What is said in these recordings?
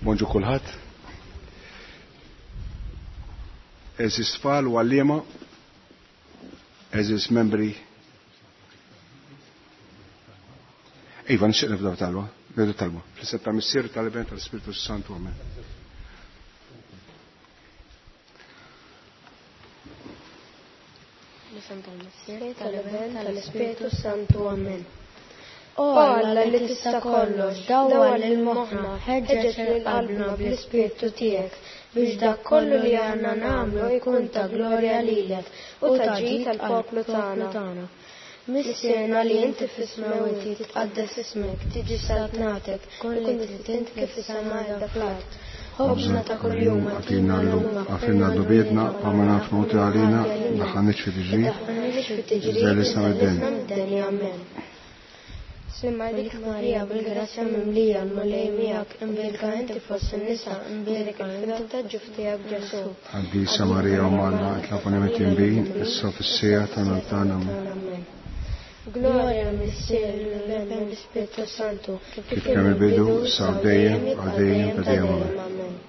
Bonġu kulħadd. Eżis tfal u għalliema, eżis membri. Iva, nixtieq nibdew talba, nibdew talba. Fl-isem tal-Missier, tal-Iben, tal-Ispirtu Santu, amen. L-isem tal-Missier, tal-Iben, tal-Ispirtu Santu, amen. O Alla li tista' kollox, dawwal lil moħħna, ħeġġeġ lil qalbna bl-Ispirtu tiegħek biex dak kollu li aħna nagħmlu jkun ta' glorja lilek u ta' ġid għall-poplu tagħna. Missierna li inti fis-smewwiet, jitqaddes ismek, tiġi saltnatek, tkun li trid int kif fis-sema hekk fl-art. Ħobżna ta' kuljum Agħtina llum, aghfirna dnubietna bħalma nagħfru nagħti għalina, daħħalniex fi tiġrib, iżda ħlisna mid-deni. Amen. Slim għalik Marija, bil-grazzja mimlija, l-Mulej miegħek, imbierka inti fost in-nisa, imbierek il-frott ta' ġuf tiegħek Ġesù. Qaddisa Marija Omm Alla, itlob għalina midinbin, issa u fis-siegħa ta' mewt tagħna. Amen. Glorja lill-Missier, lill-Iben, lill-Ispirtu Santu, kif kien mill-bidu, issa u dejjem, għal dejjem ta' dejjem. Amen.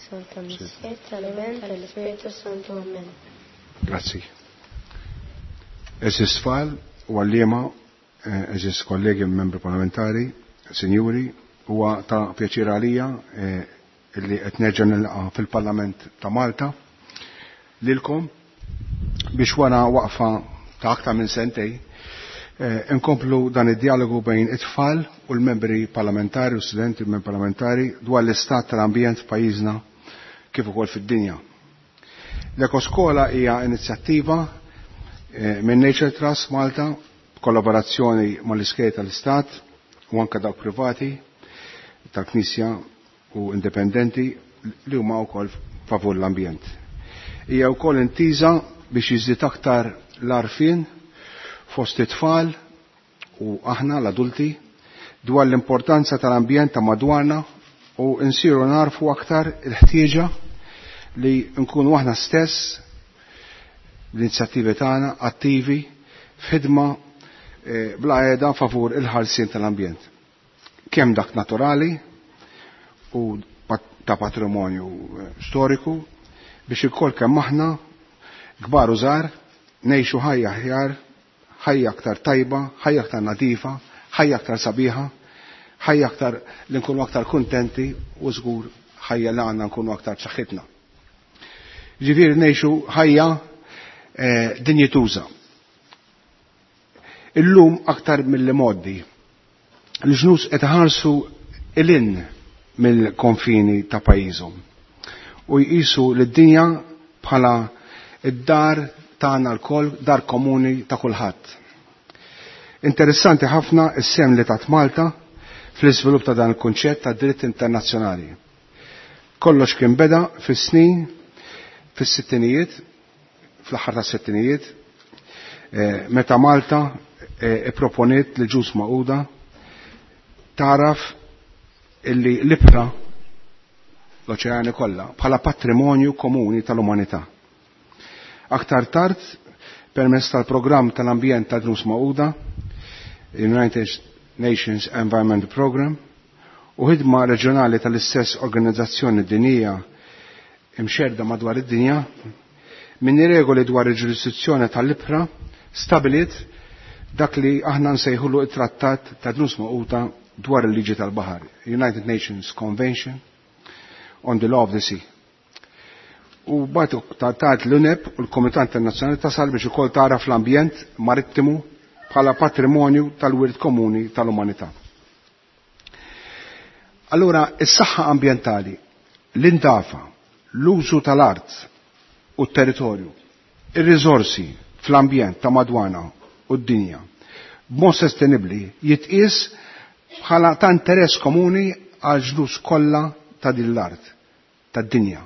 Santa Missier, tal-Iben, tal-Ispirtu Santu. Amen. Grazzi. Eżis tfal u għalliema, eżis kollegi membri parlamentari, sinjuri, huwa ta' pjaċir għalija illi qed nerġa' nilqa' fil-Parlament ta' Malta lilkom biex wara waqfa ta' aktar minn sentej inkomplu dan id-dialogu bejn it-tfal u l-membri parlamentari u studenti u membri parlamentari dwar l-istat tal-ambjent f'pajjiżna kif ukoll fid-dinja. L-Ekoskola hija inizjattiva minn Nature Trust Malta b'kollaborazzjoni mal-iskejjel tal-Istat u anke dawk privati tal-Knisja u indipendenti li huma wkoll favur l-ambjent. Hija wkoll intiża biex jiżdied aktar l-għarfien fost it-tfal u aħna l-adulti dwar l-importanza tal-ambjent ta' madwarna u nsiru narfu aktar il-ħtieġa li nkunu aħna stess l-inizjattivi tagħna attivi f'ħidma bla qiegħda favur il-ħarsien tal-ambjent. Kemm dak naturali u ta' patrimonju storiku biex ikoll kemm aħna kbar u żgħar ngħixu ħajja aħjar, ħajja aktar tajba, ħajja aktar nadifa, ħajja aktar sabiħa, ħajja aktar li nkunu aktar kuntenti u żgur ħajja li għandna nkunu aktar b'saħħitna. Ġifieri ngħixu ħajja dinjituża. Illum aktar mill-li moddi, l-ġnus qed iħarsu ilin mill-konfini ta' pajjiżhom u jqisu lid-dinja bħala id-dar tagħna lkoll, dar komuni ta' kulħadd. Interessanti ħafna s-sem li tat Malta fl-iżvilupp ta' dan il-kunċett ta' dritt internazzjonali. Kollox kien beda fis-snin, fis-sittinijiet, fl-aħħar tas-sittinijiet, meta Malta ipproponiet li ġus Magħquda taraf illi l-ibħra l-oċeani kollha bħala patrimonju komuni tal-umanità. Aktar tard, permezz tal-programm tal-ambjent ta' Ġnus Magħquda, United Nations Environment Program, u ħidma reġjonali tal-istess organizzazzjoni dinjija imxerda madwar id-dinja, minn regoli dwar il-ġurisdizzjoni tal-ibħra stabilit dak li aħna nsejħulu it-trattat ta' Ġnus Magħquda dwar il-liġi tal-baħar, United Nations Convention on the Law of the Sea. U bat tard l-UNEP u l-Komitat Internazzjonali tasal biex ukoll tara fl-ambjent marittimu bħala patrimonju tal-wirt komuni tal-umanità. Allura, is-saħħa ambjentali, l-indafa, l-użu tal-art u t-territorju, ir-riżorsi fl-ambjent ta' madwana u d-dinja, b'mod sostenibbli jitqies bħala ta' interess komuni għal ġnus kollha ta' din l-art, tad-dinja.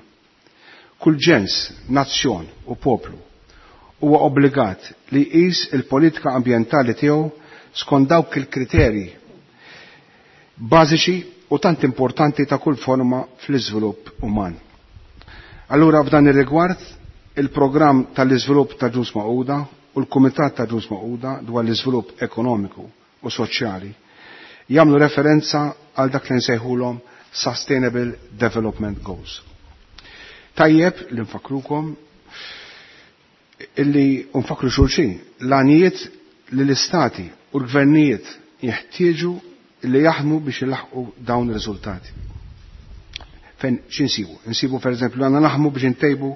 Kull ġens, nazzjon u poplu huwa obbligat li jqis il-politika ambjentali tiegħu skont dawk il-kriterji bażiċi u tant importanti ta' kull forma fl-iżvilupp uman. Allura f'dan ir-rigward, il-programm tal-iżvilupp ta' Ġnus Magħquda u l-Kumitat ta' Ġnus Magħquda dwar l-iżvilupp ekonomiku u soċjali jagħmlu referenza għal dak li nsejħulhom Sustainable Development Goals. Tajjeb li nfakrukom illi nfakru xulxin l-għanijiet li l-istati u l-gvernijiet jeħtieġu li jaħdmu biex ilaħqu dawn ir-riżultati. Fejn x'insibu? Insibu pereżempju għandna naħdmu biex intejbu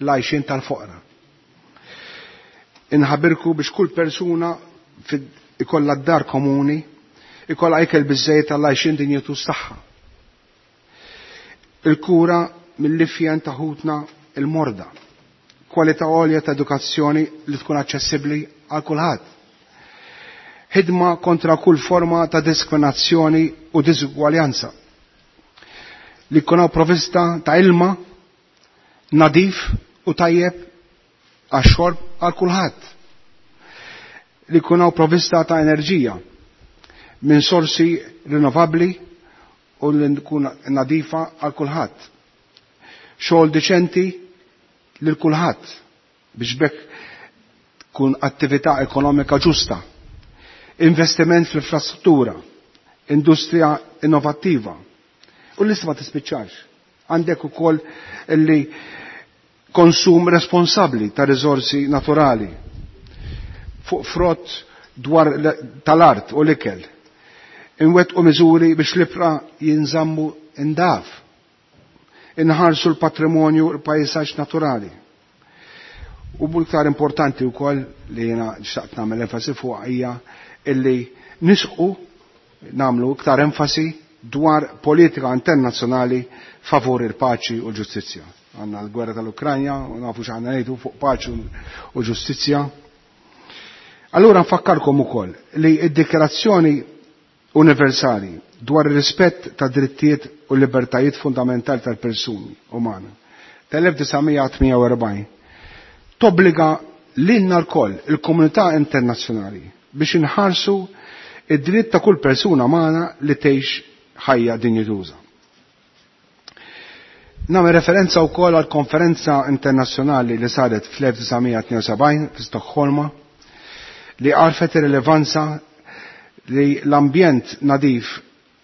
l-għajxien tal-foqra. Inħabirku biex kull persuna ikollha d-dar komuni, ikollha ikel biżejjed tal-għajxien dinjetu tagħha. Il-kura mill-lifjen ta' ħutna il-morda. Kwalità għolja ta' edukazzjoni li tkun aċċessibbli għal kulħadd. Ħidma kontra kull forma ta' diskriminazzjoni u diżugwaljanza. Li jkun hawn provvista ta' ilma nadif u tajjeb għax-xorb għal kulħadd. Li jkun hawn provvista ta' enerġija minn sorsi rinnovabbli u li tkun nadifa għal kulħadd. Xogħol diċenti lil kulħadd biex bekk tkun attività ekonomika ġusta. Investiment fl-infrastruttura, industrija innovattiva. U l-lista ma tispiċċax. Għandek ukoll li konsum responsabbli ta' riżorsi naturali fuq frott dwar tal-art u l-ikel. Inwettqu miżuri biex l-ibra jinżammu indaf. Inħarsu l-patrimonju u l-pajsaġġ naturali. U iktar importanti wkoll li jiena xtaqt nagħmel enfasi fuq hija illi nisqu nagħmlu iktar enfasi dwar politika internazzjonali favur il-paċi u l-ġustizzja. Għandna l-gwerra tal-Ukranja u nafu x'għandna ngħidu fuq paċi u ġustizzja. Allura nfakkarkom ukoll li d-dikjarazzjoni universali dwar ir-rispett ta' drittijiet u libertajiet fundamentali tal-persuni umana tal-1948 tobbliga lilna lkoll il-komunità internazzjonali biex inħarsu id-dritt ta' kull persuna umana li tgħix ħajja dinjituża. Nagħmel referenza wkoll għal konferenza internazzjonali li saret fl-1972 fi Stokholma li għarfet ir-rilevanza li l-ambjent nadif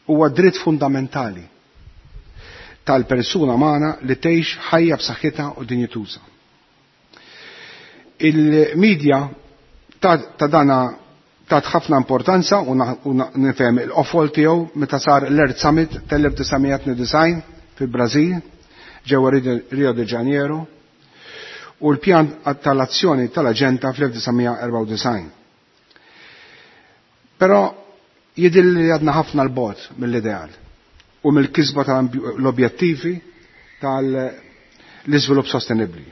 huwa dritt fundamentali tal-persuna magħna li tgħix ħajja b'saħħitha u dinjituża. Il-medja ta' dana tat ħafna importanza u nifhem il-qofol tiegħu meta sar l-Earth Summit tal-1992 fil-Brażil ġewwa Rio de Janeiro u l-pjan tal-azzjoni tal-aġenda fl-1994. Però jidhir li għadna ħafna l-bogħod mill-ideal u mill-kisba tal-objettivi tal-iżvilupp sostenibbli.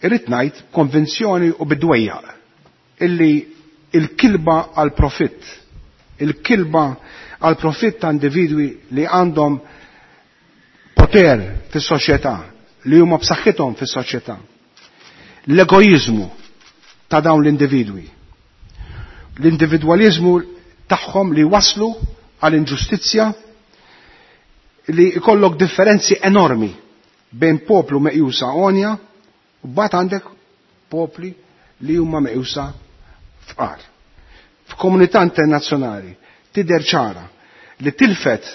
Irrid ngħid konvinzjoni u bidwejjaq illi il-kilba għal profitt, il-kilba għal profitt ta' individwi li għandhom poter fis-soċjetà, li huma b'saħħithom fis-soċjetà. L-egoizmu ta' dawn l-individwi. L-individwalizmu tagħhom li waslu għal inġustizzja li jkollok differenzi enormi bejn poplu meqjusa għonja u bat għandek popli li huma meqjusa fqar. F'komunità internazzjonali tidher ċara li tilfet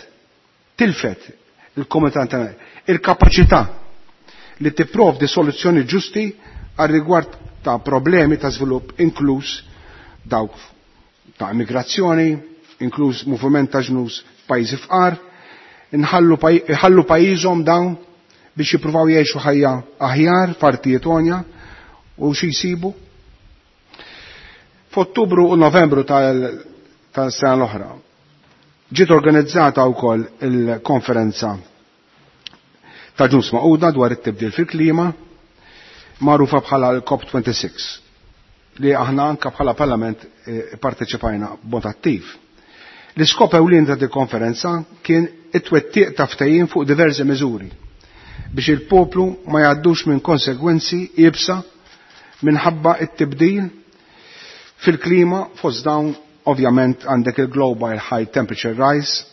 il-komunità internazzjonali il-kapaċità li tipprovdi soluzzjoni ġusti għal rigward ta' problemi ta' żvilupp inkluż dawk ta' immigrazzjoni, inkluż moviment ta' ġnus pajjiżi fqar, inħallu pajjiżhom dawn biex jippruvaw jgħixu ħajja aħjar f'artijiet għonja u xi jsibu. F'Ottubru u Novembru tal-sena l-oħra ġiet organizzata wkoll il-konferenza ta' Ġnus Magħquda dwar it-tibdil fil-klima magħrufa bħala l-COP26 li aħna anka bħala parlament parteċipajna b'mod attiv. L-iskop ewlien ta' di konferenza kien it-twettiq ta' ftehim fuq diversi miżuri biex il-poplu ma jgħaddux minn konsegwenzi iebsa minħabba it-tibdil fil-klima fost dawn ovvjament għandek il-global high temperature rise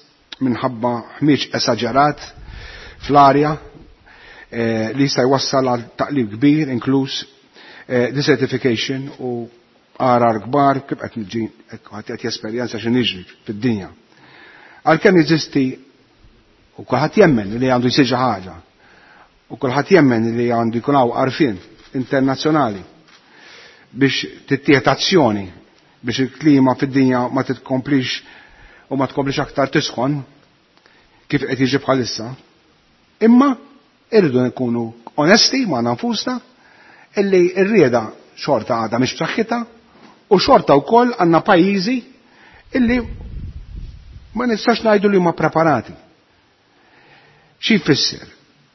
minħabba ħmieġ esaġerat fl-arja li jista' jwassal għal taqlib kbir inkluż desertification u għarar kbar kif qed niġi qed jesperjenza xi niġri fid-dinja. Għalkemm jeżisti U kulħadd jemmen li għandu jsir xi ħaġa. U kulħadd jemmen li għandu jkun hawn għarfien internazzjonali biex tittieħed azzjoni biex il-klima fid-dinja ma titkomplix u ma tkomplix aktar tisħon kif qed jiġi bħalissa. Imma irridu nkunu onesti ma' nfusna illi r-rieda xorta għadha mhix b'saħħitha u xorta wkoll għandna pajjiżi illi ma nistax ngħidu li huma preparati. Xi jfisser?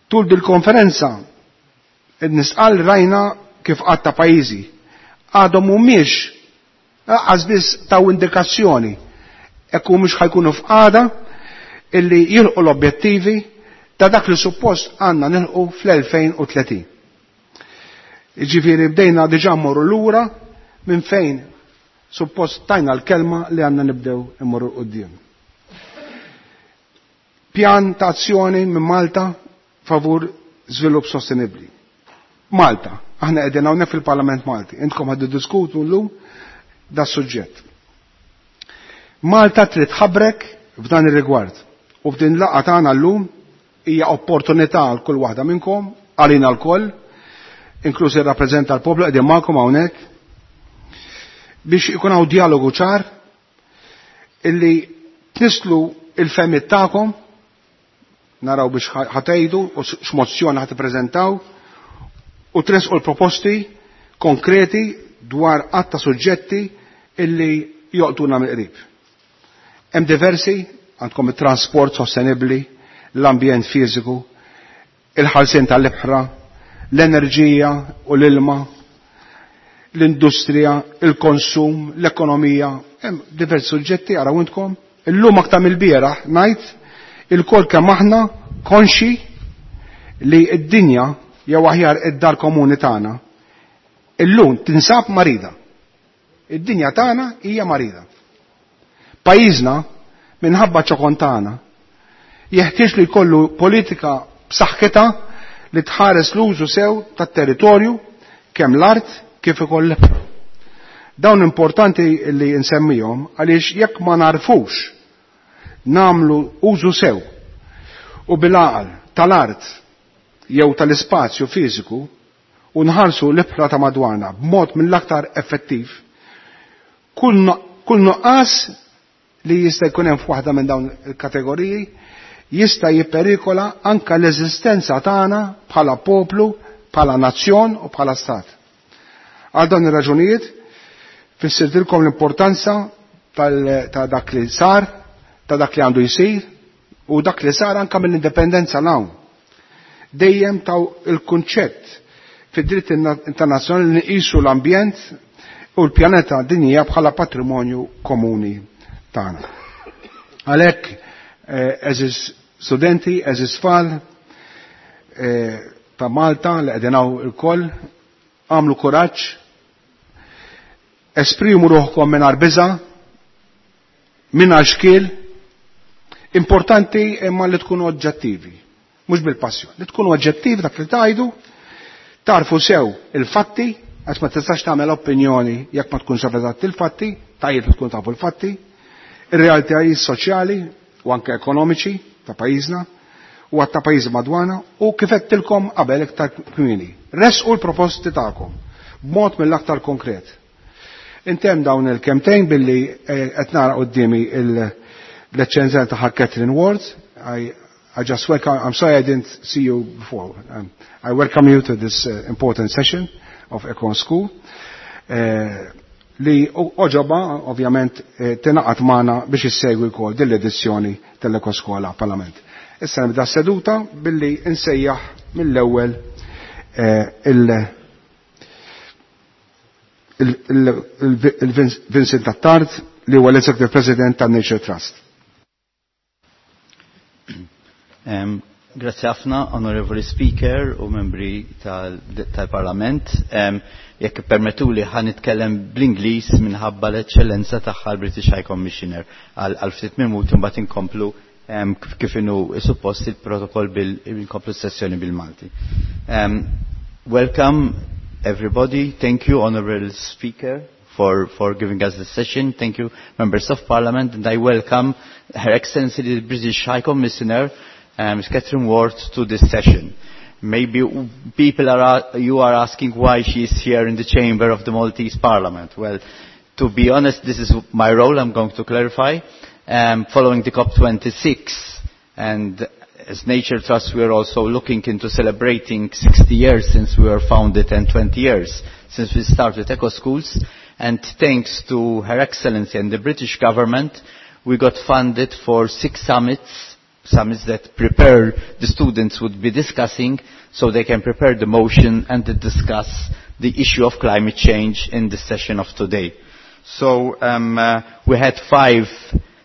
Tul dil-konferenza nisqal rajna kif għadd ta' pajjiżi għadhom mhumiex lanqas biss taw indikazzjoni jekk mhux ħa jkunu f'qagħda illi jilħqu l-objettivi ta' dak li suppost għandna nilħqu fl-2030. Ġifieri bdejna diġà mmorru lura minn fejn suppost tajna l-kelma li għandna nibdew immorru quddiem. Pjan ta' azzjoni minn Malta favur żvilupp sostenibbli. Malta, aħna qegħdin hawnhekk fil-Parlament Malti, intkom ħa tiddiskutu llum da suġġett. Malta trid tħabrek f'dan ir-rigward u f'din laqgħa tagħna llum hija opportunità għal kull waħda minnkom, għalina lkoll, inkluż ir-rappreżentant tal-poplu qegħdin magħkom hawnhekk, biex ikun hawn dialogu ċar illi tnisslu il-fehmiet tagħkom, naraw biex ħa tgħidu u x'mozzjoni ħa tippreżentaw u tresqu l-proposti konkreti dwar għadd ta' suġġetti illi jolqtuna mill-qrib. Hemm diversi, għandkom it-trasport sostenibbli, l-ambjent fiżiku, il-ħarsien tal-ibħra, l-enerġija u l-ilma, l-industrija, il-konsum, l-ekonomija, hemm diversi suġġetti araw intkom. Illum aktar mill-bieraħ ngħid ilkoll kemm aħna konxi li d-dinja jew aħjar id-dar komuni tagħna illum tinsab marida. Id-dinja tagħna hija marida. Pajjiżna minħabba ċokon tagħna jeħtieġ li jkollu politika b'saħħitha li tħares l-użu sew tat-territorju kemm l-art kif ukoll l-ibħra. Dawn importanti li nsemmihom għaliex jekk ma narfux nagħmlu użu sew u bil-għaqal tal-art jew tal-ispazju fiżiku u nħarsu l-ibħra ta' madwarna b'mod mill-aktar effettiv, kull nuqqas li jista' jkun hemm f'waħda minn dawn il-kategoriji jista' jipperikola anka l-eżistenza tagħna bħala poplu, bħala nazzjon u bħala stat. Għal dawn ir-raġunijiet fissirtilkom l-importanza ta' dak li sar, ta' dak li għandu jsir u dak li sar anka mill-indipendenza 'l hawn. Dejjem taw il-kunċett fid-dritt internazzjonali li nqisu l-ambjent u l-pjaneta dinjija bħala patrimonju komuni tagħna. Għalhekk, għeżież studenti, għeżież tfal ta' Malta li qegħdin hawn ilkoll, għamlu kuraġġ, esprimu ruħkom mingħajr biża', mingħajr xkiel, importanti imma li tkunu oġġettivi, mhux bil-passjoni, li tkunu oġġettivi dak li tgħidu, tarfu sew il-fatti, għax ma tistax tagħmel opinjoni jekk ma tkunx eżatt il-fatti, tajjeb li tkun tafu l-fatti, ir-realtajiet soċjali u anke ekonomiċi ta' pajjiżna u għadd ta' pajjiżi madwarna u kif għedtilkom qabel iktar kmieni. Resqu l-proposti tagħkom b'mod mill-aktar konkret. Intemm dawn il-kelmtejn billi qed nara quddiemi l-Eċċellenza tagħha Catherine Ward. I just welcome, I'm sorry I didn't see you before. I welcome you to this important session of Econ School. Li għoġobha, ovvjament, tingħaqad magħna biex issegwi wkoll din l-edizzjoni tal-Ekoskola Parlament. Issa nibda seduta billi nsejjaħ mill-ewwel il-Vincent Attard li huwa l-Executive President tan Nature Trust. Grazie ħafna, Onorevoli Speaker u membri tal-Parlament. Jekk permettuli ħa nitkellem bl-Ingliż minħabba l-eċċellenza tagħha l-British High Commissioner għal ftit minuti, mbagħad inkomplu kif inhu suppost il-protokoll bil-inkomplu sessjoni bil-Malti. Welcome everybody. Thank you, Honorable Speaker, for giving us this session. Thank you, Members of Parliament, and I welcome Her Excellency the British High Commissioner. Ms. Catherine Ward, to this session. Maybe people are, you are asking why she is here in the chamber of the Maltese Parliament. Well, to be honest, this is my role, I'm going to clarify. Following the COP26, and as Nature Trust, we are also looking into celebrating 60 years since we were founded and 20 years since we started Eco Schools. And thanks to Her Excellency and the British government, we got funded for 6 summits, summits that prepare the students would be discussing so they can prepare the motion and to discuss the issue of climate change in the session of today. So we had 5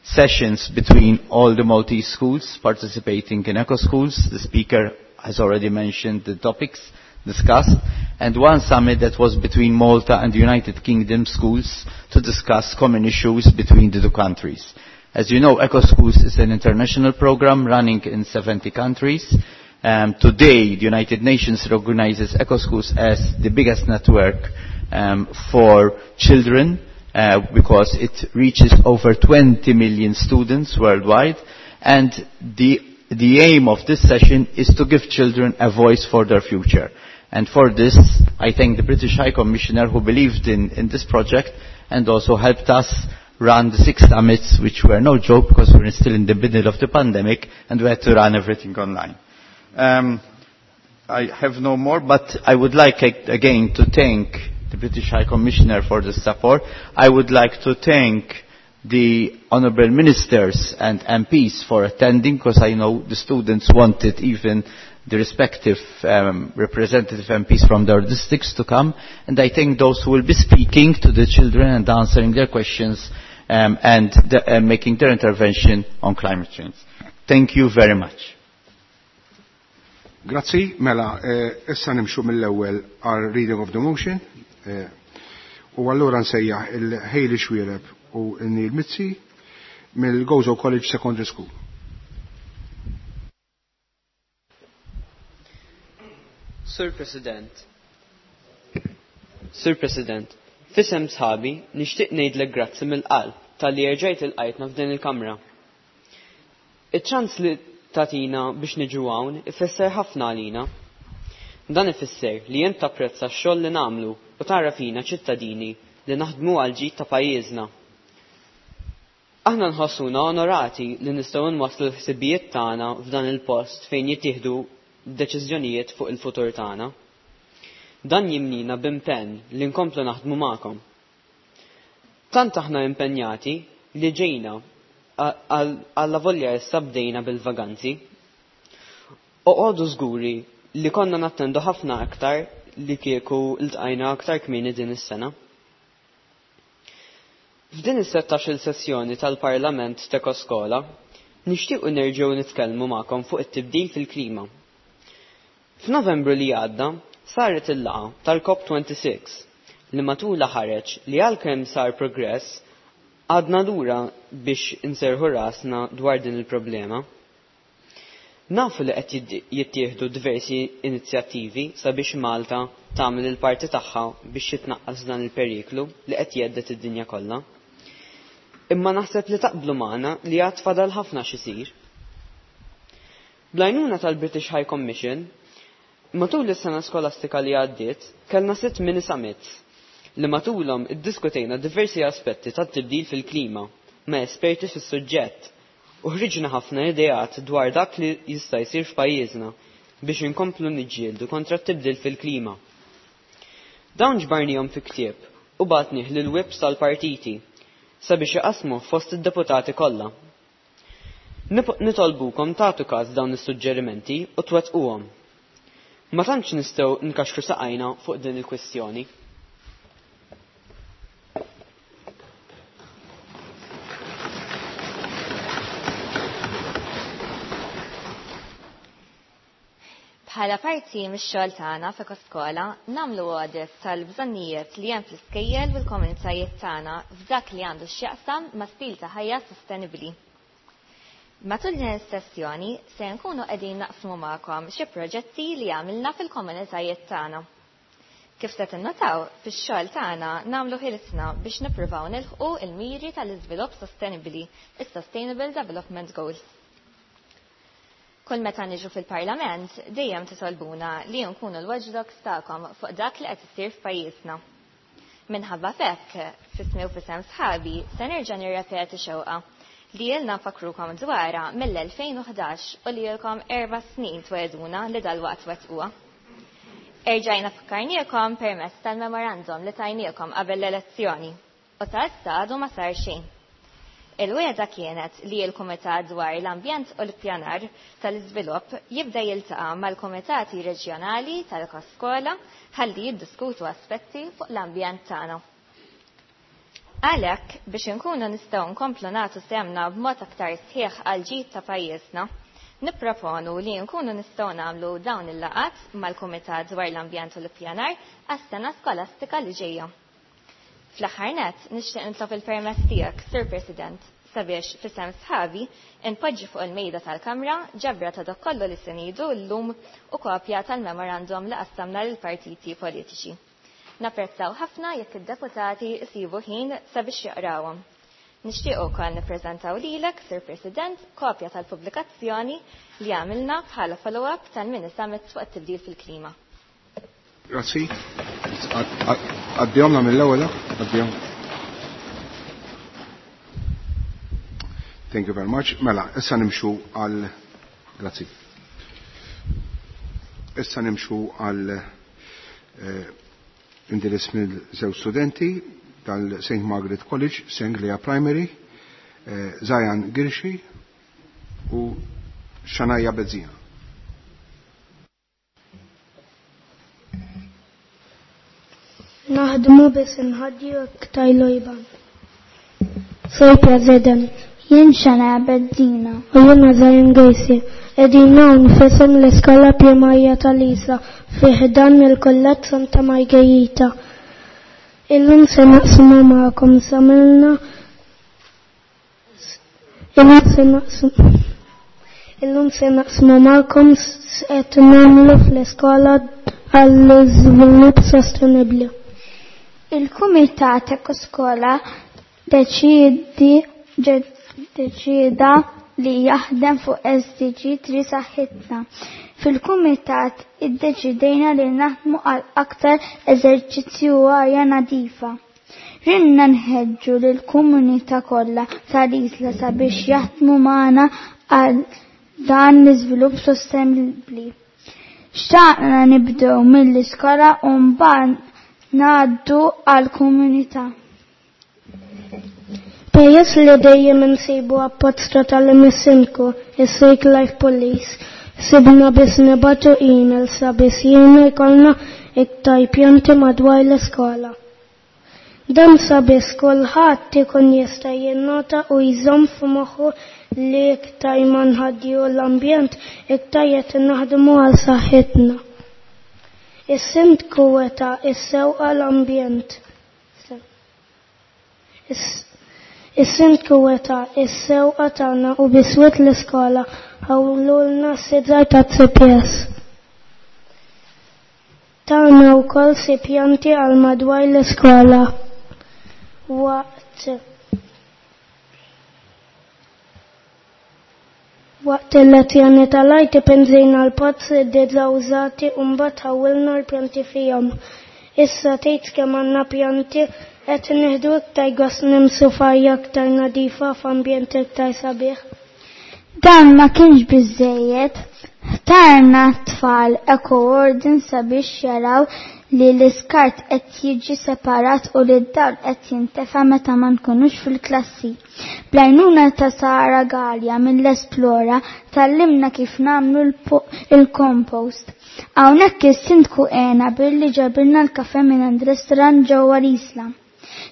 sessions between all the Maltese schools participating in Eco Schools. The speaker has already mentioned the topics discussed, and one summit that was between Malta and the United Kingdom schools to discuss common issues between the two countries. As you know, Eco Schools is an international program running in 70 countries. Today, the United Nations recognizes Eco Schools as the biggest network for children, because it reaches over 20 million students worldwide, and the aim of this session is to give children a voice for their future. And for this, I thank the British High Commissioner who believed in this project and also helped us run the 6 summits, which were no joke because we were still in the middle of the pandemic and we had to run everything online. I have no more, but I would like again to thank the British High Commissioner for the support. I would like to thank the Honourable Ministers and MPs for attending, because I know the students wanted even the respective representative MPs from their districts to come, and I thank those who will be speaking to the children and answering their questions and making their intervention on climate change. Thank you very much. Grazzi, mela, issa nimxu mill-ewwel għal reading of the motion. U allura nsejjaħ il-Hayley Xuereb u Neil Mizzi mill-Gozo College Secondary School. Sir President, fisem sħabi nixtieq ngħidlek grazzi mill-qalb talli erġajt ilqajtna f'din il-kamra. Iċ-ċans li tatina biex niġu hawn ifisser ħafna għalina. Dan ifisser li int tapprezza x-xogħol li nagħmlu u tara fina ċittadini li naħdmu għal ġid ta' pajjiżna. Aħna nħossuna onorati li nistgħu nwasslu l-ħsibijiet tagħna f'dan il-post fejn jittieħdu deċiżjonijiet fuq il-futur tagħna. Dan jimnina b'impenn li nkomplu naħdmu magħkom. Tant aħna impenjati li ġejna għalla volja issa bdejna bil-vaganzi. Oqogħdu żguri li konna nattendu ħafna aktar li kieku ltqajna aktar kmieni din is-sena. F'din is-16-il sessjoni tal-Parlament t'Ekoskola nixtiequ nerġgħu nitkellmu magħkom fuq it-tibdil fil-klima. F'Novembru li għadda saret il-laqgħa tal-COP26 li matulha ħareġ li għalkemm sar progress għadna lura biex inserħu rasna dwar din il-problema. Nafu li qed jittieħdu diversi inizjattivi sabiex Malta tagħmel il-parti tagħha biex jitnaqqas dan il-periklu li qed jgħeddet id-dinja kollha. Imma naħseb li taqblu magħna li għad fadal ħafna x'isir. Bl-għajnuna tal-British High Commission, matul is-sena skolastika li għaddiet, kellna 6 mini summits li matulhom iddiskutejna diversi aspetti tat-tibdil fil-klima ma' esperti fis-suġġett u ħriġna ħafna ideat dwar dak li jista' jsir f'pajjiżna biex inkomplu niġġieldu kontra t-tibdil fil-klima. Dawn ġbarnihom fi ktieb u bagħtnih lil whips tal-partiti sabiex iqasmu fost id-deputati kollha. Nitolbukom tagħtu każ dawn is-suġġerimenti u twettquhom. Ma tantx nistgħu nkaxkru saqajna fuq din il-kwistjoni. Bħala parti mix-xogħol tagħna f'Ekoskola nagħmlu audit tal-bżonnijiet li hemm fl-iskejjel u l-komunitajiet tagħna f'dak li għandu x'jaqsam ma' stil ta' ħajja sostenibbli. Matul din is-sessjoni se nkunu qegħdin naqsmu magħkom xi proġetti li għamilna fil-komunitajiet tagħna. Kif se tinnotaw, fix-xogħol tagħna nagħmlu ħilitna biex nippruvaw nilħqu l-miri tal-iżvilupp sostenibbli, is-Sustainable Development Goals. Kull meta niġu fil-Parlament dejjem titolbuna li nkunu l-watchdogs tagħkom fuq dak li qed isir f'pajjiżna. Minħabba fekk, fismi u fisem sħabi, se nerġa' nirrepeti xewqa li ilna nfakkrukom dwarha mill-2011 u li ilkom 4 snin twegħduna li dalwaqt wettquha. Erġajna fakkarniekom permezz tal-memorandum li tajniekom qabel l-elezzjoni u sa issa għadu ma sar xejn. Il-wegħda kienet li l-Kumitat dwar l-Ambjent u l-Pjanar tal-Iżvilupp jibda jiltaqa' mal-Kumitati Reġjonali tal-Ekoskola ħalli jiddiskutu aspetti fuq l-ambjent tagħna. Għalhekk biex inkunu nistgħu nkomplu nagħtu semna b'mod aktar sħiħ għal ġid ta' pajjiżna, nipproponu li nkunu nistgħu nagħmlu dawn il-laqgħat mal-Kumitat dwar l-Ambjent u l-Ippjanar għas-sena skolastika li ġejja. Fl-aħħar nett nixtieq nitlob il-permess tiegħek, Sur President, sabiex f'isem sħabi npoġġi fuq il-mejda tal-Kamra ġabra ta' dak kollu li se ngħidu llum u kopja tal-memorandum li qassamna lill-partiti politiċi. Napprezzaw ħafna jekk id-deputati jsibu ħin sabiex jaqrawhom. Nixtieq ukoll nippreżentaw lilek, Sur President, kopja tal-pubblikazzjoni li għamilna bħala follow-up tal-mini summit fuq it-tibdil fil-klima. Grazzi. Għaddihomna mill-ewwel, għaddihom. Thank you very much. Mela, issa nimxu għal grazzi. Issa nimxu għal indirizz mill-żewġ studenti tal-St. Margaret College, Senglea Primary, Zajan Girxi u Shania Bezzina. Naħdmu biss inħaddi iktar lojban. Sur President, jien Shania Bezzina u jiena Zajan Girxi. Qegħdin hawn f'isem l-Iskola Primarja tal-Isla fi ħdan il-Kulleġġ Santa Margherita. Illum se naqsmu magħkom samilna Illum se naqsmu Illum se naqsmu magħkom x'qed nagħmlu fl-iskola għall-iżvilupp sostenibbli. Il-Kumitat Ekoskola deċida li jaħdem fuq SDG 3 saħħitna. Fil-Kumitat iddeċidejna li naħdmu għal aktar eżerċizzju u arja nadifa. Rinna nħeġġu lill-komunità kollha tal-Isla sabiex jaħdmu magħna għal dan l-iżvilupp sostenibbli. Xtaqna nibdew mill-iskola u mbagħad ngħaddu għall-komunità. Peress li dejjem insibu appoġġ totali mis-sindku, is-Safe Life Police, sibna biss nibatu email sabiex jiena jkollna iktar pjanti madwar l-iskola. Dan sabiex kulħadd ikun jista' jinnota u jżomm f'moħħu li iktar ma nħaddiju l-ambjent iktar qed naħdmu għal saħħitna. Is-sindku weta is-sewqa l-ambjent. Is-sindku weta is-sewqa tagħna u biswit l-iskola ħawlulna s-sidżar ta' CPS. Tagħna wkoll si pjanti għal madwar l-iskola. Waqt il-lezzjoni tal-arti pinżejna l-pozz id-didla użati u mbagħad ħawwilna l-pjanti fihom. Issa tgħid kemm għandna pjanti qed nieħdu iktar gost nimsu f'arja aktar nadifa f'ambjent iktar sabiħ. Dan ma kienx biżejjed. Ħtarna tfal eco-warden sabiex jaraw li l-iskart qed jiġi separat u li d-dawl qed jintefa' meta ma nkunux fil-klassi. Bl-għajnuna ta' Sara Gallia mill-Esplora tallimna kif nagħmlu il-compost. Hawnhekk is-sindku għena billi ġabilna l-kafe minn għand restaurant ġewwa l-Isla.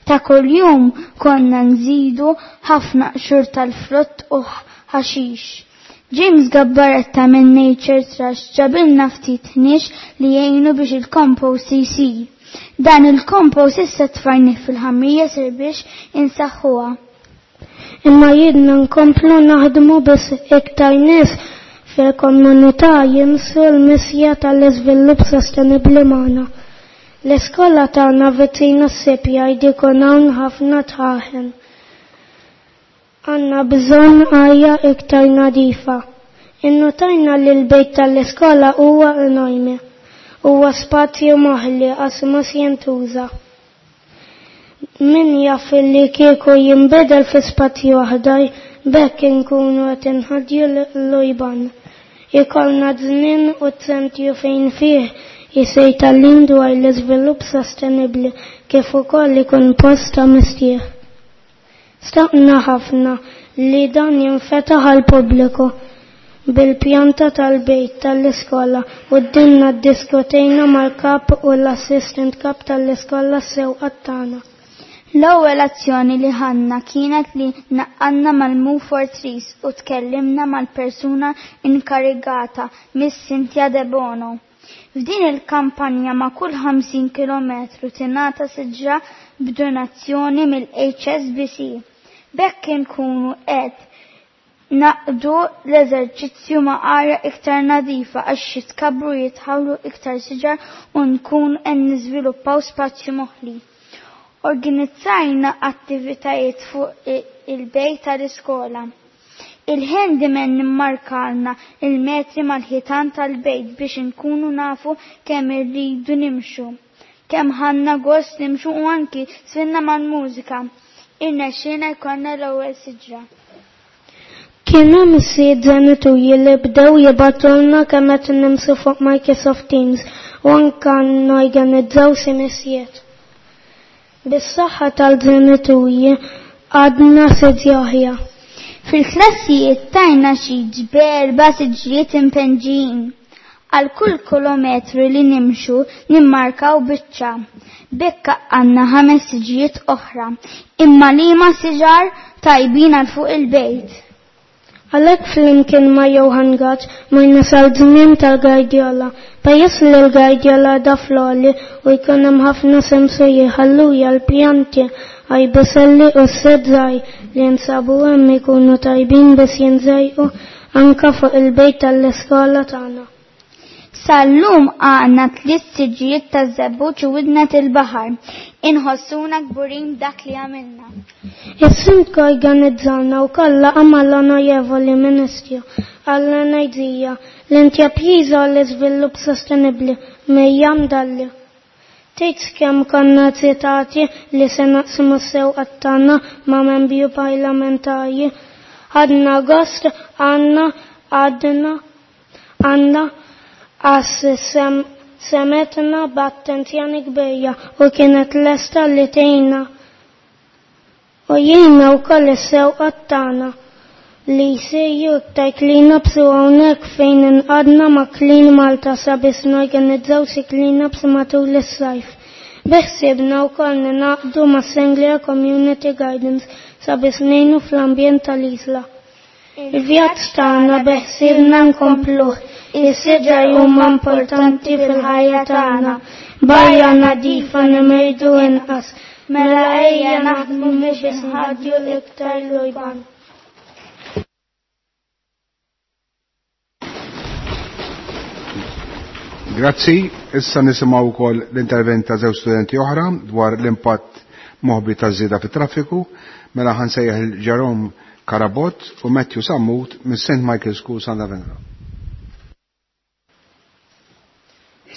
Ta' kuljum konna nżidu ħafna qxur tal-frott u ħaxix. James Gabbaretta minn Nature Trust ġabilna ftit ħniex li jgħinu biex il-compost jsir. Dan il-compost issa tfajnih fil-ħamrija sir biex insaħħuha. Imma jidna nkomplu naħdmu biex iktar nies fil-komunità jimsu l-misja tal-iżvilupp sostenibbli magħna. L-iskola tagħna viċin s-sipja jdikun hawn ħafna tħaħen. Għanna bżonn arja iktar nadifa. Innotajna li l-bejt tal-iskola huwa enormi. Huwa spazju moħli għas mhux jintuża. Min jaf li kieku jinbidel fi spazju aħdar b'hekk inkunu qed inħaddju l-lojban. Ikollna żmien u ċentru fejn fih isir tagħlim dwar l-iżvilupp sostenibbli kif ukoll ikun post ta' mistieħ. Staqna ħafna li dan jinfetaħ għall-pubbliku bil-pjanta tal-bejt tal-iskola u dinna ddiskutejna mal-kap u l-assistant kap tal-iskola s-sewqat tagħna. L-ewwel azzjoni li ħadna kienet li naqanna mal-Move for Trees u tkellimna mal-persuna inkarigata, Miss Cynthia De Bono. F'din il-kampanja ma' kull 50 km tingħata siġra b'donazzjoni mill-HSBC. B'hekk inkunu qed naqdu l-eżerċizzju ma' arja iktar nadifa għax jitkabbru jitħawlu iktar siġar u nkun qed niżviluppaw spazju moħli. Organizzajna attivitajiet fuq il-bejt tal-iskola. Il-handyman nimmarkalna il-metri mal-ħitan tal-bejt biex inkunu nafu kemm irridu nimxu. Kemm ħanna gost nimxu u anki sfinna mal-mużika. Irnexxielna jkollna l-ewwel siġra. Kien hemm sitt ġenituri li bdew jibgħatulna kemm qed nimxu fuq Microsoft Teams u anke norganizzaw xi mixjiet. Bis-saħħa tal-ġenituri għadna siġra oħra. Fil-klassijiet tajna xi ġberba siġriet impenġijin. Għal kull kilometru li nimxu nimmarkaw biċċa. B'hekk għandna 5 siġriet oħra, imma liema siġar tajbin għal fuq il-bejt. Għalhekk flimkien ma' Johan Gatt morna sal-żmien tal-Gardjola. Peress li l-Gardjola da floli u jkun hemm ħafna semsuri ħalluja l-pjanti għajbuselli u s-sedzaj li jinsabu hemm ikunu tajbin biex jinżejqu anka fuq il-bejt tal-iskola tagħna. Sal-lum għandna 3 siġijiet ta' żebbuġ u widnet il-baħar. Inħossuna kburin dak li għamilna. Is-sindku organizzalna wkoll laqgħa mal-Onorevoli Ministru għall-Enerġija, l-Intrapriża u l-Iżvilupp Sostenibbli Miriam Dalli. Tgħid kemm konna ċitati li se naqsmu s-sewqat tagħna ma' membri parlamentari. Ħadna gost għandna għadna għandna għas semetna b'attenzjoni kbira u kienet lesta li tgħinna. U jiena wkoll is-sewqat tagħna li jsiru iktar clean-ups u hawnhekk fejn inqadna ma' Clean Malta sabiex norganizzaw xi clean-ups matul is-sajf. Biħsiebna wkoll ninaqdu ma' Senglea Community Gardens sabiex ngħinu fl-ambjent tal-isla. Il-vjaġġ tagħna beħsiebna nkompluh. Is-siġar huma importanti fil-ħajja tagħna. Barra nadifa nimirdu inqas. Mela ejja naħdmu biex nħaddu iktar lujban. Grazzi, issa nisimgħu wkoll l-intervent ta' żewġ studenti oħra dwar l-impatt moħbi taż-żieda fit-traffiku. Mela ħansejjaħ il-Jerome Karabot u Matthew Sammut minn St. Michael School Santa Venera.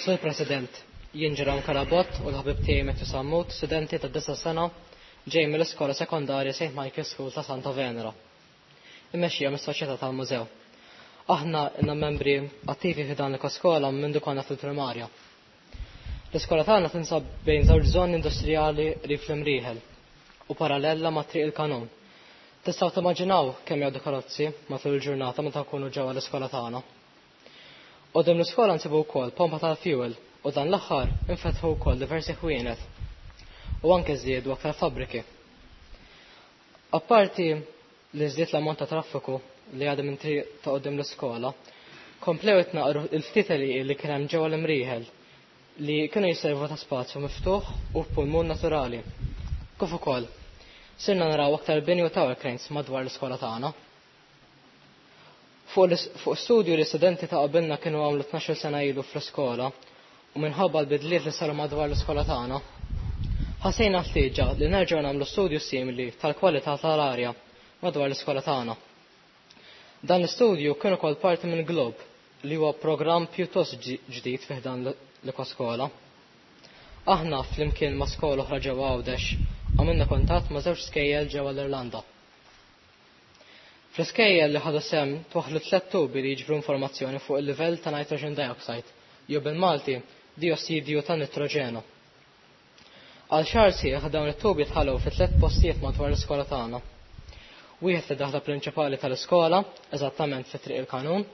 Sur President, jien Jerome Karabot u l-ħabib tiegħi Matthew Sammut, studenti ta' 9 sena, ġej mill-iskola sekondarja St. Michael School ta' Santa Venera. Immexxija mis-Soċjetà tal-Mużew. Aħna inna membri attivi fi dan l-ekoskola minn konna fil-primarja. L-iskola tagħna tinsab bejn żewġ żoni industrijali qrib fl-Imrieħel u parallella ma' Triq il-Kanun. Tistgħu timmaġinaw kemm jgħaddu karozzi matul il-ġurnata meta nkunu ġewwa l-iskola tagħna. Qudiem l-iskola nsibu wkoll pompa tal-fuel u dan l-aħħar infetħu wkoll diversi ħwienet u anke żdiedu aktar fabbriki. Apparti li żdied l-ammont ta' traffiku li għadha minn triq ta' qudiem l-iskola, komplew itnaqru l-ftit li kien hemm ġewwa l-Imrieħel li kienu jservu ta' spazju miftuħ u pulmun naturali. Kif ukoll, sirna naraw aktar bini u tower cranes madwar l-iskola tagħna. Fuq studju li studenti ta' qabilna kienu għamlu 12 sena ilu fl-iskola u minħabba l-bidliet li saru madwar l-iskola tagħna, ħassejna ħtieġa li nerġgħu nagħmlu studju simili tal-kwalità tal-arja madwar l-iskola tagħna. Dan l-istudju kien ukoll parti minn Globe, li huwa programm pjuttost ġdid fi ħdan l-Ekoskola. Aħna flimkien ma' skola oħra ġewwa Għawdex għamilna kuntatt ma' żewġ skejjel ġewwa l-Irlanda. Fl-iskejjel li ħadu sehem twaħħlu tliet tubi li jiġbru informazzjoni fuq il-livell ta' nitrogen dioxide, jew bil-Malti diossidju ta' nitroġenu. Għal xahar sħiħ dawn it-tubi tħallew fi tliet postijiet madwar l-iskola tagħna. Wieħed fid-daħla prinċipali tal-iskola, eżattament fi Triq il-Kanun,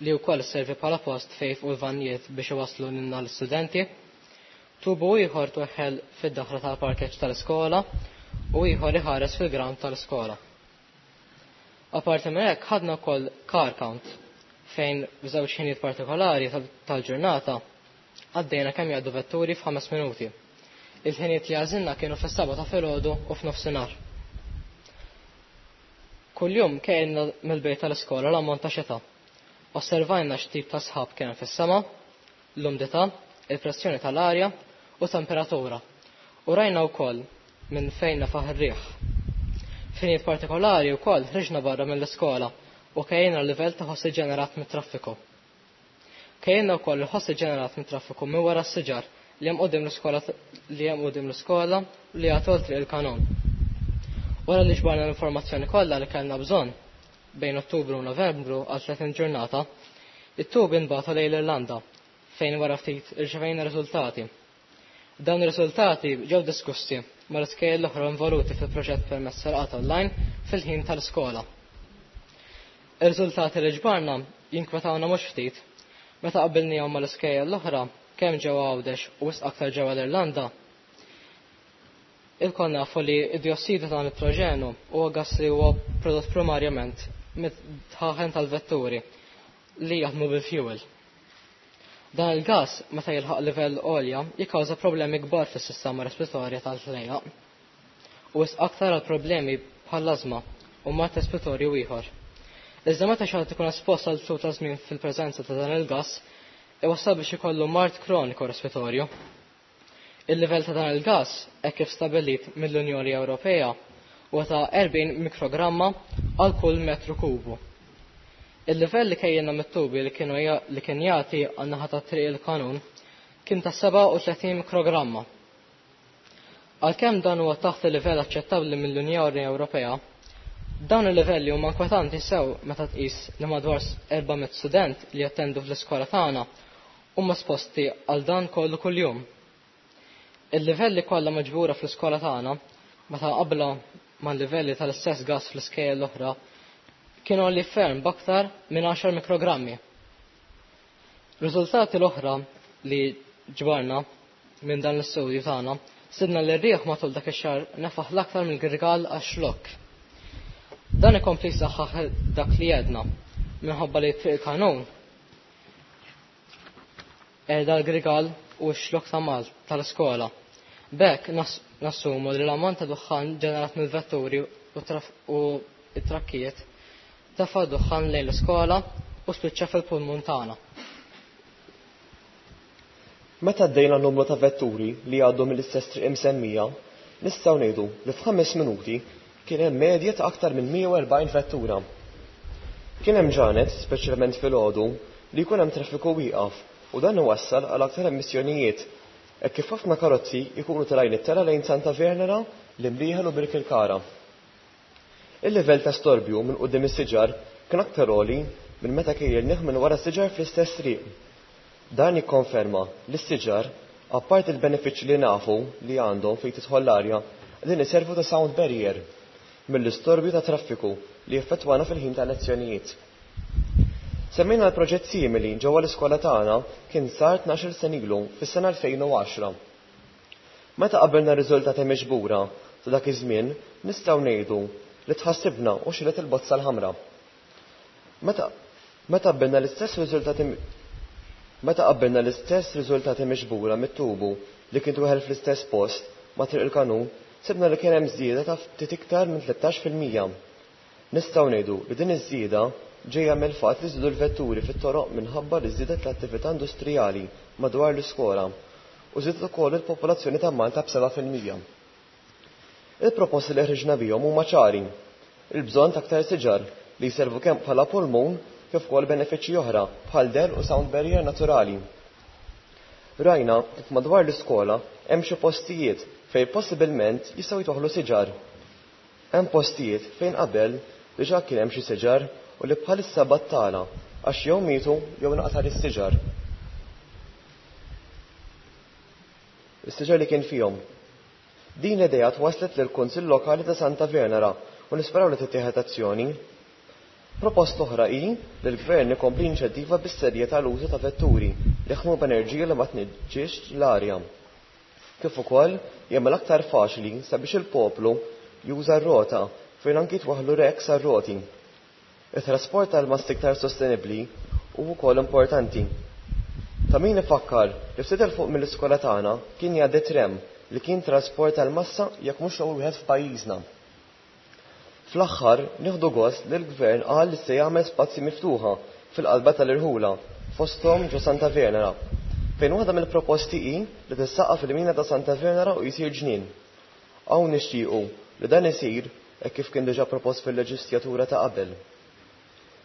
li wkoll isservi bħala post fejn jifqu l-vannijiet biex iwasslu lilna l-istudenti. Tubu ieħor tweħħel fid-daħla tal-parkeġġ tal-iskola u ieħor iħares fil-ground tal-iskola. Apparti minn hekk ħadna wkoll car count fejn f'żewġ ħinijiet partikolari tal-ġurnata għaddejna kemm jgħaddu vetturi f'ħames minuti. Il-ħinijiet li għażilna kienu fis-seba' ta' filgħodu u f'nofsinhar. Kuljum kejjilna mill-bejt tal-iskola l-ammont ta' xita. Osservajna x'tip ta' sħab kien hemm fis-sema, l-umdità, il-pressjoni tal-arja u temperatura. U rajna wkoll minn fejn nefaħ ir-riħ. F'ħinijiet partikolari wkoll ħriġna barra mill-iskola u kejjilna l-livell ta' ħoss iġġenerat mit-traffiku. Kejjilna wkoll il-ħoss iġġenerat mit-traffiku minn wara s-siġar li hemm quddiem l-iskola li hemm quddiem l-iskola li jagħtu għal Triq il-Kanun. Wara li ġbarna l-informazzjoni kollha li kellna bżonn bejn Ottubru u Novembru għal 30 ġurnata, it-tubi nbagħtu lejn l-Irlanda fejn wara ftit irċevejna riżultati. Dawn ir-riżultati ġew diskussi mal-iskejjel l-oħra involuti fil-proġett permezz tal-qgħad online fil-ħin tal-iskola. Ir-riżultati li ġbarna jinkwetawna mhux ftit. Meta qabbilnihom mal-iskejjel l-oħra, kemm ġewwa Għawdex u wisq aktar ġewwa l-Irlanda, ilkoll nafu li d-diossidu ta' nitroġenu huwa gass li huwa prodott primarjament mid-dħaħen tal-vetturi li jaħdmu bil-fuel. Dan il-gass, meta jilħaq livell għolja, jikkawża problemi kbar fis-sistema respiratorja tal-ħlejjaq u wisq aktar għal problemi bħall-ażma u mard respiratorju ieħor. Iżda meta xi ħadd ikun espost għal tul ta' żmien fil-preżenza ta' dan il-gass, iwassal biex ikollu mard kroniku respiratorju. Il-livell ta' dan il-gass, hekk kif stabbilit mill-Unjoni Ewropea, huwa ta' 40 mikrogramma għal kull metru kubu. Il-livell li kejjilna mit-tubi li kienu li kien jagħti għan-naħa ta' Triq il-Kanun kien ta' 37 mikrogramma. Għalkemm dan huwa taħt il-livell aċċettabbli mill-Unjoni Ewropea, dawn il-livelli huma inkwetanti sew meta tqis li madwar 400 student li jattendu fl-iskola tagħna huma esposti għal dan kollu kuljum. Il-livelli kollha miġbura fl-iskola tagħna meta qabla mal-livelli tal-istess gass fl-iskejjel l-oħra kienu għoli ferm b'aktar minn 10 mikrogrammi. Riżultati l-oħra li ġbarna minn dan l-istudju tagħna sibna li r-riħ matul dak ix-xahar nefaħ l-aktar mill-Grigal għax-xlokk. Dan ikompli jsaħħaħ dak li għedna minħabba li Triq il-Kanun qiegħda l-Grigal u x-xlokk ta' Malta tal-iskola. B'hekk nassumu li l-ammont ta' duħħan ġenerat mill-vetturi u t-trakkijiet tefa' duħħan lejn l-iskola u spiċċa fil-pulmun tagħna. Meta għaddejna numru ta' vetturi li jgħaddu mill-istess triq imsemmija, nistgħu ngħidu li f'ħames minuti kien hemm medja ta' aktar minn 140 vettura. Kien hemm ġranet, speċjalment filgħodu, li jkun hemm traffiku wieqaf u dan iwassal għal aktar emissjonijiet hekk kif ħafna karozzi jkunu telgħin it-telgħa lejn Santa Venera, l-Imrieħel u Birkirkara. Il-livell ta' storbju minn quddiem is-siġar kien aktar għoli minn meta kejjilnih minn wara s-siġar fl-istess triq. Dan jikkonferma li s-siġar, apparti l-benefiċċji li nafu li għandhom fejn tidħol l-arja, qegħdin iservu ta' sound barrier mill-istorbju ta' traffiku li jeffettwana fil-ħin tal-lezzjonijiet. Semmejna l-proġett simili ġewwa l-iskola tagħna kien sar 12-il sena ilu fis-sena 2010. Meta qabilna r-riżultati miġbura ta' dak iż-żmien nistgħu ngħidu li tħassibna u xegħlet il-bozza l-ħamra. Meta meta qabbilna l-istess riżultati meta qabbilna l-istess riżultati miġbura mit-tubu li kien tweħel fl-istess post ma' Triq il-Kanun sibna li kien hemm żieda ta' ftit iktar minn 13%. Nistgħu ngħidu li din iż-żieda ġejja mill-fatt li żdiedu l-vetturi fit-toroq minħabba li żdiedet l-attività industrijali madwar l-iskola u żdiedet ukoll il-popolazzjoni ta' Malta b'7%. Il-proposti li ħriġna bihom huma ċari. Il-bżonn ta' aktar siġar li jservu kemm bħala pulmun kif ukoll benefiċċji oħra bħal dell u sound barrier naturali. Rajna kif madwar l-iskola hemm xi postijiet fejn possibilment jistgħu jitwaħħlu siġar. Hemm postijiet fejn qabel diġà kien hemm xi siġar u li bħalissa battala għax jew mietu jew nqata' is-siġar. Is-siġar li kien fihom. Din l-idea twasslet lill-Kunsill Lokali ta' Santa Venera u nisperaw li tittieħed azzjoni. Proposta oħra hi li l-Gvern ikompli jinċentiva bis-serjetà l-użu ta' vetturi li jaħdmu b'enerġija li ma tniġġisx l-arja. Kif ukoll jagħmel aktar faċli sabiex il-poplu juża r-rota fejn anki jitwaħħlu racks għar-roti. It-trasport tal-massa iktar sostenibbli hu wkoll importanti. Ta' min ifakkar li ftit 'il fuq mill-iskola tagħna kien jgħaddi tram li kien trasport tal-massa jekk mhux l-ewwel wieħed f'pajjiżna. Fl-aħħar, nieħdu gost li l-Gvern qal li se jagħmel spazji miftuħa fil-qalba tal-irħula, fosthom ġo Santa Venera, fejn waħda mill-proposti hi li tissaqqaf il-mina ta' Santa Venera u jsir ġnien. Hawn nixtiequ li dan isir hekk kif kien diġà propost fil-leġislatura ta' qabel.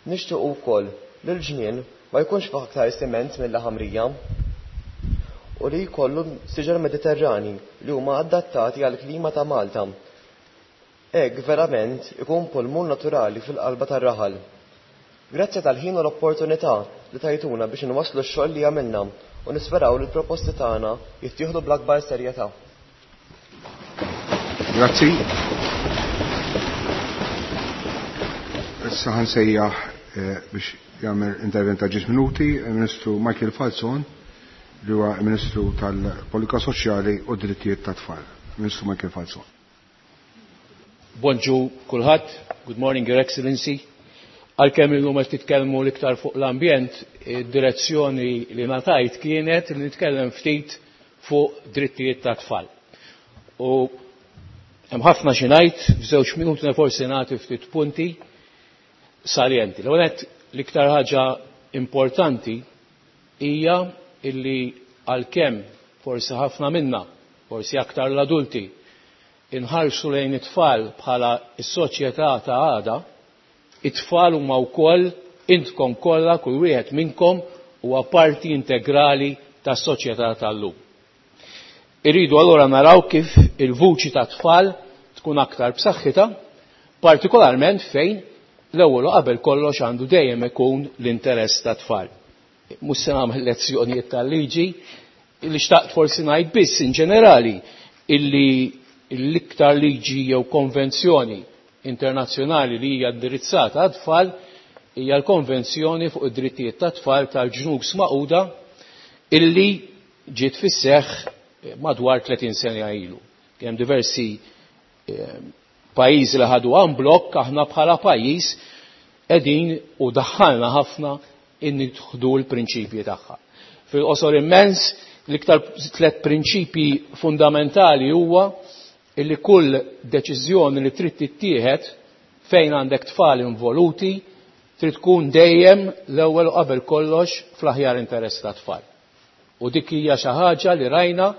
Nixtiequ wkoll li l-ġnien ma jkunx fih aktar siment milli ħamrija u li jkollu siġar Mediterrani li huma adattati għall-klima ta' Malta. Hekk verament ikun pulmun naturali fil-qalba tar-raħal. Grazzi tal-ħin u l-opportunità li tajtuna biex inwasslu x-xogħol li għamilna u nisperaw li l-proposti tagħna jittieħdu bl-akbar serjetà. Grazzi. Issa ħansejjaħ eh, biex jagħmel intervent ta' ġiex minuti il-Ministru Michael Falzon li huwa Ministru tal-Politika Soċjali u Drittijiet tat-Tfal. Ministru Michael Falzon. Bonġu kulħadd, good morning Your Excellency. Għalkemm illum qed titkellmu l-iktar fuq l-ambjent, id-direzzjoni li ngħatajt kienet li nitkellem ftit fuq drittijiet ta' tfal. U hemm ħafna xi ngħid, f'żewġ minuti forsi nagħti ftit punti saljenti. L-ewwel l-iktar ħaġa importanti hija illi għalkemm forsi ħafna minna, forsi aktar l-adulti, inħarsu lejn it-tfal bħala s-soċjetà ta' għada, it-tfal huma wkoll intkom kollha kull wieħed minnkom huwa parti integrali tas-soċjetà tal-lum. Irridu allura naraw kif il-vuċi ta' tfal tkun aktar b'saħħitha, partikolarment fejn l-ewwel u qabel kollox għandu dejjem ikun l-interess ta' tfal. Mhux se nagħmel lezzjonijiet tal-liġi, li xtaqt forsi ngħid biss in ġenerali illi l-iktar liġi jew konvenzjoni internazzjonali li hija indirizzata għat-tfal hija l-Konvenzjoni fuq id-drittijiet tat-tfal tal-ġnus Magħquda illi ġiet fis-seħħ madwar 30 sena ilu. Kien hemm diversi pajjiżi li ħadu en bloc, aħna bħala pajjiż qegħdin u daħħalna ħafna in nieħdu l-prinċipji tagħha. Fil-qosor immens, l-iktar tliet prinċipji fundamentali huwa illi kull deċiżjoni li trid tittieħed fejn għandek tfal involuti trid tkun dejjem l-ewwel u qabel kollox fl-aħjar interess ta' tfal. U dik hija xi ħaġa li rajna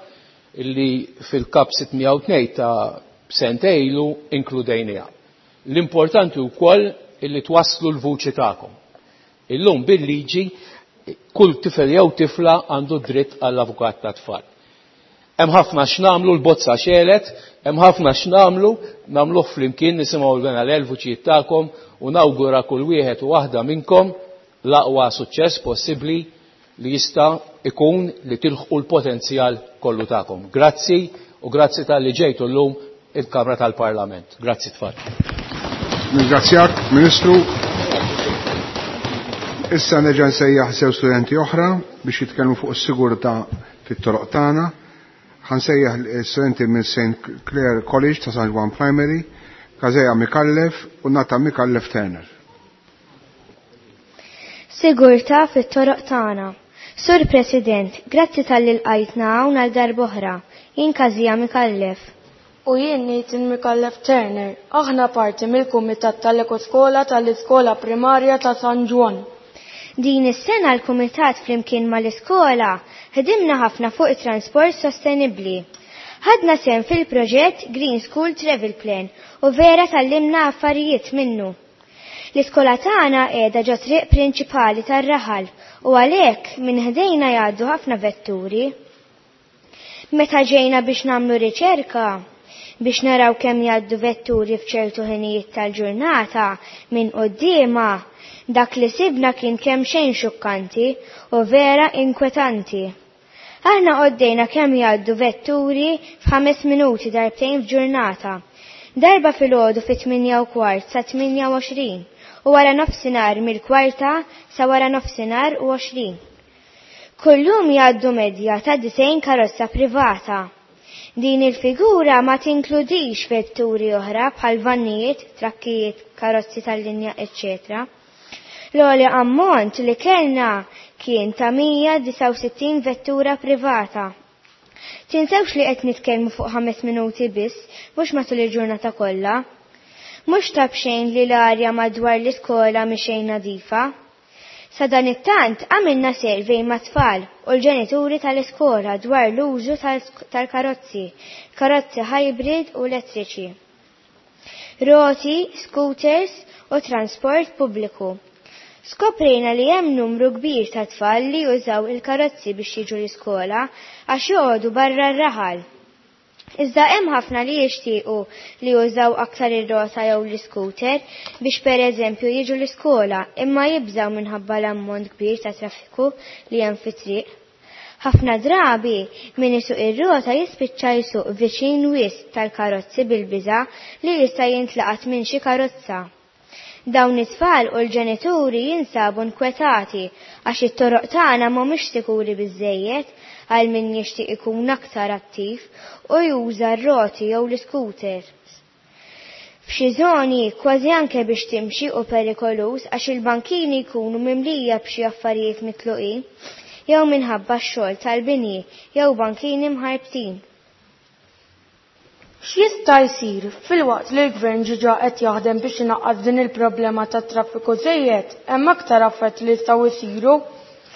illi fil-kap 602 ta' sentejn ilu inkludejniha. L-importanti wkoll illi twasslu l-vuċi tagħkom. Illum bil-liġi kull tifel jew tifla għandu dritt għall-avukat ta' tfal. Hemm ħafna x'namlu l-bozza xelet, hemm ħafna x'namlu, nagħmluh flimkien nisimgħu l-bena l-vuċijiet tagħkom u nawgura kull wieħed u waħda minnkom l-aqwa suċċess possibbli li jista' ikun li tilħqu l-potenzjal kollu tagħkom. Grazzi u grazzi talli ġejtu llum il-Kamra tal-Parlament. Grazzi tfal. Ringrazzjak, Ministru. Issa nerġa' nsejjaħ sew studenti oħra biex jitkellmu fuq is-sigurtà fit-toroq tagħna. Ħansejjaħ studenti minn St. Clair College ta' San Juan Primary, Kazeja Mikallef u Nata Mikallef Turner. Sigurtà fit-toroq tagħna. Sur President, grazzi talli lqajtna hawn għal darb'oħra. Jien Kazija Mikallef. U jien Nathan Mikallef Turner. Aħna parti mill-Kumitat tal-Ekoskola tal-Iskola Primarja ta' San Ġwann. Din is-sena l-Kumitat flimkien mal-iskola ħdimna ħafna fuq it-transport sostenibbli. Ħadna sehem fil-proġett Green School Travel Plan u vera tgħallimna affarijiet minnu. L-iskola tagħna qiegħda ġo triq prinċipali tar-raħal u għalhekk minn ħdejna jgħaddu ħafna vetturi. Meta ġejna biex nagħmlu riċerka biex naraw kemm jgħaddu vetturi f'ċertu ħinijiet tal-ġurnata minn quddiemha, dak li sibna kien kemxejn xukkanti u vera inkwetanti. Aħna għoddejna kemm jgħaddu vetturi f'ħames minuti darbtejn f'ġurnata. Darba filgħodu fit-8:15 sa 8:20 u wara nofsinhar mill-kwarta sa wara nofsinhar u 20. Kullum jgħaddu medja ta' 90 karozza privata. Din il-figura ma tinkludix vetturi oħra bħal vannijiet, trakkijiet, karozzi tal-linja, eccetera. L-ogħla ammont li kellna kien ta' 169 vettura privata. Tinsewx li qed nitkellmu fuq 5 minuti biss, mhux matul il-ġurnata kollha. Mhux ta' b'xejn li l-arja madwar l-iskola mhi xejn nadifa. Sadanittant għamilna survey mat-tfal u l-ġenituri tal-iskola dwar l-użu tal-karozzi, karozzi hybrid u elettriċi, roti, scooters u transport pubbliku. Skoprejna li hemm numru kbir ta' tfal li jużaw il-karozzi biex jiġu l-iskola għax joqogħdu barra r-raħal. Iżda hemm ħafna li jixtiequ li jużaw aktar ir-rota jew l-iskuter biex pereżempju jiġu l-iskola imma jibżgħu minħabba l-ammont kbir ta' traffiku li hemm fit-triq. Ħafna drabi min isuq ir-rota jispiċċa jsuq viċin wisq tal-karozzi bil-biża' li jista' jintlaqat minn xi karozza. Dawn it-tfal u l-ġenituri jinsabu nkwetati għax it-toroq tagħna mhumiex sikuri biżżejjed għal min jixtieq ikun aktar attiv u juża r-roti jew l-iscooters. F'xi żoni kważi anke biex timxi hu perikoluż għax il-bankini jkunu mimlija b'xi affarijiet mitluqin jew minħabba x-xogħol tal-bini jew bankini mħarbtin. X'jista' jsir? Filwaqt li l-Gvern ġiġa qed jaħdem biex inaqqas din il-problema tat-traffiku żejjed, hemm aktar affarijiet li jistgħu jsiru,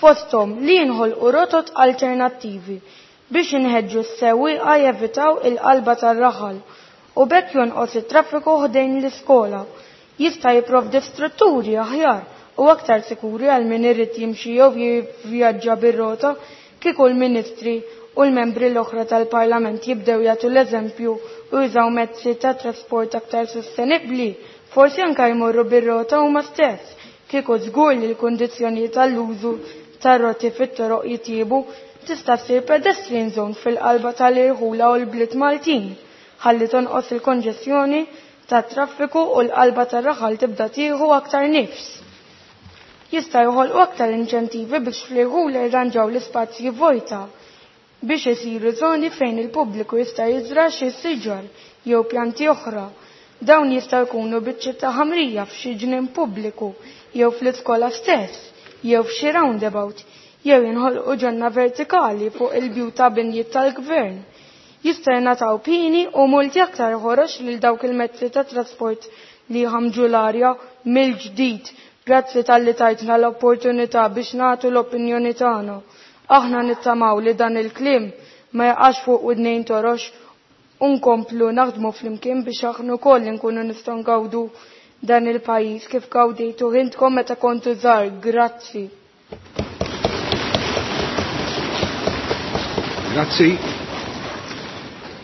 fosthom li jinħolqu rotot alternattivi biex inħeġġu s-sewwieqa jevitaw il-qalba tar-raħal u b'hekk jonqos it-traffiku ħdejn l-iskola. Jista' jipprovdi strutturi aħjar u aktar sikuri għal min irid jimxi jew jivvjaġġa bir-rota kieku l-Ministri u l-membri l-oħra tal-Parlament jibdew jagħtu l-eżempju u jużaw mezzi ta' trasport aktar sostenibbli, forsi anke jmorru bir-rota huma stess. Kieku żgur li l-kundizzjonijiet tal-użu tar-roti fit-toroq jitjiebu, tista' ssir pedestrian zone fil-qalba tal-irħula u l-bliet Maltin, ħalli tonqos il-konġestjoni tat-traffiku u l-qalba tar-raħal tibda tieħu aktar nifs. Jista' joħolqu aktar inċentivi biex fl-irħula jirranġaw l-ispazji vojta biex isiru żoni fejn il-pubbliku jista' jiżra' xi siġar jew pjanti oħra. Dawn jistgħu jkunu biċċiet ta' ħamrija f'xi ġnien pubbliku jew fl-iskola stess jew f'xi roundabout jew jinħolqu ġonna vertikali fuq il-bjut ta' binjiet tal-gvern. Jista' jingħataw pieni u multi aktar ħorox lil dawk il-mezzi ta' trasport li jħammġu l-arja mill-ġdid. Grazzi talli tajtna l-opportunità biex nagħtu l-opinjoni tagħna. Aħna nittamaw li dan il-kliem ma jaqax fuq widnejn torox u nkomplu naħdmu flimkien biex aħna wkoll nkunu nistgħu ngawdu dan il-pajjiż kif gawdejtu intkom meta kontu żgħar. Grazzi. Grazzi.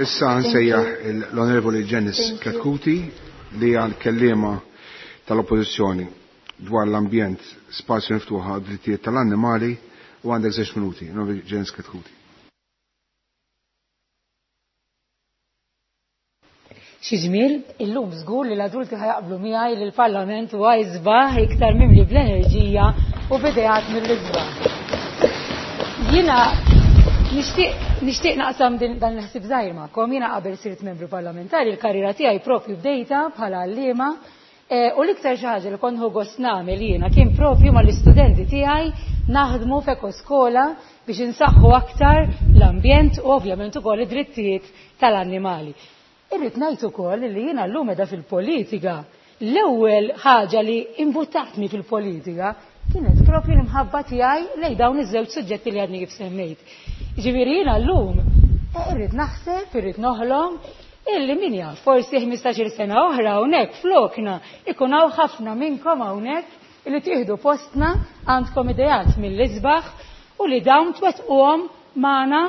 Issa nsejjaħ l-Onorevoli Janice Chetcuti li hija l-kelliema tal-Oppożizzjoni dwar l-ambjent, spazju miftuħa, drittijiet tal-annimali u għandek 6 minuti. Onorevoli Janice Chetcuti. Xi ġmiel, illum żgur li l-adulti ħajaqblu miegħi li l-Parlament huwa isbaħ iktar mimli bl-enerġija u b'ideat mill-isbaħ. Jiena nixtieq naqsam dan il-ħsieb żgħir magħkom. Jiena qabel sirt membru parlamentari, il-karriera tiegħi propju bdejta bħala għalliema, u l-iktar xi ħaġa li kont nieħu gost nagħmel jiena kien propju mal-istudenti tiegħi naħdmu f'ekoskola biex insaħħu aktar l-ambjent u ovvjament ukoll id-drittijiet tal-annimali. Irrid ngħid ukoll li jiena llum qiegħda fil-politika. L-ewwel ħaġa li imbuttatni fil-politika kienet propju l-imħabba tiegħi lejn dawn iż-żewġ suġġetti li għadni kif semmejt. Ġifieri jiena llum irrid naħseb, irrid noħlom, Illi min jaf, forsi 15-il sena oħra hawnhekk flokna ikun hawn ħafna minnkom hawnhekk illi tieħdu postna għandkom ideat mill-isbaħ u li dawn twettquhom magħna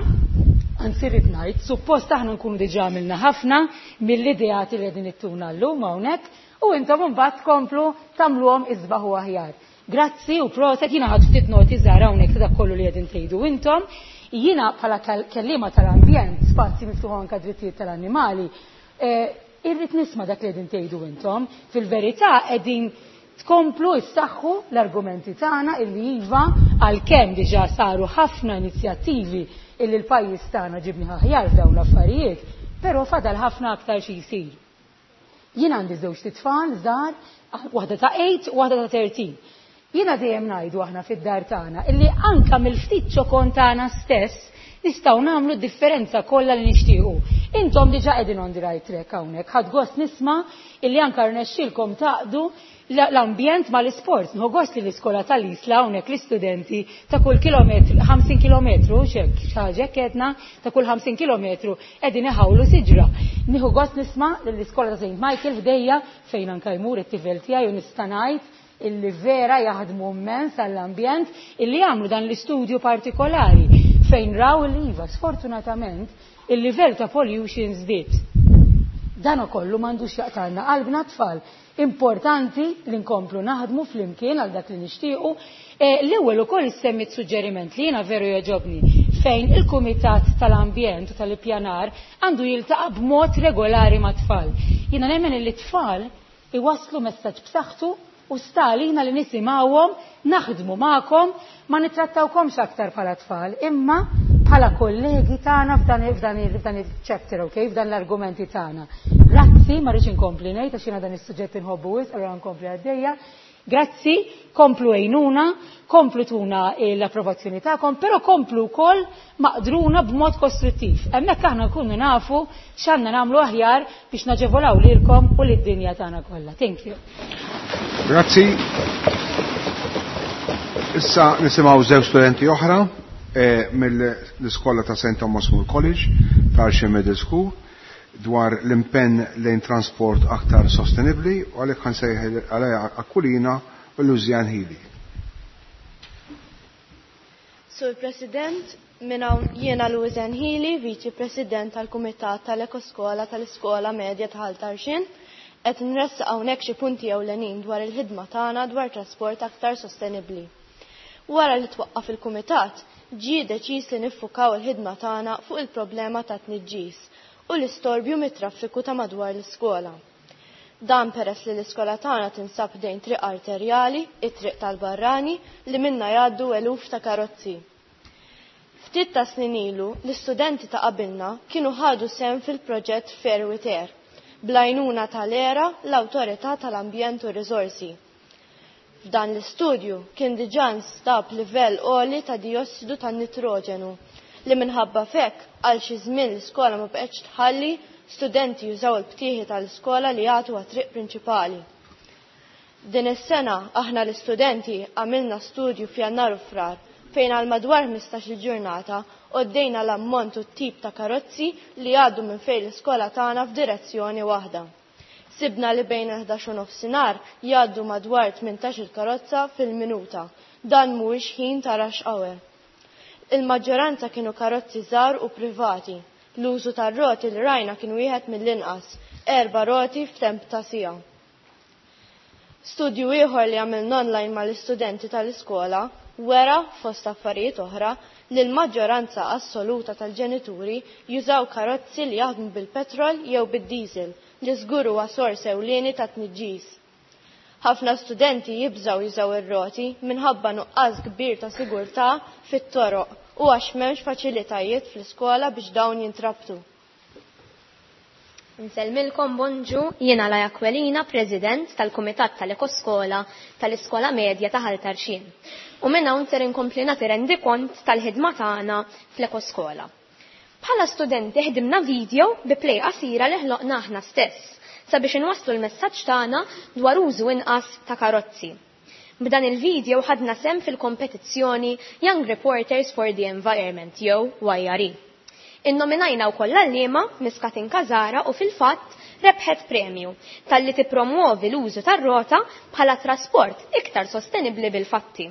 anzi rrid ngħid, suppost aħna nkunu diġà għamilna ħafna mill-ideat li qegħdin ittuna llum hawnhekk u intom imbagħad tkomplu tagħmluhom isbaħ u aħjar. Grazzi u proset, jiena ħadt ftit noti żgħar hawnhekk ta' dak kollu li qegħdin tgħidu intom. Jiena bħala kelliema tal-ambjent, spazji miftuħ anke drittijiet tal-annimali, eh, irrid nisma' dak li qegħdin tgħidu intom. Fil-verità qegħdin tkomplu issaħħu l-argumenti tagħna illi iva għalkemm diġà saru ħafna inizjattivi illi l-pajjiż tagħna ġibni aħjar f'dawn l-affarijiet, però fadal ħafna aktar xi jsir. Jien għandi żewġt itfal żgħar, waħda ta' 8 u waħda ta' 13. Jiena dejjem ngħidu aħna fid-dar tagħna illi anka mill-ftit ċokon tagħna stess nistgħu nagħmlu d-differenza kollha li nixtiequ. Intom diġà qegħdin on the right track hawnhekk. Ħadt gost nisma' illi anka rnexxielkom taqdu l-ambjent mal-isport. Nieħu gost li l-iskola tal-Isla hawnhekk l-istudenti ta' kull kilometru, 50 kilometru, xek, xi ħaġa hekk ta' kull 50 kilometru qegħdin iħawlu siġra. Nieħu gost nisma' lill-iskola ta' St. Michael ħdejja fejn anka jmur it-tifel tiegħi u nista' ngħid illi vera jaħdmu immens għall-ambjent illi jagħmlu dan l-istudju partikolari fejn raw li iva sfortunatament il-livell ta' pollution żdied. Dan ukollu m'għandux jaqtalna qalbna tfal. Importanti li nkomplu naħdmu flimkien għal dak li nixtiequ. L-ewwel ukoll issemmit suġġeriment li jiena veru jogħġobni fejn il-Kumitat tal-Ambjent u tal-Ippjanar għandu jiltaqa' b'mod regolari mat-tfal. Jiena nemmen li t-tfal iwasslu messaġġ b'saħħtu u sta għalina li nisimgħuhom, naħdmu magħkom, ma nittrattawkomx aktar bħala tfal, imma bħala kollegi tagħna f'dan f'dan f'dan il-chapter, okay, f'dan l-argumenti tagħna. Grazzi, ma rridx inkompli ngħid għax jiena dan is-suġġett inħobbu wisq, allura nkompli għaddejja. Grazzi, komplu għinuna, komplu tuna l-approvazzjoni tagħkom, però komplu wkoll maqdruna b'mod kostruttiv. Hemmhekk aħna nkunu nafu x'għandna nagħmlu aħjar biex naġevolaw lilkom u lid-dinja tagħna kollha. Thank you. Grazzi. Issa nisimgħu żewġ studenti oħra mill-iskola ta' St. Thomas More College ta' Arxi Middle School dwar l-impenn lejn transport aktar sostenibli u għalhekk ħansejħ għalija Akkulina u Luzian Hili. Sur President, minn hawn jiena Luzian Hili, Viċi President tal-Kumitat tal-Ekoskola tal-Iskola Medja ta' Ħal Tarxien, qed nressaq hawnhekk xi punti ewlenin dwar il-ħidma tagħna dwar trasport aktar sostenibbli. Wara li twaqqaf il-Kumitat, ġie deċiż li niffukaw il-ħidma tagħna fuq il-problema ta' tniġġis u l-istorbju mit-traffiku ta' madwar l-iskola. Dan peress li l-iskola tagħna tinsab dejn triq arterjali, it-triq tal-barrani, li minna jgħaddu eluf ta' karozzi. Ftit ta' snin ilu, l-istudenti ta' qabilna kienu ħadu sehem fil-proġett Fair with Air, bl-għajnuna tal-ERA, l-Awtorità tal-Ambjent u Riżorsi. F'dan l-istudju kien diġà nstab livell għoli ta' diossidu tan-nitroġenu li minħabba fek għal xi żmien l-iskola ma bqgħetx tħalli studenti jużaw il-btieħi tal-iskola li jagħtu għat-triq prinċipali. Din is-sena aħna l-istudenti għamilna studju f'Jannar u Frar fejn għal madwar 15-il ġurnata għoddejna l-ammont u t-tip ta' karozzi li għaddu minn fejn l-iskola tagħna f'direzzjoni waħda. Sibna li bejn 11 u nofsinhar jgħaddu madwar 18-il karozza fil-minuta. Dan mhuwiex ħin ta' rush hour. Il-maġġoranza kienu karozzi żgħar u privati. L-użu tar-roti li rajna kien wieħed mill-inqas, 4 roti f'temp ta' siegħa. Studju ieħor li għamilna online mal-istudenti tal-iskola wera fost affarijiet oħra li l-maġġoranza assoluta tal-ġenituri jużaw karozzi li jaħdmu bil-petrol jew bid-diesel li żgur huwa sors ewlieni ta' tniġġis. Ħafna studenti jibżaw jużaw ir-roti minħabba nuqqas kbir ta' sigurtà fit-toroq u għax m'hemmx faċilitajiet fl-iskola biex dawn jintrabtu. Nsellmilkom bonġu, jiena Laja Kwelina, President tal-Kumitat tal-Ekoskola tal-Iskola Medja ta' Ħal Tarxien. U minn hawn ser inkompli nagħti rendikont tal-ħidma tagħna fl-Ekoskola. Bħala studenti ħdimna video bi play qasira li ħloqna aħna stess sabiex inwasslu l-messaġġ tagħna dwar użu inqas ta' karozzi. B'dan il-video ħadna sehem fil-kompetizzjoni Young Reporters for the Environment jew YRE. Innominajna wkoll l-għalliema Miss Katinka Zara u fil-fatt rebħet premju talli tippromwovi l-użu tar-rota bħala trasport iktar sostenibbli bil-fatti.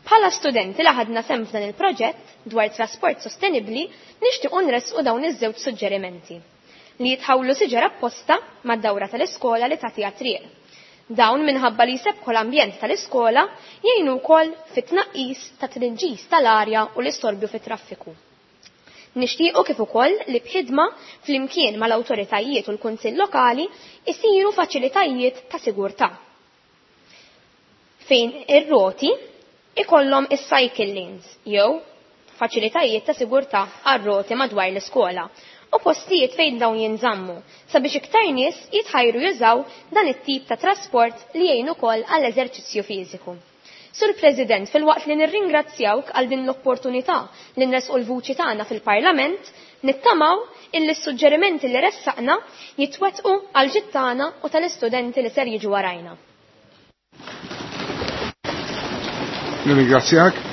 Bħala studenti li ħadna sehem f'dan il-proġett dwar trasport sostenibbli nixtiequ nressqu dawn iż-żewġ suġġerimenti. Li jitħawlu siġar apposta mad-dawra tal-iskola li tagħtiha triq. Dawn minħabba li jsebbħu l-ambjent tal-iskola jgħinu wkoll fit-tnaqqis ta' tniġġis tal-arja u l-istorbju fit-traffiku. Nixtiequ kif ukoll li b'ħidma flimkien mal-awtoritajiet u l-Kunsill Lokali isiru faċilitajiet ta' sigurtà fejn ir-roti ikollhom is-cycle lanes jew faċilitajiet ta' sigurtà għar-roti madwar l-iskola u postijiet fejn dawn jinżammu sabiex iktar nies jitħajru jużaw dan it-tip ta' trasport li jgħin ukoll għall-eżerċizzju fiżiku. Sur President, filwaqt li nirringrazzjawk għal din l-opportunità li nressqu l-vuċi tagħna fil-Parlament, nittamaw illi s-suġġerimenti li ressaqna jitwettqu għal ġid tagħna u tal-istudenti li ser jiġu warajna. Nirringrazzjak.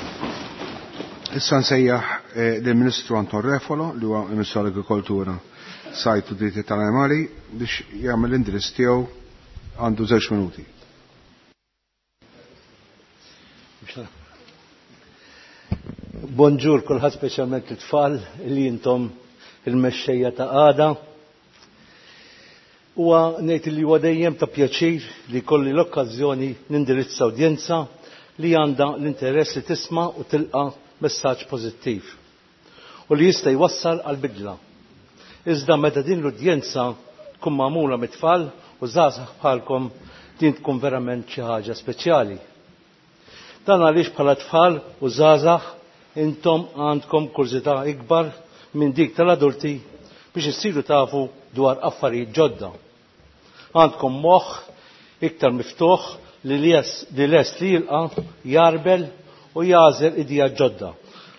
Issa nsejjaħ eh, lill-Ministru Anton Refolo li huwa Ministru għall-Agrikoltura, Sajd u Dritti tal-Animali biex jagħmel l-indirizz tiegħu għandu żewġ minuti. Bonġur kulħadd speċjalment it-tfal li intom il-mexxejja ta' għada. Huwa ngħid li huwa dejjem ta' pjaċir li kolli l-okkażjoni nindirizza udjenza li għandha l-interess li tisma' u tilqa' messaġġ pożittiv u li jista' jwassal għal bidla. Iżda meta din l-udjenza tkun magħmula mit-tfal u żgħażagħ bħalkom din tkun verament xi ħaġa speċjali. Dan għaliex bħala tfal u żgħażagħ intom għandkom kurżità ikbar minn dik tal-adulti biex issiru tafu dwar affarijiet ġodda. Għandkom moħħ iktar miftuħ li lest li jilqa' jarbel u jagħżel ideat ġodda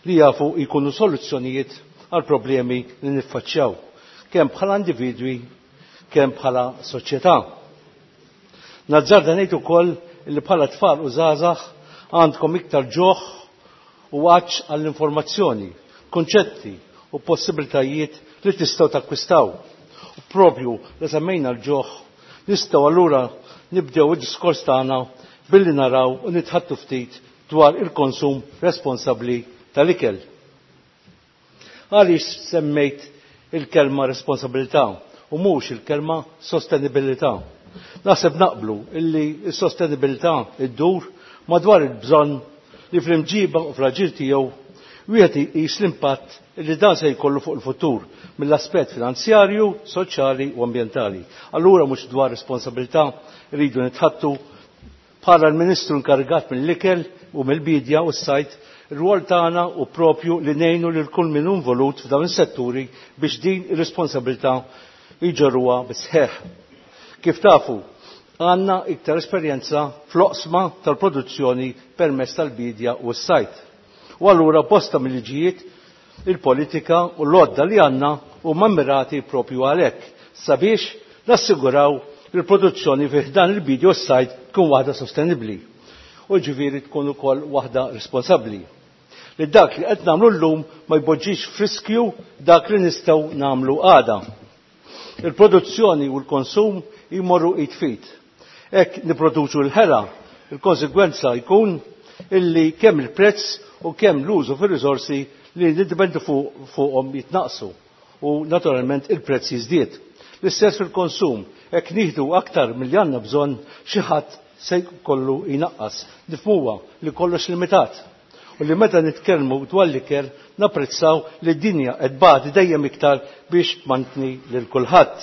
li jafu jkunu soluzzjonijiet għal problemi li niffaċċjaw, kemm bħala individwi, kemm bħala soċjetà. Nazzarda ngħid ukoll li bħala tfal u żgħażagħ għandkom iktar ġuħ u għatx għall-informazzjoni, konċetti u possibilitajiet li tistgħu takkwistaw. U propju li semmejna l-ġuħ, nistgħu allura nibdew id-diskors tagħna billi naraw u nitħattu ftit dwar il-konsum responsabbli tal-ikel. Għaliex semmejt il-kelma responsabilità u mhux il-kelma sostenibilità? Naħseb naqblu illi s-sostenibilità iddur madwar il-bżonn li fl-imġiba u fl-aġir tiegħu wieħed iqis l-impatt li dan se jkollu fuq il-futur mill-aspett finanzjarju, soċjali u ambjentali. Allura mhux dwar responsabilità rridu nitħattu bħala l-Ministru inkarigat mill-ikel u mill-bidja u s-sajd, ir-rwol tagħna hu propju li ngħinu lil kull min hu involut f'dawn is-setturi biex din ir-responsabilità jġorruha bis-sħiħ. Kif tafu, għandna iktar esperjenza fl-oqsma tal-produzzjoni permezz tal-biedja u s-sajd. U allura bosta mill-liġijiet, il-politika u l-għodda li għandna huma mmirati propju għalhekk, sabiex nassiguraw li l-produzzjoni fi ħdan il-biedja u s-sajd tkun waħda sostenibbli u ġifieri tkun ukoll waħda responsabbli. Li dak li qed nagħmlu llum ma jpoġġix f'riskju dak li nistgħu nagħmlu għada. Il-produzzjoni u l-konsum jmorru id f'id. Hekk nipproduċu l-ħela, il-konsegwenza jkun illi kemm il-prezz u kemm l-użu fir-riżorsi li niddependu fuqhom jitnaqqsu u naturalment il-prezz jiżdied. L-istess fil-konsum, hekk nieħdu aktar milli għandna bżonn xi ħadd se jkollu jnaqqas. Nifhmuha li kollox limitat u li meta nitkellmu dwar l-ikel napprezzaw li d-dinja qed tbati dejjem iktar biex tmantni lil kulħadd.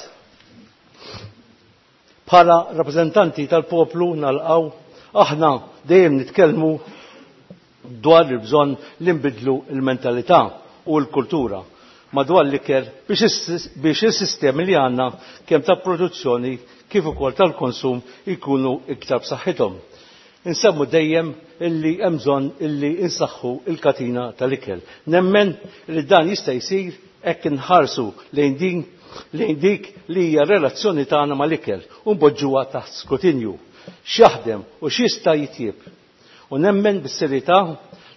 Bħala rappreżentanti tal-poplu nalqgħu aħna dejjem nitkellmu dwar il-bżonn li nbiddlu l-mentalità u l-kultura madwar l-ikel biex is-sistemi li għandna kemm ta' produzzjoni kif ukoll tal-konsum jkunu iktar b'saħħithom. Insemmu dejjem illi hemm bżonn illi insaħħu l-katina tal-ikel. Nemmen li dan jista' jsir hekk inħarsu lejn din lejn dik li hija r-relazzjoni tagħna mal-ikel u npoġġuha taħt skrutinju. X'jaħdem u x'jista' jitjieb. U nemmen bis-serjetà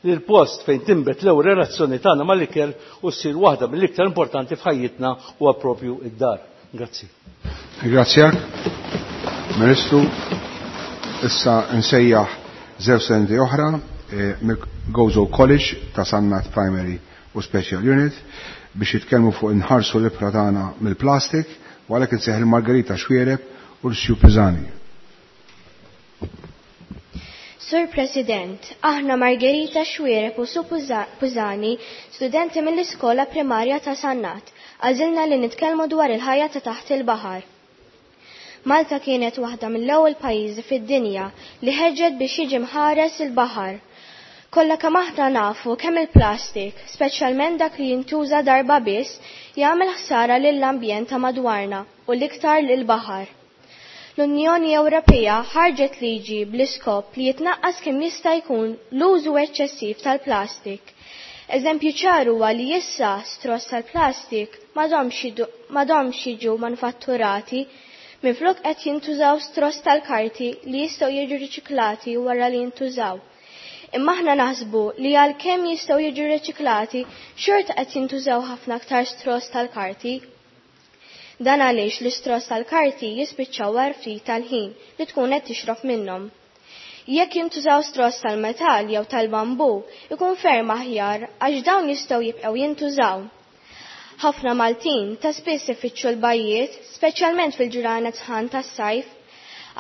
li l-post fejn tinbet l-ewwel relazzjoni tagħna mal-ikel u ssir waħda mill-iktar importanti f'ħajjitna huwa propju id-dar. Grazzi. Ringrazzjak, Ministru. Issa nsejjaħ żewġ studenti oħra eh, mill-Gozo College ta' Sannat Primary u Special Unit biex jitkellmu fuq inħarsu l-ibħra tagħna mill-plastik u għalhekk insejjaħ il-Margherita Xwiereb u l-Sju Pisani. Sur President, aħna Margherita Xwiereb u Su Pużani, studenti mill-Iskola Primarja ta' Sannat, għażilna li nitkellmu dwar il-ħajja ta' taħt il-baħar. Malta kienet waħda mill-ewwel pajjiżi fid-dinja li ħeġġet biex jiġi mħares il-baħar. Kollha kemm aħna nafu kemm il-plastik, speċjalment dak li jintuża darba biss, jagħmel ħsara lill-ambjent ta' madwarna u l-iktar lill-baħar. L-Unjoni Ewropea ħarġet liġi bl-iskop li jitnaqqas kemm jista' jkun l-użu eċċessiv tal-plastik. Eżempju ċar huwa li issa straws tal-plastik m'għadhomx jiġu manufatturati minflok qed jintużaw straws tal-karti li jistgħu jiġu riċiklati wara li jintużaw. Imma aħna naħsbu li għalkemm jistgħu jiġu riċiklati xorta qed jintużaw ħafna aktar straws tal-karti. Dan għaliex l-istraws tal-karti jispiċċaw wara ftit tal-ħin li tkun qed tixrob minnhom. Jekk jintużaw straws tal-metall jew tal-bambu, ikun ferm aħjar għax dawn jistgħu jibqgħu jintużaw. Ħafna Maltin ta' spiss ifittxu l-bajjiet, speċjalment fil-ġranet sħan tas-sajf.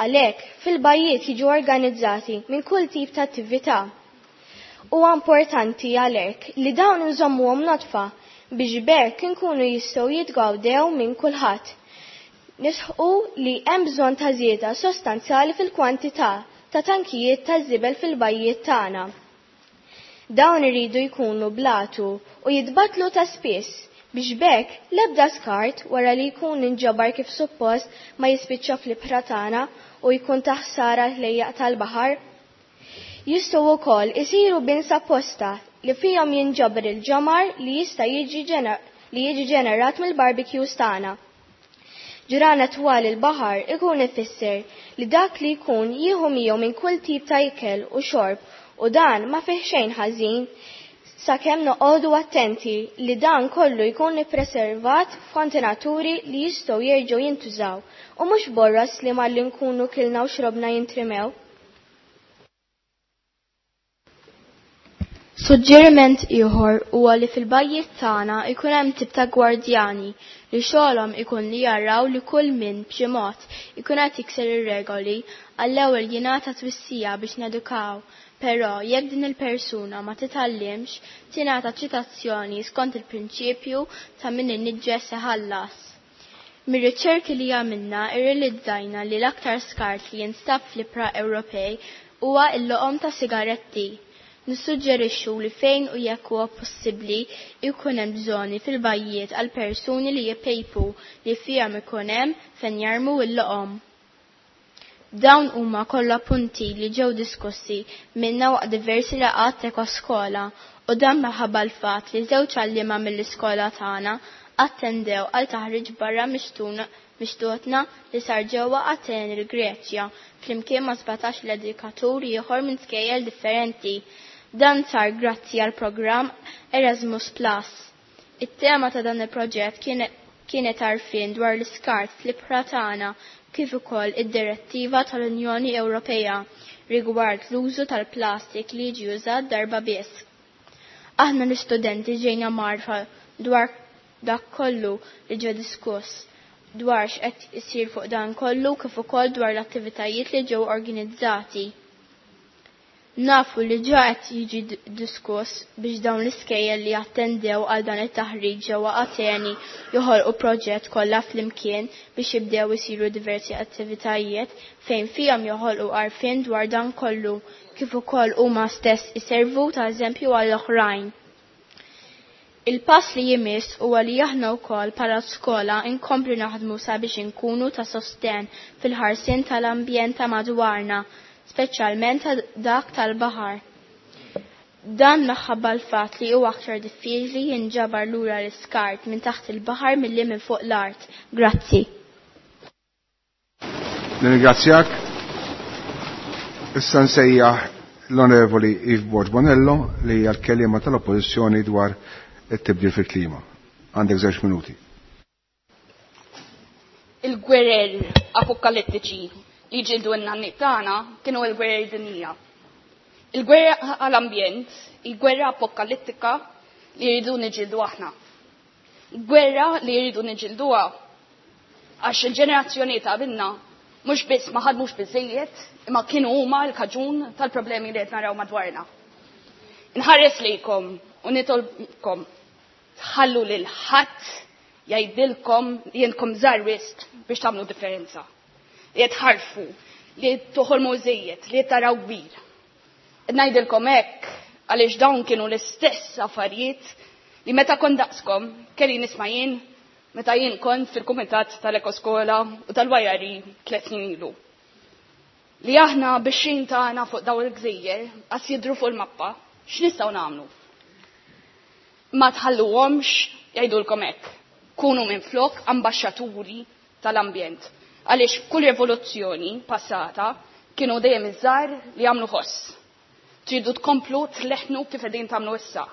Għalhekk, fil-bajjiet jiġu organizzati minn kull tip ta' attività. Huwa importanti għalhekk li dawn inżommuhom nodfa biex b'hekk inkunu jistgħu jitgawdew minn kulħadd. Nisħqu li hemm bżonn ta' żieda sostanzjali fil-kwantità ta' tankijiet ta' żibel fil-bajjiet tagħna. Dawn iridu jkunu blatu u jitbatlu ta' spiss biex b'hekk l-ebda skart wara li jkun inġabar kif suppost ma jispiċċa fl-ibħra tagħna u jkun ta' ħsara l-ħlejjaq tal-baħar. Jistgħu wkoll isiru bins apposta li fihom jinġabar il-ġamar li jista' jiġi li jiġi ġenerat mill-barbecues tagħna. Ġranet twal il-baħar ikun ifisser li dak li jkun jieħu miegħu minn kull tip ta' ikel u xorb u dan ma fih xejn ħażin sakemm noqogħdu attenti li dan kollu jkun ippreservat f'kontenaturi li jistgħu jerġgħu jintużaw u mhux borras li malli nkunu kilna u xrobna jintrimew. Suġġeriment ieħor huwa li fil-bajjiet tagħna ikun hemm tip ta' gwardjani li xogħolhom ikun li jaraw li kull min b'xi mod ikun qed jikser ir-regoli għall-ewwel jingħata twissija biex nedukaw, però jekk din il-persuna ma titgħallimx tingħata ċitazzjoni skont il-prinċipju ta' min iniġġes iħallas. Mir-riċerki li għamilna irrealizzajna li l-aktar skart li jinstab fl-ibħra Ewropej huwa l-loqom ta' sigaretti. Nissuġġerixxu li fejn u jekk huwa possibbli jkun hemm żoni fil-bajjiet għal persuni li jpejpu li fihom ikun hemm fejn jarmu l-loqom. Dawn huma kollha punti li ġew diskussi minna waqt diversi laqgħat t'ekoskola u dan minħabba l-fatt li żewġ għalliema mill-iskola tagħna attendew għal taħriġ barra mixtutna li sar ġewwa Ateni l-Greċja flimkien ma' 17 l-edukatur ieħor minn skejjel differenti. Dan sar grazzi għal programm Erasmus Plus. It-tema ta' dan il-proġett kienet għarfien dwar l-iskart fl-ibħra tagħna kif ukoll id-direttiva tal-Unjoni Ewropea rigward l-użu tal-plastik li jiġi użat darba biss. Aħna l-istudenti ġejna mgħarrfa dwar dak kollu li ġie diskuss dwar x'qed isir fuq dan kollu kif ukoll dwar l-attivitajiet li ġew organizzati. Nafu li ġa qed jiġi diskuss biex dawn l-iskejjel li attendew għal dan it-taħriġ ġewwa Ateni joħolqu proġett kollha flimkien biex jibdew isiru diversi attivitajiet fejn fihom joħolqu għarfien dwar dan kollu kif ukoll huma stess iservu ta' eżempju għall oħrajn. Il-pass li jmiss huwa li aħna wkoll bħala skola nkomplu naħdmu sabiex inkunu ta' sosten fil-ħarsien tal-ambjent ta' madwarna, speċjalment ta' dak tal-baħar. Dan minħabba l-fatt li huwa aktar diffiċli jinġabar lura l-iskart minn taħt il-baħar milli minn fuq l-art. Grazzi. Nirringrazzjak. Issa nsejjaħ l-Onorevoli Yves Borg Bonello li hija l-kelliema tal-Oppożizzjoni dwar it-tibdil fil-klima. Għandek żewġ minuti. Il-gwerer apokalittiċi li ġildu n-nanniet tagħna kienu l-gwerer dinjija. Il-gwerra għall-ambjent, il-gwerra apokalittika li jridu niġildu aħna. Gwerra li jridu niġilduha għax il-ġenerazzjoni ta' qabilna mhux biss ma ħadmux biżejjed imma kienu huma l-kaġun tal-problemi li qed naraw madwarna. Inħares lejkom u nitolbkom tħallu lil ħadd jgħidilkom li jentkom żgħar wisq biex tagħmlu differenza. Li qed tħarfu, li qed toħolmu żejjed, li qed taraw kbir. Qed ngħidilkom hekk għaliex dawn kienu l-istess affarijiet li meta kont daqskom kelli nisma' jien meta jien kont fil-kumitat tal-Ekoskola u tal-YRE 3 snin ilu. Li aħna bix-xejn tagħna fuq dawn il-gżejjer qas jidhru fuq il-mappa, x'nistgħu nagħmlu? Ma tħalluhomx jgħidulkom hekk. Kunu minflok ambaxxaturi tal-ambjent. Għaliex kull rivoluzzjoni passata kienu dejjem iż-żgħar li jagħmlu ħoss. Tridu tkomplu tleħnu kif qegħdin tagħmlu issa.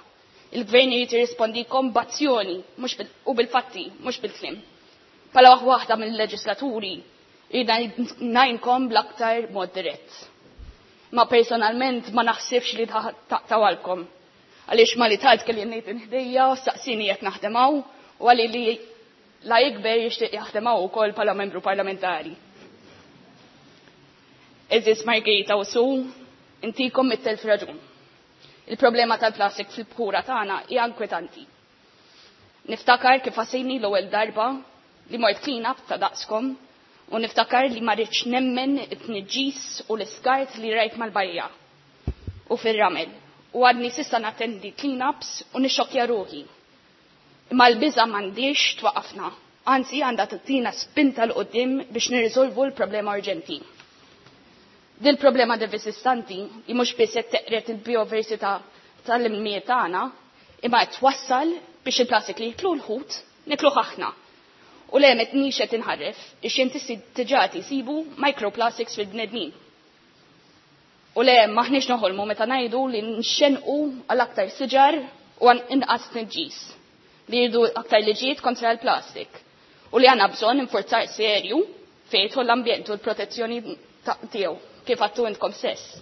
Il-gvern irid jirrispondikom b'azzjoni mhux u bil-fatti, mhux bil-kliem. Bħala waħda mill-leġislaturi irid ngħinkom bl-aktar mod dirett. Ma personalment ma naħsibx li taqtawalkom. Għaliex ma li tard kelli ngħid inħdejja, saqsini qed naħdem hawn u għalli li la jikber jixtieq jaħdem hawn ukoll bħala membru parlamentari. Eżis Margherita u Su, intikom mit-telf raġun. Il-problema tal-plastik fil-bħura tagħna hija inkwetanti. Niftakar kif għasejni l-ewwel darba li mort clean up ta' daqskom u niftakar li ma rridx nemmen it-tniġġis u l-iskart li rajt mal-bajja u fir-ramel. U għadni sissa nattendi clean-ups u nixxokkja ruħi. Imma l-biża' m'għandix twaqafna, anzi għandha tagħtina spinta l quddiem biex nirriżolvu l-problema urġenti. Dil problema devastanti li mhux biss qed teqret il-biodiversità tal-ilmijiet tagħna, imma qed twassal biex il-plastik li jiklu l-ħut nikluh aħna. U le m'qed qed inħarref, ix-xjentisti diġà jsibu microplastics fil-bnedmin. U le maħniex noħolmu meta ngħidu li nxenqu għal aktar siġar u għan inqas tniġġis, li jridu aktar liġijiet kontra l-plastik u li għandna bżonn infurzar serju fejn jidħol l-ambjent u l-protezzjoni tiegħu kif għattu intkom stess.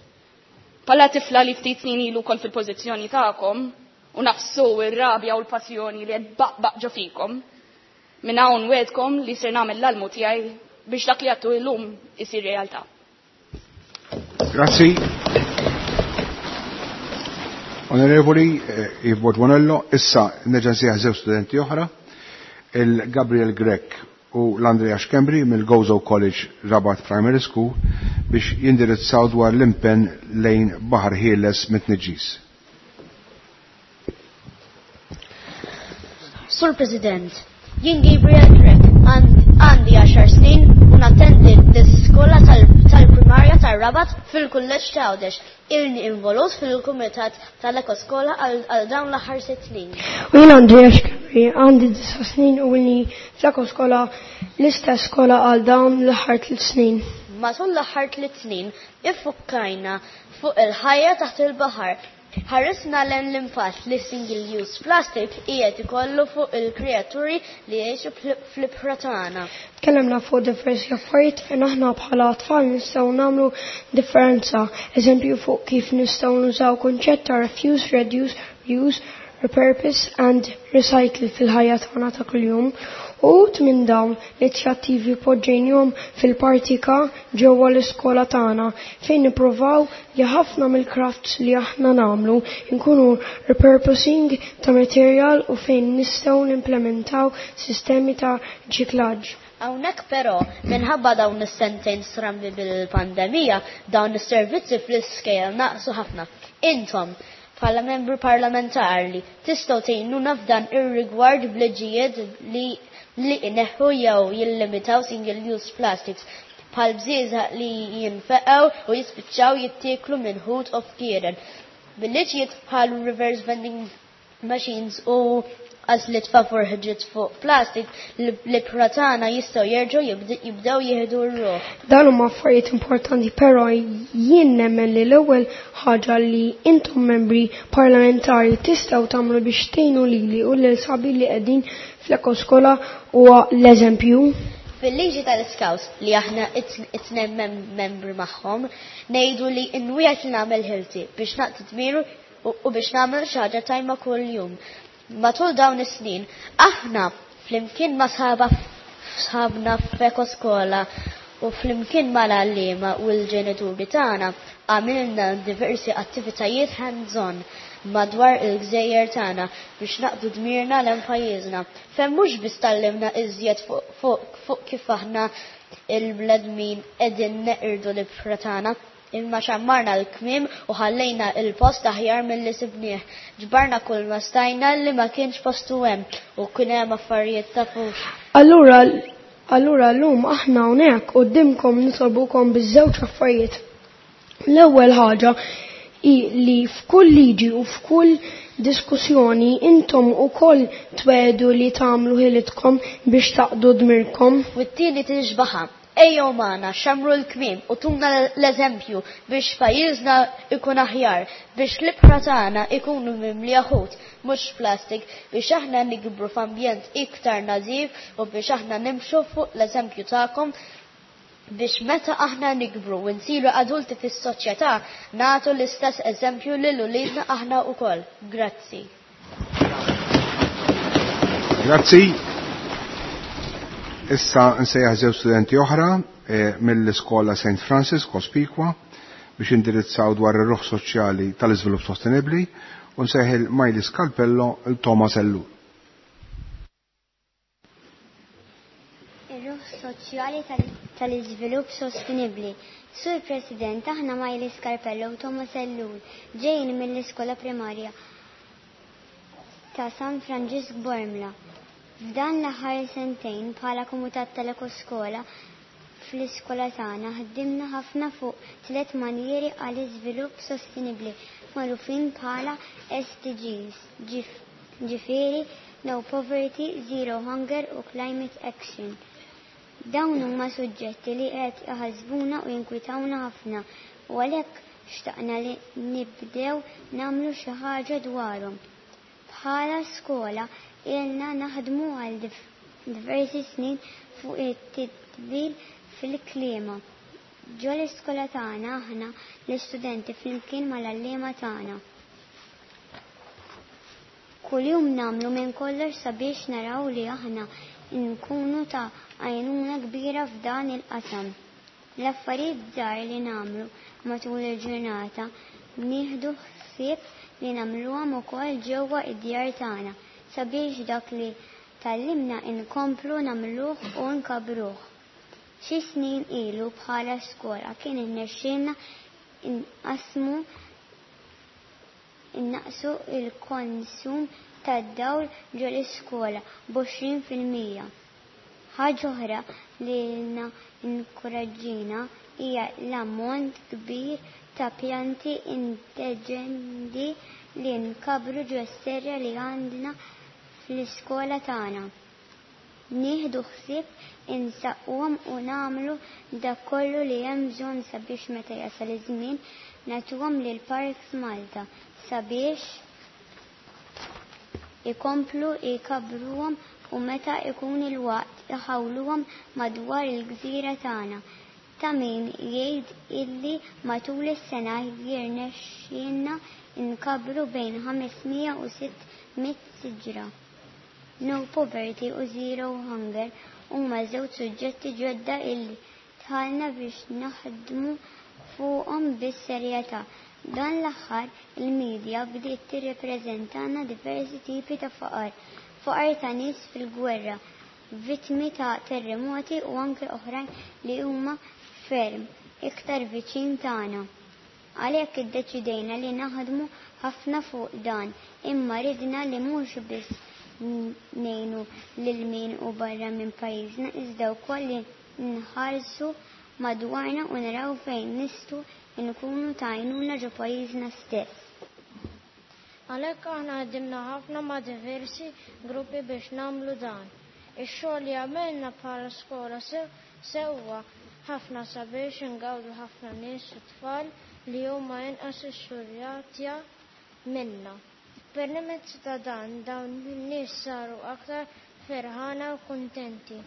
Pala tifla li ftit snin ilu kont fil-pożizzjoni tagħkom u nafsu ir-rabja u l-passjoni li qed baqbaq ġo fikom, minn hawn wedkom li ser nagħmel l-almu tiegħi biex dak li għattu illum isir realtà. Grazzi. Onorevoli Yves Borg Bonello, issa nerġa' nsejjaħ żewġ studenti oħra, il-Gabriel Grech u l-Andrea Schembri mill-Gozo College Rabat Primary School biex jindirizzaw dwar l-impenn lejn Baħar Ħieles mit-tniġġis. Sur President, jien Gabriel Grech, għandi 10 snin u nattendi l-iskola tal-primarja tar-Rabat fil-Kulleġġ ta' Għawdex. Ilni involut fil-Kumitat tal-Ekoskola għal dawn l-aħħar 6 snin. U jien Andrea Schembri, għandi 9 snin u ilni fl-Ekoskola l-istess skola għal dawn l-aħħar 3 snin. Matul l-aħħar 3 snin iffukkajna fuq il-ħajja taħt il-baħar. Ħarisna lejn l-impatt li single-use plastic qiegħed ikollu fuq il-kreaturi li jgħixu fl-ibħra tagħna. Tkellimna fuq diversi affarijiet fejn aħna bħala tfal nistgħu nagħmlu differenza, eżempju fuq kif nistgħu nużaw kunċett ta' refuse, reduce, reuse, repurpose and recycle fil-ħajja tagħna ta' kuljum. Uħud minn dawn l-inizjattivi poġġejnihom fil-partika ġewwa l-iskola tagħna fejn nippruvaw li ħafna mill-crafts li aħna nagħmlu nkunu repurposing ta' material u fejn nistgħu nimplementaw sistemi ta' riċiklaġġ. Hawnhekk però minħabba dawn is-sentejn strambi bil-pandemija dawn is-servizzi fl-iskejjel naqsu ħafna. Intom bħala membru parlamentari tistgħu tgħinuna f'dan ir-rigward b'liġijiet li ineħħu jew jillimitaw single-use plastics bħal bżieżaq li jinfeqgħu u jispiċċaw jittieklu minn ħut u fkieren. Bil-liġijiet bħal reverse vending machines u għażliet favur ħġiet fuq plastik l-ibħra tagħna jistgħu jerġgħu jibdew jieħdu r-ruħ. Dan huma affarijiet importanti, però jien nemmen li l-ewwel ħaġa li intom membri parlamentari tistgħu tagħmlu biex tgħinu lili u lil sabi li qegħdin fl-ekoskola huwa l-eżempju. Fil-liġi tal-Scouts li aħna it-tnejn membri magħhom ngħidu li nwiegħed li nagħmel ħilti biex naqdi dmiru u biex nagħmel xi ħaġa tajma kuljum. Matul dawn is-snin aħna flimkien ma' sħabna f'Ekoskola u flimkien mal-għalliema u l-ġenituri tagħna għamilna diversi attivitajiet hands-on madwar il-gżejjer tagħna biex naqdu dmirna lejn pajjiżna. Fejn mhux biss tgħallimna iżjed fuq kif aħna il-bnedmin qegħdin neqirdu l-ibħra tagħna, imma xammarna l-kmiem u ħallejna il-post aħjar milli sibnieh. Ġbarna kull ma stajna li ma kienx postu hemm u kien hemm affarijiet tafux. Allura allura llum aħna hawnhekk quddiemkom nitolbukom biż-żewġ affarijiet. L-ewwel ħaġa hi li f'kull liġi u f'kull diskussjoni intom ukoll twegħdu li tagħmlu ħilitkom biex taqdu dmirkom. U t-tieni tixbaha. Ejjew magħna xammru l-kmiem u tuna l-eżempju biex pajjiżna ikun aħjar, biex l-ibħra tagħna ikunu mimlija ħut, mhux plastik, biex aħna nikbru f'ambjent iktar nadif u biex aħna nimxu fuq l-eżempju tagħkom biex meta aħna nikbru u nsiru adulti fis-soċjetà nagħtu l-istess eżempju lil uliedna aħna wkoll. Grazzi. Grazzi. Issa nsejjaħ żewġ studenti oħra mill-iskola St. Francis Cospicua biex indirizzaw dwar ir-ruħ soċjali tal-iżvilupp sostenibbli u nsejjaħ Miley Scalpello il Thomas Ellul. Ir-ruħ soċjali tal-iżvilupp sostenibbli. Sur President, aħna Miley Scarpello u Thomas Ellul ġejjin mill-iskola primarja ta' San Franġisk Bormla. F'dan l-aħħar sentejn bħala komitat tal-ekoskola fl-iskola tagħna ħdimna ħafna fuq tliet manjieri għal iżvilupp sostenibbli magħrufin bħala SDGs, ġifieri No Poverty, Zero Hunger u Climate Action. Dawn huma suġġetti li qed iħassbuna u jinkwitawna ħafna u għalhekk xtaqna li nibdew nagħmlu xi ħaġa dwarhom. Bħala skola ilna naħdmu għal diversi snin fuq it-tibdil fil-klima. Ġo l-iskola tagħna aħna l-istudenti flimkien mal-għalliema tagħna. Kuljum nagħmlu minn kollox sabiex naraw li aħna nkunu ta' għajnuna kbira f'dan il-qasam. L-affarijiet żgħar li nagħmlu matul il-ġurnata nieħdu ħsieb li nagħmluhom ukoll ġewwa id-djar tagħna sabiex dak li tgħallimna inkomplu nagħmluh u nkabbruh. Xi snin ilu bħala skola kien irnexxielna inqasmu innaqsu il-konsum tad-dawl ġol-iskola b'20%. Ħaġa oħra li lilna inkoraġġina hija l-ammont kbir ta' pjanti indiġeni li nkabbru ġos-serra li għandna fl-iskola tagħna. Nieħdu ħsieb insaqquhom u nagħmlu dak kollu li hemm bżonn sabiex meta jasal iż-żmien nagħtuhom lil Parks Malta sabiex ikomplu jkabbruhom u meta ikun il-waqt iħawluhom madwar il-gżira tagħna. Ta' min jgħid illi matul is-sena jirnexxielna nkabbru bejn 500 u 600 siġra. No Poverty u Zero Hunger huma żewġ suġġetti ġodda illi dħalna biex naħdmu fuqhom bis-serjetà. Dan l-aħħar il-medja bdiet tirrappreżentana diversi tipi ta' faqar, faqar ta' nies fil-gwerra, vittmi ta' terremoti u anke oħrajn li huma ferm iktar viċin tagħna. Għalhekk iddeċidejna li naħdmu ħafna fuq dan, imma ridna li mhux biss ngħinu lil min hu barra minn pajjiżna iżda wkoll li nħarsu madwarna u naraw fejn nistgħu nkunu ta' għajnuna ġo pajjiżna stess. Għalhekk aħna ħdimna ħafna ma' diversi gruppi biex nagħmlu dan. Ix-xogħol li għamilna bħala skola sewa ħafna sabiex ingawdu ħafna nies u tfal li huma inqas ixxurjatja minna. Permezz ta' dan dawn in-nies saru aktar ferħana u kuntenti.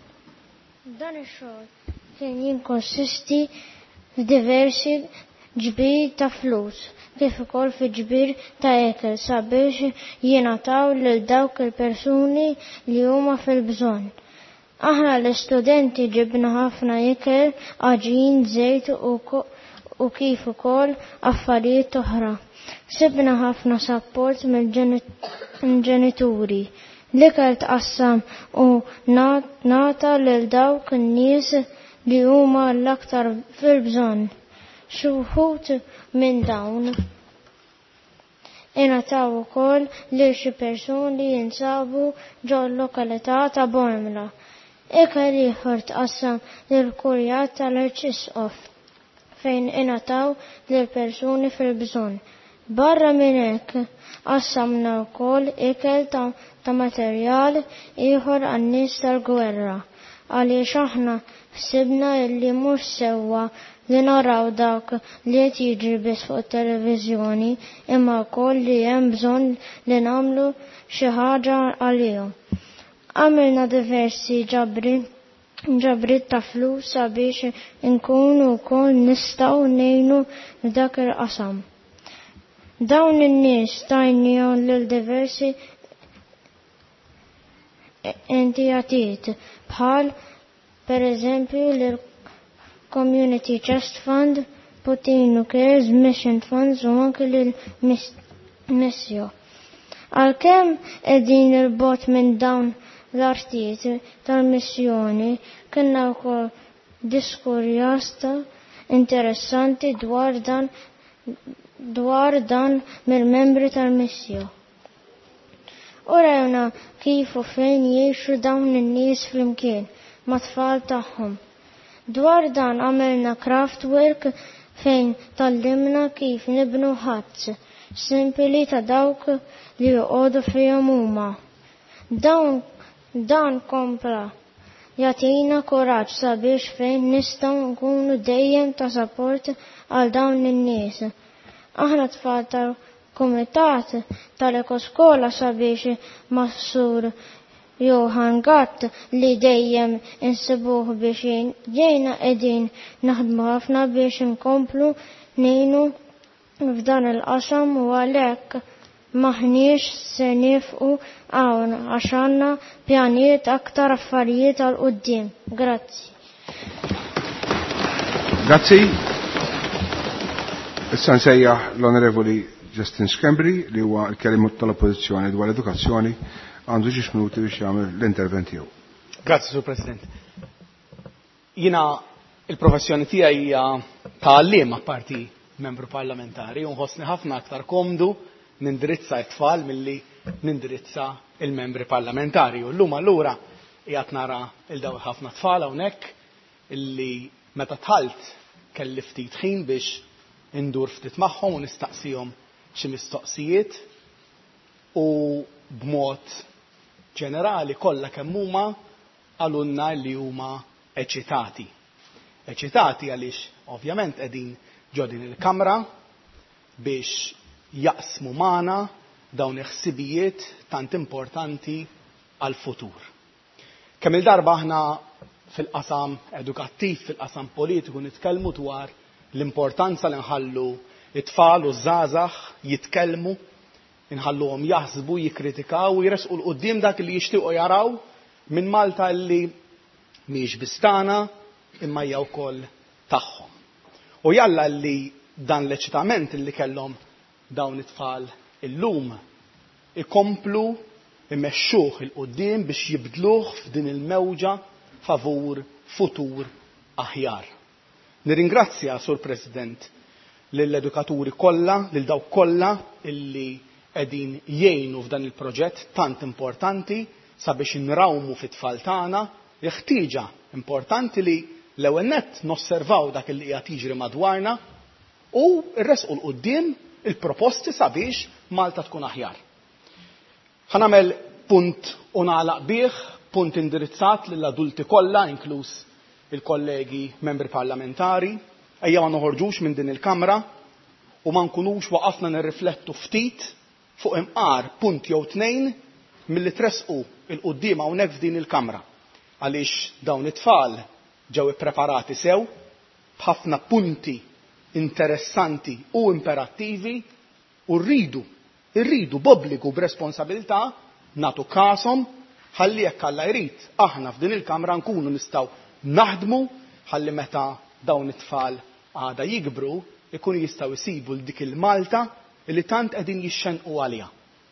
Dan ix-xogħol kien jinkonsisti f'diversi ġbir ta' flus kif ukoll fi ġbir ta' ekel sabiex jingħataw lil dawk il-persuni li huma fil-bżonn. Aħna l-istudenti ġibna ħafna ikel, għaġin, żejt u kif ukoll affarijiet oħra. Sibna ħafna sapport mill-ġenituri. L-ikel tqassam u ngħata lil dawk in-nies li huma l-aktar fil-bżonn. Xi wħud minn dawn ingħataw ukoll lil xi persuni li jinsabu ġol-lokalità ta' Bormla. Ikel ieħor tqassam lill-Kurjat tal-Arċisqof fejn ingħataw lil persuni fil-bżonn. Barra minn hekk qassamna wkoll ikel ta' materjal ieħor għan-nies tal-gwerra għaliex aħna ħsibna li mhux sewwa li naraw dak li qed jiġri biss fuq it-televiżjoni imma wkoll li hemm bżonn li nagħmlu xi ħaġa għalihom. Għamilna diversi ġabriet ta' flus sabiex inkunu wkoll nistgħu ngħinu f'dak il-qasam. Dawn in-nies tajnihom lil diversi entitajiet bħal pereżempju lil Community Chest Fund, Puttinu Cares, Mission Funds u anke lil Missio. Għalkemm qegħdin il-bogħod minn dawn l-artijiet tal-missjoni, kellna wkoll diskurjasta interessanti dwar dan dwar dan mill-membri tal-missio. U rajna kif u fejn jgħixu dawn in-nies flimkien mat-tfal tagħhom. Dwar dan għamilna craft work fejn tgħallimna kif nibnu huts simpli ta' dawk li joqogħdu fihom huma. Dawn dan kompla jagħtina kuraġġ sabiex fejn nistgħu nkunu dejjem ta' support għal dawn in-nies. Aħna tfal tal-Kumitat tal-Ekoskola sabiex mas-Sur Johan Gatt li dejjem insibuh biex jgħinna qegħdin naħdmu ħafna biex inkomplu ngħinu f'dan il-qasam u għalhekk m'aħniex se nieqfu hawn għax għandna pjanijiet aktar affarijiet għal quddiem. Grazzi. Grazzi. Issa nsejjaħ l-Onorevoli Justin Schembri li huwa l-kelliem tal-Oppożizzjoni dwar l-edukazzjoni għandu ġiex minuti biex jagħmel l-intervent tiegħu. Grazzi, Sur President. Jiena il-professjoni tiegħi hija ta' għalliem apparti membru parlamentari u nħossni ħafna aktar komdu nindirizza t-tfal milli nindirizza il-membri parlamentari. U llum allura qiegħed nara il daw ħafna tfal hawnhekk illi meta dħalt kelli ftit ħin biex indur ftit magħhom u nistaqsihom xi mistoqsijiet u b'mod ġenerali kollha kemm huma qalulna li huma eċitati. Eċitati għaliex ovvjament qegħdin ġo din il-kamra biex jaqsmu magħna dawn il-ħsibijiet tant importanti għal-futur. Kemm il-darba aħna fil-qasam edukattiv, fil-qasam politiku nitkellmu dwar l-importanza li nħallu it-tfal u żgħażagħ jitkellmu, inħalluhom jaħsbu, jikkritikaw u jressqu 'l quddiem dak li jixtiequ jaraw minn Malta li mhijiex biss tagħna imma hija wkoll tagħhom. U jalla li dan l-eċitament li kellhom dawn it-tfal illum ikomplu imexxuh 'il quddiem biex jibdluh f'din il-mewġa favur futur aħjar. Nirringrazzja, Sur President, lill-edukaturi kollha, lil dawk kollha illi qegħdin jgħinu f'dan il-proġett tant importanti sabiex inrawmu fit-tfal tagħna l-ħtieġa importanti li l-ewwel nett nosservaw dak li qiegħed jiġri madwarna u rresqu 'l quddiem il-proposti sabiex Malta tkun aħjar. Ħa nagħmel punt u nagħlaq bih, punt indirizzat lill-adulti kollha, inkluż il-kollegi membri parlamentari, ejja ma noħorġux minn din il-Kamra u ma nkunux waqafna nirriflettu ftit fuq imqar punt jew tnejn milli tressqu 'l quddiem hawnhekk f'din il-Kamra, għaliex dawn it-tfal ġew ippreparati sew b'ħafna punti interessanti u imperattivi u rridu, irridu b'obbligu, b'responsabilità nagħtu kashom ħalli jekk Alla jrid aħna f'din il-Kamra nkunu nistgħu naħdmu ħalli meta dawn it-tfal għada jikbru jkunu jistgħu jsibu 'l dik il-Malta li tant qegħdin jixxennqu għaliha.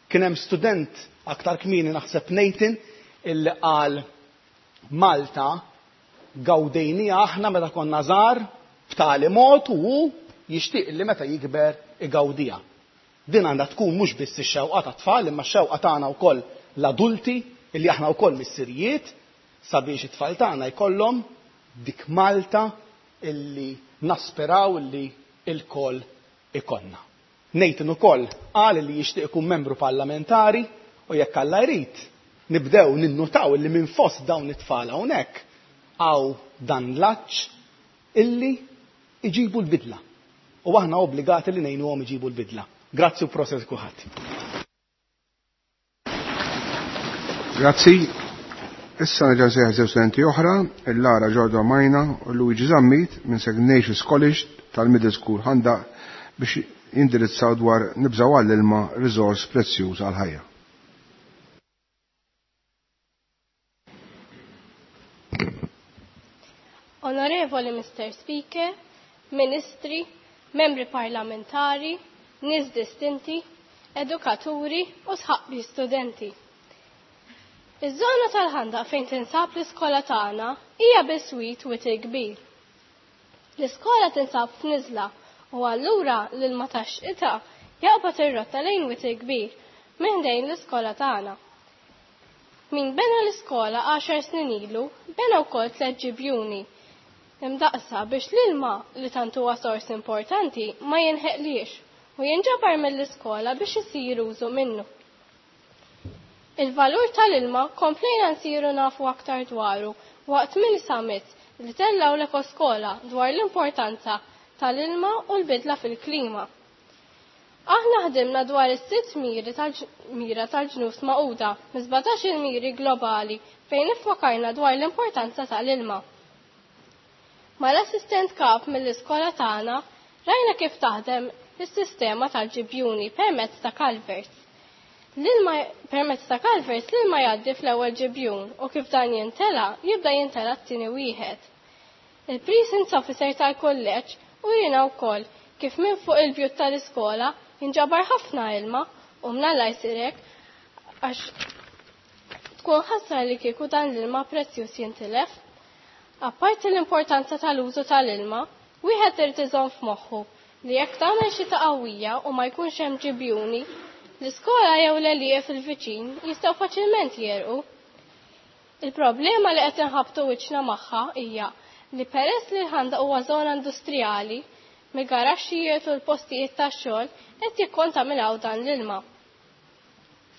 Kien hemm student aktar kmieni naħseb Nathan illi qal Malta gawdejniha aħna meta konna żgħar b'tali mod u hu jixtieq li meta jikber igawdiha. Din għandha tkun mhux biss ix-xewqa tat-tfal imma x-xewqa tagħna wkoll l-adulti illi aħna wkoll missirijiet sabiex it-tfal tagħna jkollhom dik Malta illi naspiraw illi lkoll ikollna. Nathan ukoll qal li jixtieq ikun membru parlamentari u jekk Alla jrid, nibdew ninnutaw illi minn fost dawn it-tfal hawnhekk hawn dan l-għatx illi jġibu l-bidla. U aħna obbligati li ngħinuhom iġibu l-bidla. Grazzi u proset kulħadd. Grazzi. Issa nerġa' nsejjaħ żewġ studenti oħra, il-Lara Ġordo Majna u Luigi Zammit minn St. Ignatius College tal-Middle School Ħandaq biex jindirizzaw dwar nibżgħu għall-ilma riżors prezzjuż għall-ħajja. Onorevoli Mr. Speaker, Ministri, Membri Parlamentari, nies distinti, edukaturi u sħabbi studenti. Iż-żona tal-ħandaq fejn tinsab l-iskola tagħna hija biswit witir kbir. L-iskola tinsab f'niżla u allura l-ilma tax-xita jaqbad ir-rotta lejn witir kbir minn ħdejn l-iskola tagħna. Min bena l-iskola għaxar snin ilu bena wkoll tliet ġibjuni imdaqqsa biex l-ilma li tant huwa sors importanti ma jinħeqliex u jinġabar mill-iskola biex isir użu minnu. Il-valur tal-ilma komplejna nsiru nafu aktar dwaru waqt mini summit li tellgħu l-Ekoskola dwar l-importanza tal-ilma u l-bidla fil-klima. Aħna ħdimna dwar is-sitt miri tal-mira tal-ġnus Magħquda mis-17 il-miri globali fejn iffokarna dwar l-importanza tal-ilma. Mal-assistent kap mill-iskola tagħna rajna kif taħdem is-sistema tal-ġibjuni permezz ta' culverts. L-ilma permezz ta' culverts l-ilma jgħaddi fl-ewwel ġibjun u kif dan jintela jibda jintela t-tieni wieħed. Il-Precinct Officer tal-kulleġġ urina wkoll kif minn fuq il-bjut tal-iskola jinġabar ħafna ilma u mnalla jsir hekk għax tkun ħasra li kieku dan l-ilma prezzjuż jintilef. Apparti l-importanza tal-użu tal-ilma, wieħed irid iżomm f'moħħu li jekk tagħmel xita qawwija u ma jkunx hemm ġibjuni, l-iskola jew l-għelieqi fil-viċin jistgħu faċilment jegħrqu. Il-problema li qed inħabbtu wiċċna magħha hija li peress li l-ħandaq huwa żona industrijali, mill-garaxxijiet u l-postijiet tax-xogħol qed jikkontaminaw dan l-ilma.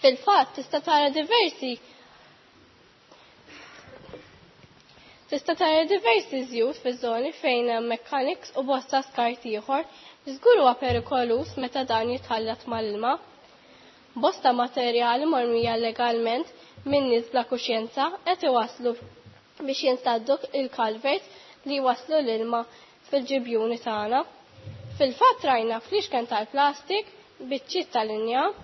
Fil-fatt tista' tara diversi Tista' tara diversi żjut fiż-żoni fejn hemm mechanics u bosta skart ieħor li żgur huwa perikoluż meta dan jitħallat mal-ilma. Bosta materjali mormija llegalment minn nies bla kuxjenza qed iwasslu biex jinsaddu il-culverts li jwasslu l-ilma fil-ġibjuni tagħna. Fil-fatt rajna fliexken tal-plastik, biċċiet tal-injam,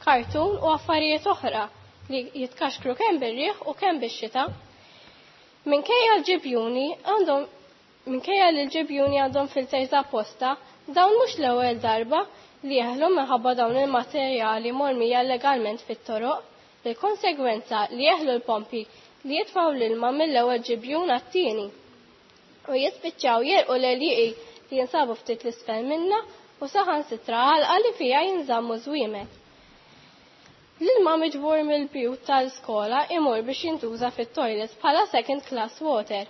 kartun u affarijiet oħra li jitkaxkru kemm bir-riħ u kemm bix-xita. Minkejja l-ġibjuni għandhom minkejja li l-ġibjuni għandhom filters apposta, dawn mhux l-ewwel darba li jeħlu minħabba dawn il-materjali mormija llegalment fit-toroq, bil-konsegwenza li jeħlu l-pompi li jitfgħu l-ilma mill-ewwel ġibjun għat-tieni u jispiċċaw jerqu l-għelieqi li jinsabu ftit l-isfel minna u saħansitra għalqa li fiha jinżammu żwiemel. L-ilma miġbur mill-bjut tal-iskola imur biex jintuża fit-toilets bħala second class water.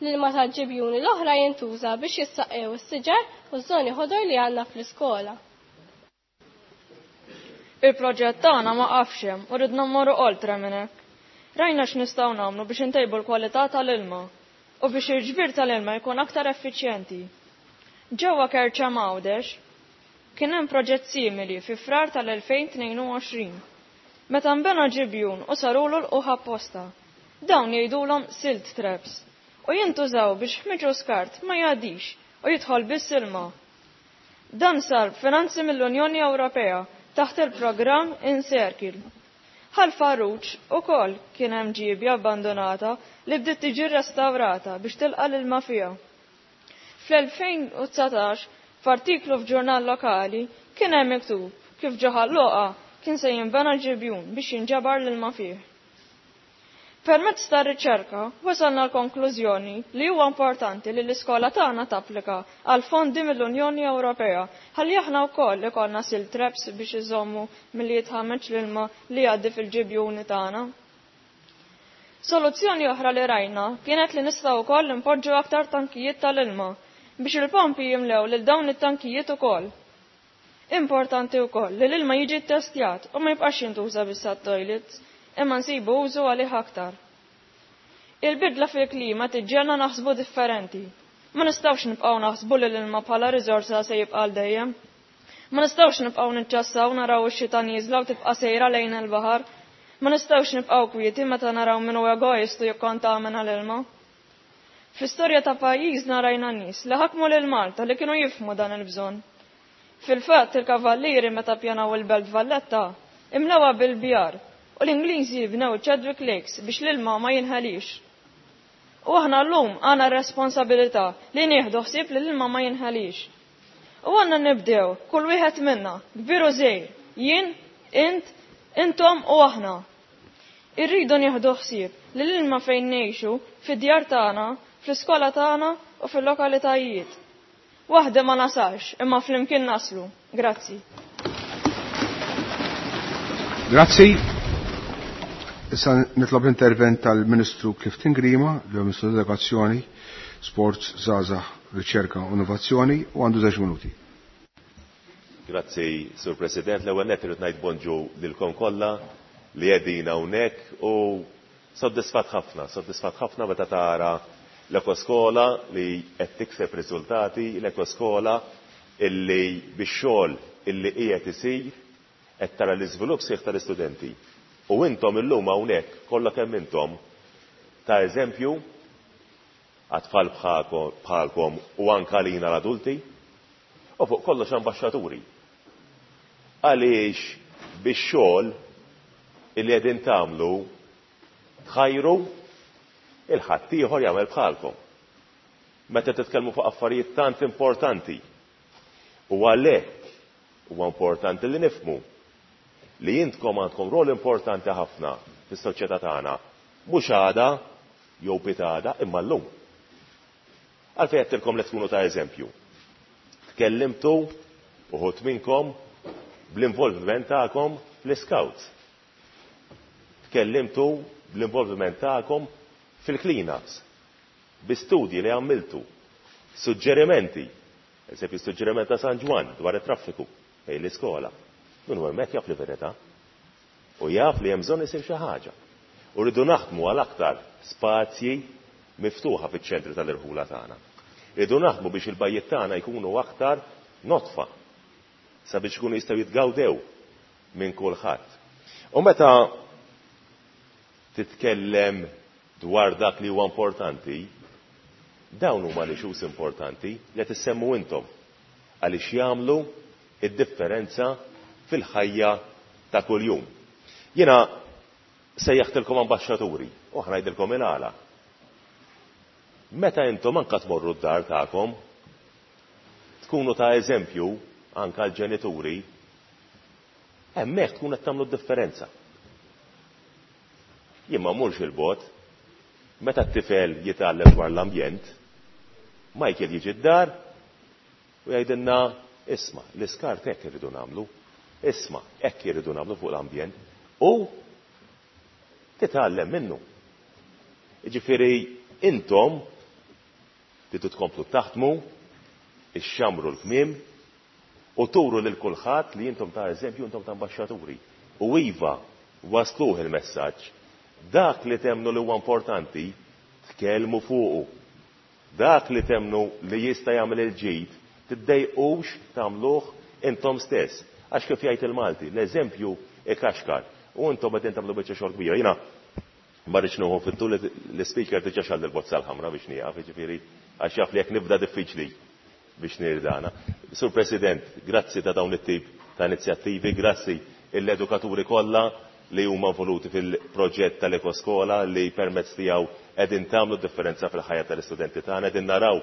L-ilma tal-ġibjuni l-oħra jintuża biex jissaqqew is-siġar u ż-żoni ħodor li għandna fl-iskola. Il-proġett tagħna ma qafx hemm u ridna mmorru oltre minn hekk. Rajna x'nistgħu nagħmlu biex intejbu l-kwalità tal-ilma u biex il-ġbir tal-ilma jkun aktar effiċjenti. Ġewwa Kerċem Għawdex kien hemm proġett simili fi Frar tal-2022. Meta nbena ġibjun u sarulu lqugħ apposta. Dawn jgħidulhom silt traps u jintużaw biex ħmiġ u skart ma jgħaddix u jidħol biss ilma. Dan sar b'finanzi mill-Unjoni Ewropea taħt il-programm Incircle. Ħal Farruġ ukoll kien hemm ġiebja abbandonata li bdiet tiġi rrestawrata biex tilqa' l-ilma fiha. Fl-2019, f'artiklu f'ġurnal lokali kien hemm miktub kif ġo Ħal Luqa kien se jinbena ġibjun biex jinġabar l-ilma fih. Permezz ta' riċerka wasalna l-konklużjoni li huwa importanti li l-iskola tagħna tapplika għal fondi mill-Unjoni Ewropea ħalli aħna wkoll ikollna silt traps biex iżommu milli jitħammeġ l-ilma li jgħaddi fil-ġibjuni tagħna. Soluzzjoni oħra li rajna kienet li nistgħu wkoll impoġġu aktar tankijiet tal-ilma biex il-pompi jimlew lil dawn it-tankijiet ukoll. Importanti wkoll li l-ilma jiġi ttestjat u ma jibqax jintuża biss għat-toilets imma nsibu użu għalih aktar. Il-bidla fil-klima tiġġegħelna naħsbu differenti. Ma nistgħux nibqgħu naħsbu li l-ilma bħala riżorsa se jibqa' għal dejjem. Ma nistgħux nibqgħu niċċassaw naraw ix-xita nieżla u tibqa' sejra lejn il-baħar. Ma nistgħux nibqgħu kwieti meta naraw min hu egoist u jikkontamina l-ilma. Fl-istorja ta' pajjiżna rajna nies li ħakmu lil Malta li kienu jifhmu dan il-bżonn. Fil-fatt il-Kavallieri meta ppjanaw il-Belt Valletta imlewha bil-bjar u l-Ingliżi bnew Chadwick Lakes biex l-ilma ma jinħelix. U aħna llum għandna r-responsabilità li nieħdu ħsieb li l-ilma ma jinħelix. U għandna nibdew kull wieħed minna, kbir u żgħir, jien, int, intom u aħna. Irridu nieħdu ħsieb li l-ilma fejn ngħixu, fid-djar tagħna, fl-iskola tagħna u fil-lokalitajiet. Waħda ma nasalx, imma flimkien naslu. Grazzi. Grazzi. Issa nitlob l-intervent tal-Ministru Clifton Grima, li huwa Ministru tal-Edukazzjoni, Sports, Żgħażagħ, Riċerka u Innovazzjoni, u għandu żewġ minuti. Grazzi, Sur President. L-ewwel nett irid ngħid bonġu lilkom kollha li qegħdin hawnhekk u soddisfatt ħafna, soddisfatt ħafna meta tara l-ekoskola li qed tikseb riżultati, l-ekoskola illi bix-xogħol illi qiegħed isir qed tara l-iżvilupp sħiħ tal-istudenti. U intom illum hawnhekk kollha kemm intom ta' eżempju għat-tfal bħalkom u anke għalina l-adulti u fuq kollox ambaxxaturi. Għaliex bix-xogħol illi qegħdin tagħmlu tħajru il-ħaddieħor jagħmel bħalkom. Meta titkellmu fuq affarijiet tant importanti. U għalhekk huwa importanti li nifhmu li intkom għandkom rol importanti ħafna fis-soċjetà tagħna, mhux għada jew pitada imma llum. Għalfejn għedtilkom li tkunu ta' eżempju. Tkellimtu uħud minnkom bl-involviment tagħkom fl-scouts. Tkellimtu bl-involviment tagħkom fil-clean-ups, bi studji li għamiltu, suġġerimenti, eżempju suġġeriment ta' San Ġwann dwar it-traffiku fejn l-iskola. Min hu hemmhekk jaf li verità u jaf li hemm bżonn isir xi ħaġa. U rridu naħdmu għal aktar spazji miftuħa fiċ-ċentri tal-irħula tagħna. Rridu naħdmu biex il-bajjiet tagħna jkunu aktar notfa sabiex ikunu jistgħu jitgawdew minn kulħadd. U meta titkellem dwar dak li huwa importanti, dawn huma l-issues importanti li qed issemmu intom għaliex jagħmlu id-differenza fil-ħajja ta' kuljum. Jiena sejjaħtilkom ambaxxaturi u aħna ngħidilkom il-għala. Meta intom anka tmorru d-dar tagħkom, tkunu ta' eżempju anka l-ġenituri, hemmhekk tkun qed tagħmlu d-differenza. Jien ma mmurx il-bogħod, meta t-tifel jitgħallem dwar l-ambjent, Michael jiġi d-dar u jgħidilna isma' l-iskart hekk irridu nagħmlu, isma' hekk irridu nagħmlu fuq l-ambjent u titgħallem minnu. Jiġifieri intom tridu tkomplu taħdmu, ixxammru l-kmiem, U turu lil kulħadd li intom ta' eżempju, intom ta' ambaxxaturi. U iva, wasluh il-messaġġ. Dak li temmnu li huwa importanti, tkellmu fuqu. Dak li temmnu li jista' jagħmel il-ġid, tiddejqux tagħmluh intom stess. Għax kif jgħid il-Malti, l-eżempju ikaxkar. U intom qegħdin tagħmlu biċċa xogħol kbira. Jiena ma rridx nieħu fit-tul, l-ispeaker diġà xall il-bozza l-ħamra biex nieqaf, jiġifieri għax jaf li jekk nibda diffiċli biex nirdana. Sur President, grazzi ta' dawn it-tip ta' inizjattivi, grazzi l-edukaturi kollha li huma involuti fil-proġett tal-Ekoskola li permezz tiegħu qegħdin tagħmlu differenza fil-ħajja tal-istudenti tagħna, qegħdin naraw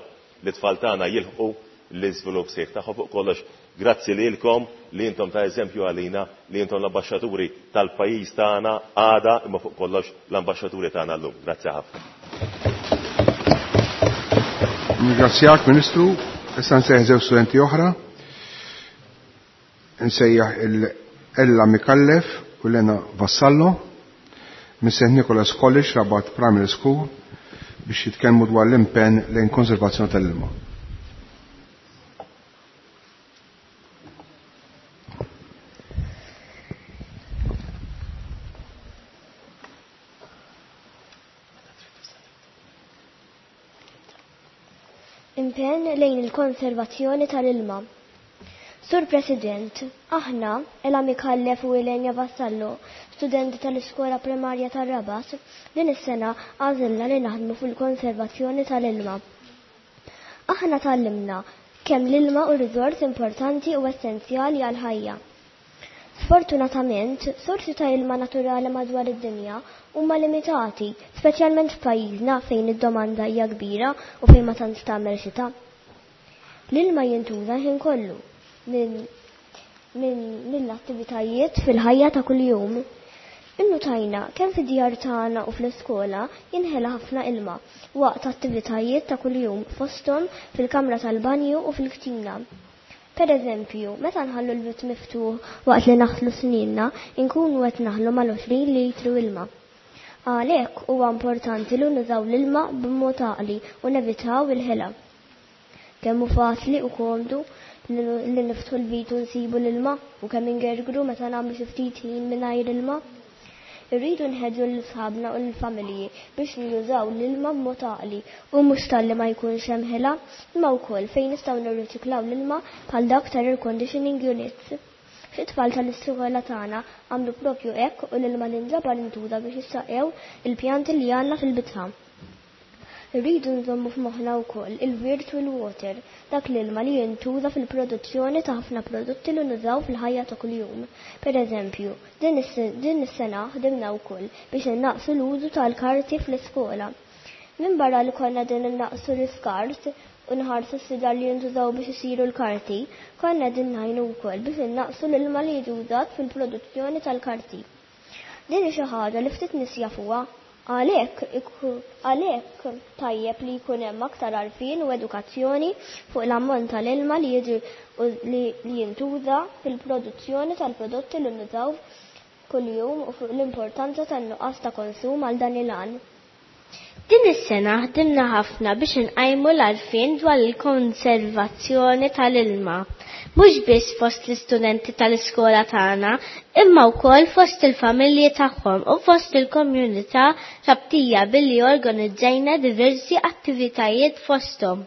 li t-tfal tagħna jilħqu l-iżvilupp sħiħ tagħhom. Fuq kollox, grazzi lilkom li intom ta' eżempju għalina, li intom l-ambaxxaturi tal-pajjiż tagħna għada, imma fuq kollox l-ambaxxaturi tagħna llum. Grazzi ħafna. Nirringrazzjak, Ministru. Issa nsejjaħ żewġ studenti oħra. Nsejjaħ il-Ella Mikallef u Lena Vassallo minn St. Nicholas College, Rabat Primary School, biex jitkellmu dwar l-impenn lejn konservazzjoni tal-ilma. Impenn lejn il-konservazzjoni tal-ilma. Sur President, aħna, Ella Mikallef u Elenja Vassallo, studenti tal-Iskola Primarja tar-Rabat, din is-sena għażilna li naħdmu fil-konservazzjoni tal-ilma. Aħna tgħallimna kemm l-ilma hu riżors importanti u essenzjali għall-ħajja. Sfortunatament, sorsi ta' ilma naturali madwar id-dinja huma limitati, speċjalment f'pajjiżna fejn id-domanda hija kbira u fejn ma tantx tagħmel xita. L-ilma jintuża l-ħin kollu minn min mill-attivitajiet fil-ħajja ta' kuljum. Innutajna kemm fid-djar tagħna u fl-iskola jinħela ħafna ilma waqt attivitajiet ta' kuljum fosthom fil-kamra tal-banju u fil-ktina. Per eżempju, meta nħallu l-vit miftuħ waqt li naħslu sninna, inkunu qed naħlu mal-20 litru ilma. Għalhekk huwa importanti li nużaw l-ilma b'mod għaqli u nevitaw il-ħela. Kemm hu faċli u komdu li niftħu l-vit u nsibu l-ilma u kemm ingergru meta nagħmlu xi ftit ħin mingħajr ilma. Irridu nħeġġu lil sħabna u lill-familji biex jużaw l-ilma b'mod għaqli u mhux talli ma jkunx hemm ħela, imma wkoll fejn nistgħu nirriċiklaw l-ilma bħal dak tal-air conditioning units. Xi tfal tal-iskola tagħna għamlu propju hekk u l-ilma li nġabar intuża biex jissaqqew il-pjanti li għandna fil-bitħa. Irridu nżommu f'moħħna wkoll il-virtual water, dak l-ilma li jintuża fil-produzzjoni ta' ħafna prodotti li nużaw fil-ħajja ta' kuljum. Per eżempju, din is-sena ħdimna wkoll biex innaqqsu l-użu tal-karti fl-iskola. Minbarra li konna qegħdin innaqqsu l-iskart u nħarsu s-siġar li jintużaw biex isiru l-karti, konna qegħdin ngħinu wkoll biex innaqqsu l-ilma li jiġi użat fil-produzzjoni tal-karti. Din hi xi ħaġa li ftit nies jafuha. Għalhekk għalhekk tajjeb li jkun hemm aktar għarfien u edukazzjoni fuq l-ammont tal-ilma li jiġi li jintuża fil-produzzjoni tal-prodotti li nużaw kuljum u fuq l-importanza tan-nuqqas ta' konsum għal dan il-għan. Din is-sena ħdimna ħafna biex inqajmu l-għarfien dwar il-konservazzjoni tal-ilma. Mhux biss fost l-istudenti tal-iskola tagħna, imma wkoll fost il-familji tagħhom u fost il-komunità Rabtija billi organizzajna diversi attivitajiet fosthom.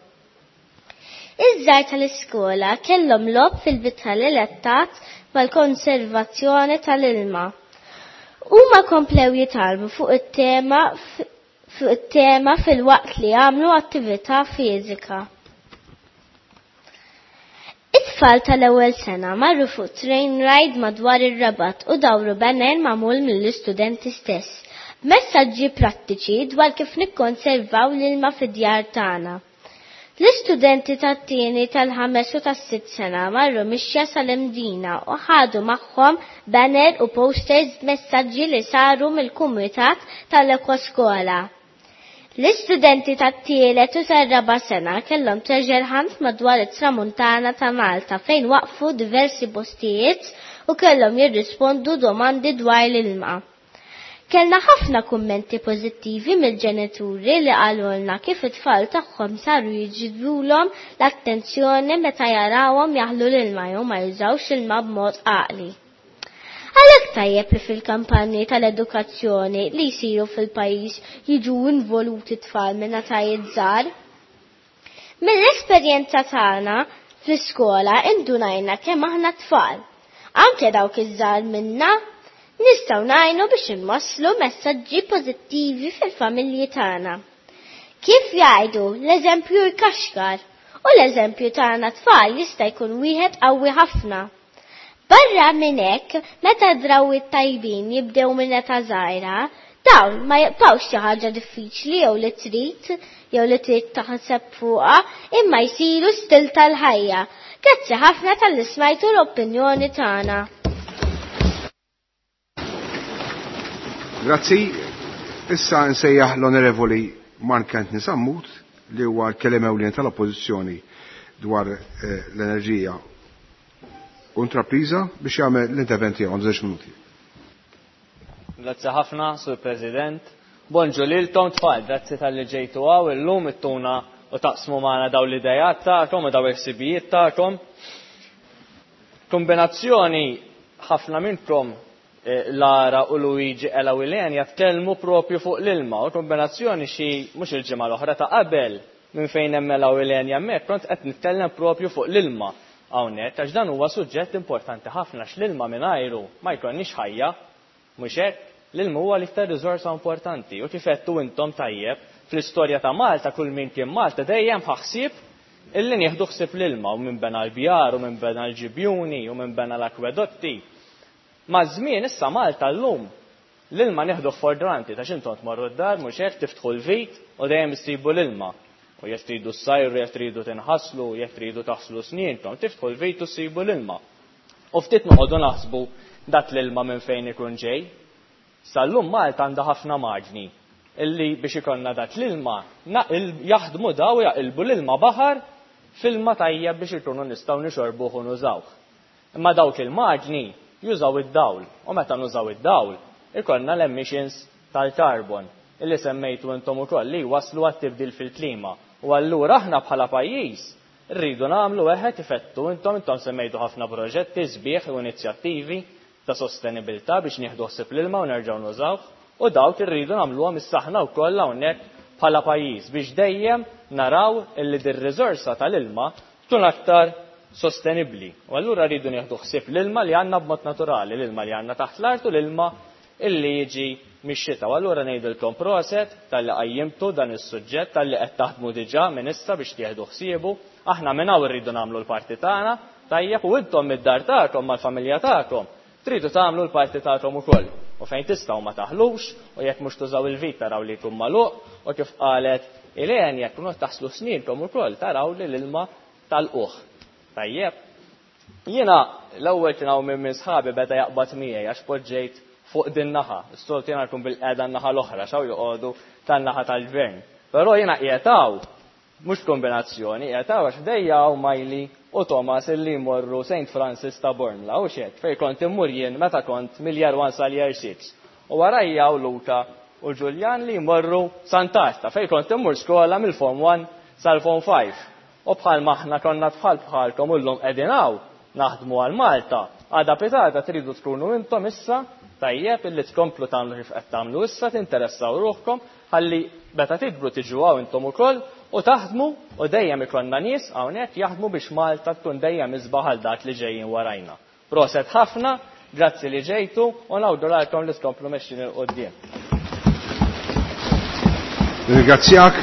Iż-żgħar tal-iskola kellhom logħob fil-bitħa li lettat mal-konservazzjoni tal-ilma. Huma komplew jitgħallmu fuq it-tema fuq it-tema filwaqt li għamlu attività fiżika. It-tfal tal-ewwel sena marru fuq train ride madwar ir-Rabat u dawru banner magħmul mill-istudenti stess, b'messaġġi prattiċi dwar kif nikkonservaw l-ilma fid-djar tagħna. L-istudenti tat-tieni, tal-ħames u tas-sitt sena marru mixja sal-Imdina u ħadu magħhom banner u posters b'messaġġi li saru mill-kumitat tal-Ekoskola. L-istudenti tat-tielet u tar-raba' sena kellhom treasure hunt madwar it-Tramuntana ta' Malta fejn waqfu diversi postijiet u kellhom jirrispondu domandi dwar l-ilma. Kellna ħafna kummenti pożittivi mill-ġenituri li qalulna kif it-tfal tagħhom saru jiġbdulhom l-attenzjoni meta jarawhom jaħlu l-ilma jew ma jużawx ilma b'mod għaqli. Għalhekk tajjeb li fil-kampanji tal-edukazzjoni li jsiru fil-pajjiż jiġu involuti tfal minn etajiet żgħar. Mill-esperjenza tagħna fl-iskola indunajna kemm aħna tfal, anke dawk iż-żgħar minna, nistgħu ngħinu biex inwasslu messaġġi pożittivi fil-familji tagħna. Kif jgħidu, l-eżempju jkaxkar u l-eżempju tagħna tfal jista' jkun wieħed qawwi ħafna. Barra minn hekk, meta drawwiet tajbin jibdew minn età żgħira, dawn ma jibqgħux xi ħaġa diffiċli jew li trid jew li trid taħseb fuqha, imma jsiru stil tal-ħajja. Grazzi ħafna talli smajtu l-opinjoni tagħna. Grazzi. Issa nsejjaħ l-Onorevoli Mark Anthony Sammut li huwa l-kelliem ewlieni tal-Oppożizzjoni dwar eh, l-enerġija u intrapriża biex jagħmel l-intervent tiegħu għandu żewġ minuti. Grazzi ħafna, Sur President. Bonġu lilkom tfal, grazzi talli ġejtu hawn illum ittuna u taqsmu magħna dawn l-idejat tagħkom u dawn il-ħsibijiet tagħkom. Kombinazzjoni ħafna minnkom eh, Lara u Luigi Ela u Ilenia tkellmu propju fuq l-ilma u kombinazzjoni xi mhux il-ġimgħa l-oħra ta' qabel minn fejn hemm Ela u Ilenia hemmhekk kont qed nitkellem propju fuq l-ilma hawnhekk għax dan huwa suġġett importanti ħafna x'l-ilma mingħajru ma jkollniex ħajja. Mhux hekk? L-ilma huwa l-iktar riżorsa importanti u kif għedtu intom tajjeb, fl-istorja ta' Malta kull min kien Malta dejjem ħa ħsieb illi nieħdu ħsieb l-ilma u min bena l-bjar u min bena l-ġibjuni u min bena l-akwedotti. Maż-żmien issa Malta llum l-ilma nieħduh for granted għax intom tmorru d-dar mhux hekk tiftħu l-vit u dejjem issibu l-ilma. U jekk tridu ssajru, jekk tridu tinħaslu, jekk tridu taħslu snienkom, tiftħu l-vit u ssibu l-ilma. U ftit noqogħdu naħsbu dak l-ilma minn fejn ikun ġej. Sal-lum Malta għandha ħafna magni illi biex ikollna dak l-ilma jaħdmu daw jaqilbu l-ilma baħar f'ilma tajjeb biex ikunu nistgħu nixorbuh u nużawh. Imma dawk il-magni jużaw id-dawl u meta nużaw id-dawl ikollna l-emissions tal-carbon illi semmejtu intom ukoll li jwasslu għat-tibdil fil-klima. U allura aħna bħala pajjiż rridu nagħmlu eħe kif għedtu intom, intom semmejtu ħafna proġetti sbieħ u inizjattivi ta' sostenibilità biex nieħdu ħsieb l-ilma u nerġgħu nużawh u dawk irridu nagħmluhom issa aħna wkoll hawnhekk bħala pajjiż biex dejjem naraw illi dir-riżorsa tal-ilma tkun aktar sostenibbli. U allura rridu nieħdu ħsieb l-ilma li għandna b'mod naturali, l-ilma li għandna taħt l-art u l-ilma illi jiġi mix-xita. U allura ngħidilkom proset talli qajjimtu dan is-suġġett, talli qed taħdmu diġà minn issa biex tieħdu ħsiebu. Aħna minn hawn irridu nagħmlu l-parti tagħna, tajjeb, u intom mid-dar tagħkom mal-familja tagħkom tridu tagħmlu l-parti tagħkom ukoll. U fejn tistgħu ma taħlux, u jekk mhux tużaw il-vit taraw li jkun magħluq, u kif qalet Ilene jekk mhux taħslu snienkom ukoll taraw li l-ilma tal-qugħ. Tajjeb. Jiena l-ewwel kien hawn min minn sħabi beda jaqbad miegħi għax poġġejt fuq din naħa. Is-soltu jiena nkun bil-qiegħda n-naħa l-oħra x'hawn joqogħdu tan-naħa tal-gvern. Però jiena qiegħed hawn mhux kombinazzjoni, qiegħed hawn għax ħdejja hawn Miley u Thomas illi jmorru St. Francis ta' Bormla, hux hekk, fejn kont immur jien meta kont mill-Year 1 sal-Year 6. U warajja hawn Luca u Julian li jmorru Sant'Arta fejn kont immur skola mill-Form 1 sal-Form 5. U bħalma aħna konna tfal bħalkom u llum qegħdin hawn naħdmu għal Malta, għada pitgħada tridu tkunu intom issa, tajjeb, illi tkomplu tagħmlu kif qed tagħmlu issa, tinteressaw ruħkom, ħalli meta tikbru tiġu hawn intom ukoll u taħdmu u dejjem ikollna nies hawnhekk jaħdmu biex Malta tkun dejjem isbaħ għal dak li ġejjin warajna. Proset ħafna, grazzi li ġejtu u nawguralkom li tkomplu mexjin 'il quddiem. Nirringrazzjak,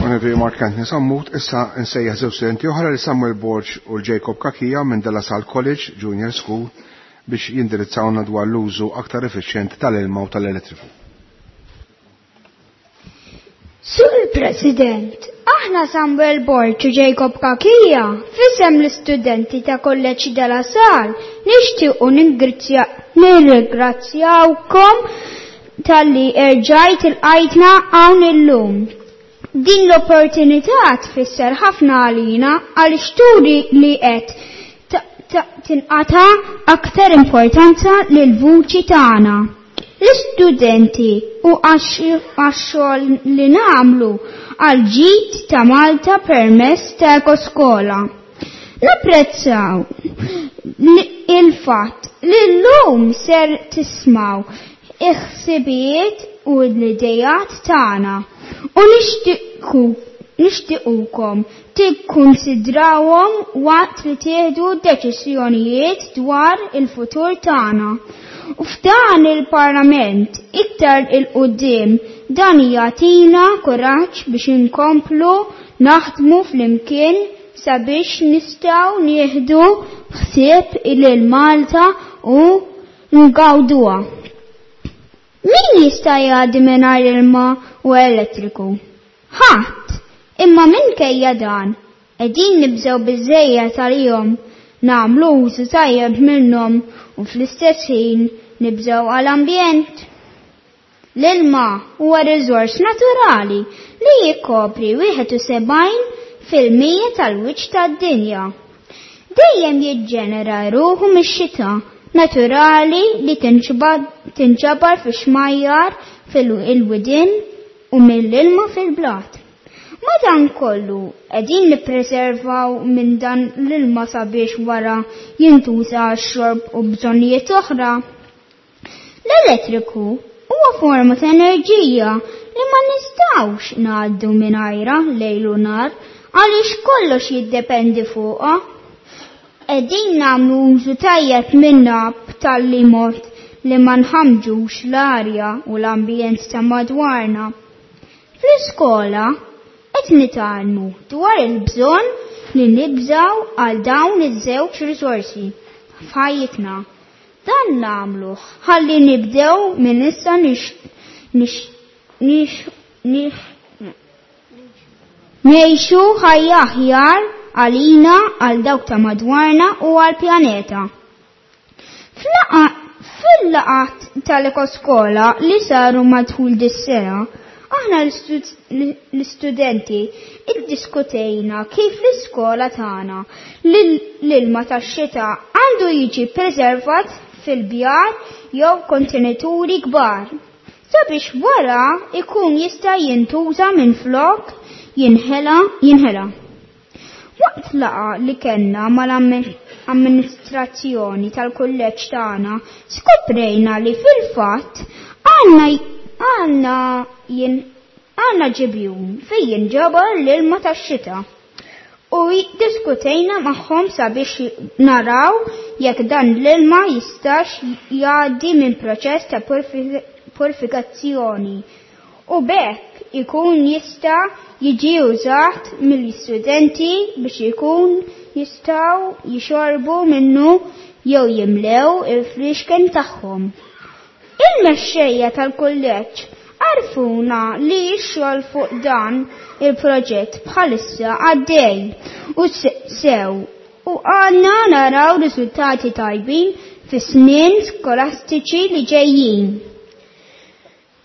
Onorevoli Mark Anthony Sammut. Issa nsejjaħ żewġ studenti oħra li Samuel Borg u Jacob Cachia minn De La Salle College Junior School biex jindirizzawna dwar l-użu aktar effiċjenti tal-ilma u tal-elettriku. Sur President, aħna Samuel Borg u Jacob Cachia, f'isem l-istudenti ta' Kolleġġ De La Salle, nixtiequ nirringrazzjawkom talli erġajt ilqajtna hawn illum. Din l-opportunità tfisser ħafna għalina għaliex turi li qed tinqata' aktar importanza lill-vuċi tagħna. L-istudenti u għax-xogħol li nagħmlu għal ġid ta' Malta permezz ta' Ekoskola. Napprezzaw il-fatt li llum ser tismaw il-ħsibijiet u l-idejat tagħna u nixtiequkom tikkunsidrawhom waqt li tieħdu deċiżjonijiet dwar il-futur tagħna. U f'dan il-Parlament iktar il-qudiem dan jagħtina kuraġġ biex inkomplu naħdmu flimkien sabiex nistgħu nieħdu ħsieb lil Malta u ngawduha. Min jista' jgħaddi mingħajr ilma u elettriku? Ħadd! Imma minkejja dan, qegħdin nibżgħu biżżejjed għalihom, nagħmlu użu tajjeb minnhom u fl-istess ħin nibżgħu għall-ambjent. L-ilma huwa riżors naturali li jikkopri 71% tal-wiċċ tad-dinja. Dejjem jiġġenera ruħu mix-xita naturali li tinġabar fi xmajjar fil-widien u mill-ilma fil-blat. Madankollu qegħdin nippreservaw minn dan l-ilma sabiex wara jintuża għax-xorb u bżonnijiet oħra. L-elettriku huwa forma ta' enerġija li ma nistgħux ngħaddu mingħajrha lejl u nhar għaliex kollox jiddependi fuqha. Qegħdin nagħmlu użu tajjeb minnha b'tali mod li ma nħammġux l-arja u l-ambjent ta' madwarna. Fl-iskola qed nitgħallmu dwar il-bżonn li nibżgħu għal dawn iż-żewġ riżorsi f'ħajjitna. Dan nagħmluh ħalli nibdew minn issa ngħixu ħajja aħjar għalina, għal dawk ta' madwarna u għall-pjaneta. Fil-laqgħat tal-Ekoskola li saru matul dis-sena, aħna l-istudenti iddiskutejna kif l-iskola tagħna l-ilma tax-xita għandu jiġi preservat fil-bjar jew kontenituri kbar sabiex wara ikun jista' jintuża minflok jinħela jinħela. Waqt laqgħa li kellna mal-amministrazzjoni tal-kulleġġ tagħna skoprejna li fil-fatt għandna għandna għandna ġibjun fejn jinġabar l-ilma tax-xita u diskutejna magħhom sabiex naraw jekk dan l-ilma jistax jgħaddi minn proċess ta' purifikazzjoni u b'hekk ikun jista' jiġi użat mill-istudenti biex ikun jistgħu jixorbu minnu jew jimlew il-fliexken tagħhom. Il-mexxejja tal-kulleġġ għarfuna li x-xogħol fuq dan il-proġett bħalissa għaddej u sew u għandna naraw riżultati tajbin fis-snin skolastiċi li ġejjin.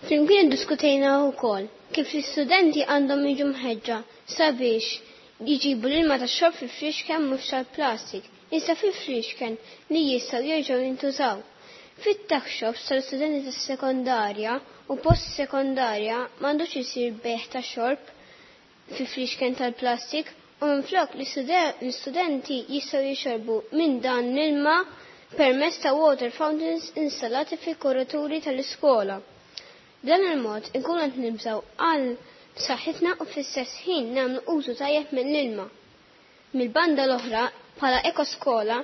Flimkien iddiskutejna wkoll kif l-istudenti għandhom jiġu mħeġġa sabiex jġibu l-ilma tax-xorb fi fliexken mhux tal-plastik, iżda fi fliexken li jistgħu jerġgħu jintużaw. Fit-tuck shops tal-istudenti tas-sekondarja u post-sekondarja m'għandux isir bejgħ ta' xorb fi fliexken tal-plastik u minflok l-istudenti jistgħu jixorbu minn dan l-ilma permezz ta' water fountains installati fil-korrituri tal-iskola. B'dan il-mod inkunu qed nibżgħu għal saħħitna u fl-istess ħin nagħmlu użu tajjeb mill-ilma. Mill-banda l-oħra, bħala ekoskola,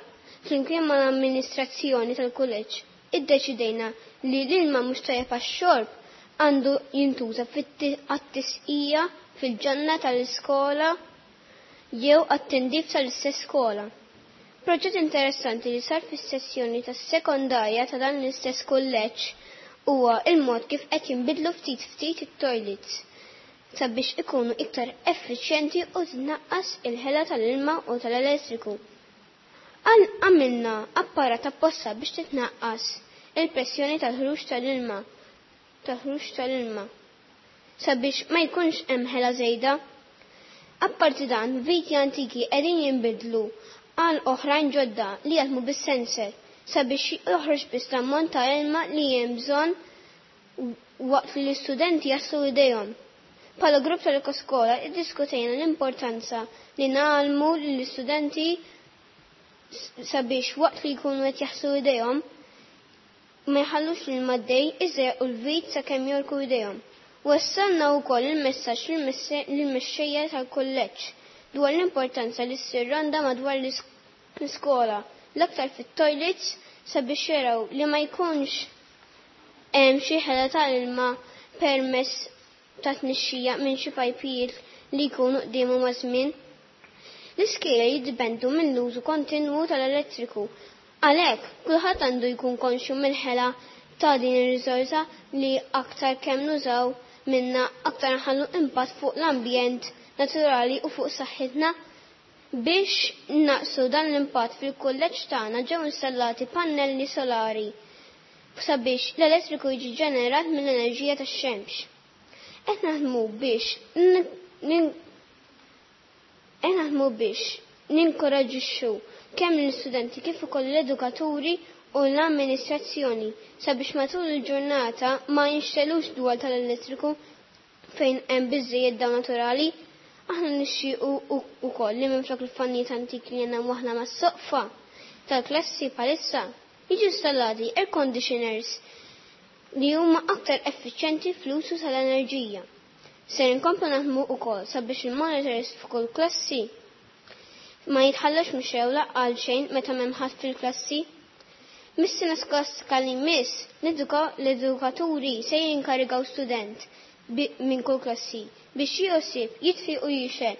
flimkien mal-amministrazzjoni tal-kulleġġ, iddeċidejna li l-ilma mhux tajjeb għax-xorb għandu jintuża għat-tisqija fil-ġonna tal-iskola jew għat-tindif tal-istess skola. Proġett interessanti li sar fis-sessjoni tas-sekondarja ta' dan l-istess kulleġġ huwa il-mod kif qed jinbidlu ftit ftit it-toilets sabiex ikunu iktar effiċjenti u tnaqqas il-ħela tal-ilma u tal-elettriku. Għamilna apparat apposta biex titnaqqas il-pressjoni tal-ħruġ tal-ilma tal-ħruġ tal-ilma sabiex ma jkunx hemm ħela żejda. Apparti dan, viti antiki qegħdin jinbidlu għal oħrajn ġodda li jaħdmu bis-sensor sabiex joħroġ biss l-ammont ta' ilma li hemm bżonn waqt li l-istudenti jaħslu idejhom. Bħala grupp tal-Ekoskola iddiskutejna l-importanza li ngħallmu lill-istudenti sabiex waqt li jkunu qed jaħslu idejhom ma jħallux l-ilma għaddej iżerqu l-vit sakemm jogħrku idejhom. Wassalna wkoll il-messaġġ lill-mexxejja tal-kulleġġ dwar l-importanza li ssir ronda madwar l-iskola, l-aktar fit-toilets sabiex jaraw li ma jkunx hemm xi ħela ta' ilma permess ta' tnixxija minn xi pajpijiet li jkunu qdiemu maż-żmien. L-iskejjel jiddipendu mill-użu kontinwu tal-elettriku. Għalhekk, kulħadd għandu jkun konxju mill-ħela ta' din ir-riżorsa li aktar kemm nużaw minnha aktar nħallu impatt fuq l-ambjent naturali u fuq saħħitna. Biex innaqsu dan l-impatt fil-kulleġġ tagħna ġew installati pannelli solari sabiex l-elettriku jiġi ġenerat mill-enerġija tax-xemx. Qed naħdmu biex qed naħdmu biex ninkoraġġixxu kemm lill-istudenti kif ukoll l-edukaturi u l-amministrazzjoni sabiex matul il-ġurnata ma jinxtegħlux dwal tal-elettriku fejn hemm biżżejjed dawl naturali. Aħna nixtiequ ukoll li minflok il-fannijiet antiki li għandna mwaħħla mas-soqfa tal-klassi bħalissa, jiġu installati air conditioners li huma aktar effiċjenti fl-użu tal-enerġija. Ser inkomplu naħdmu ukoll sabiex il-monitors f'kull klassi ma jitħallux mixewla għal xejn meta m'hemm ħadd fil-klassi. Mis-sena skolastika li jmiss, l-edukaturi se jinkarigaw student minn kull klassi biex josib, jitfi u jixgħel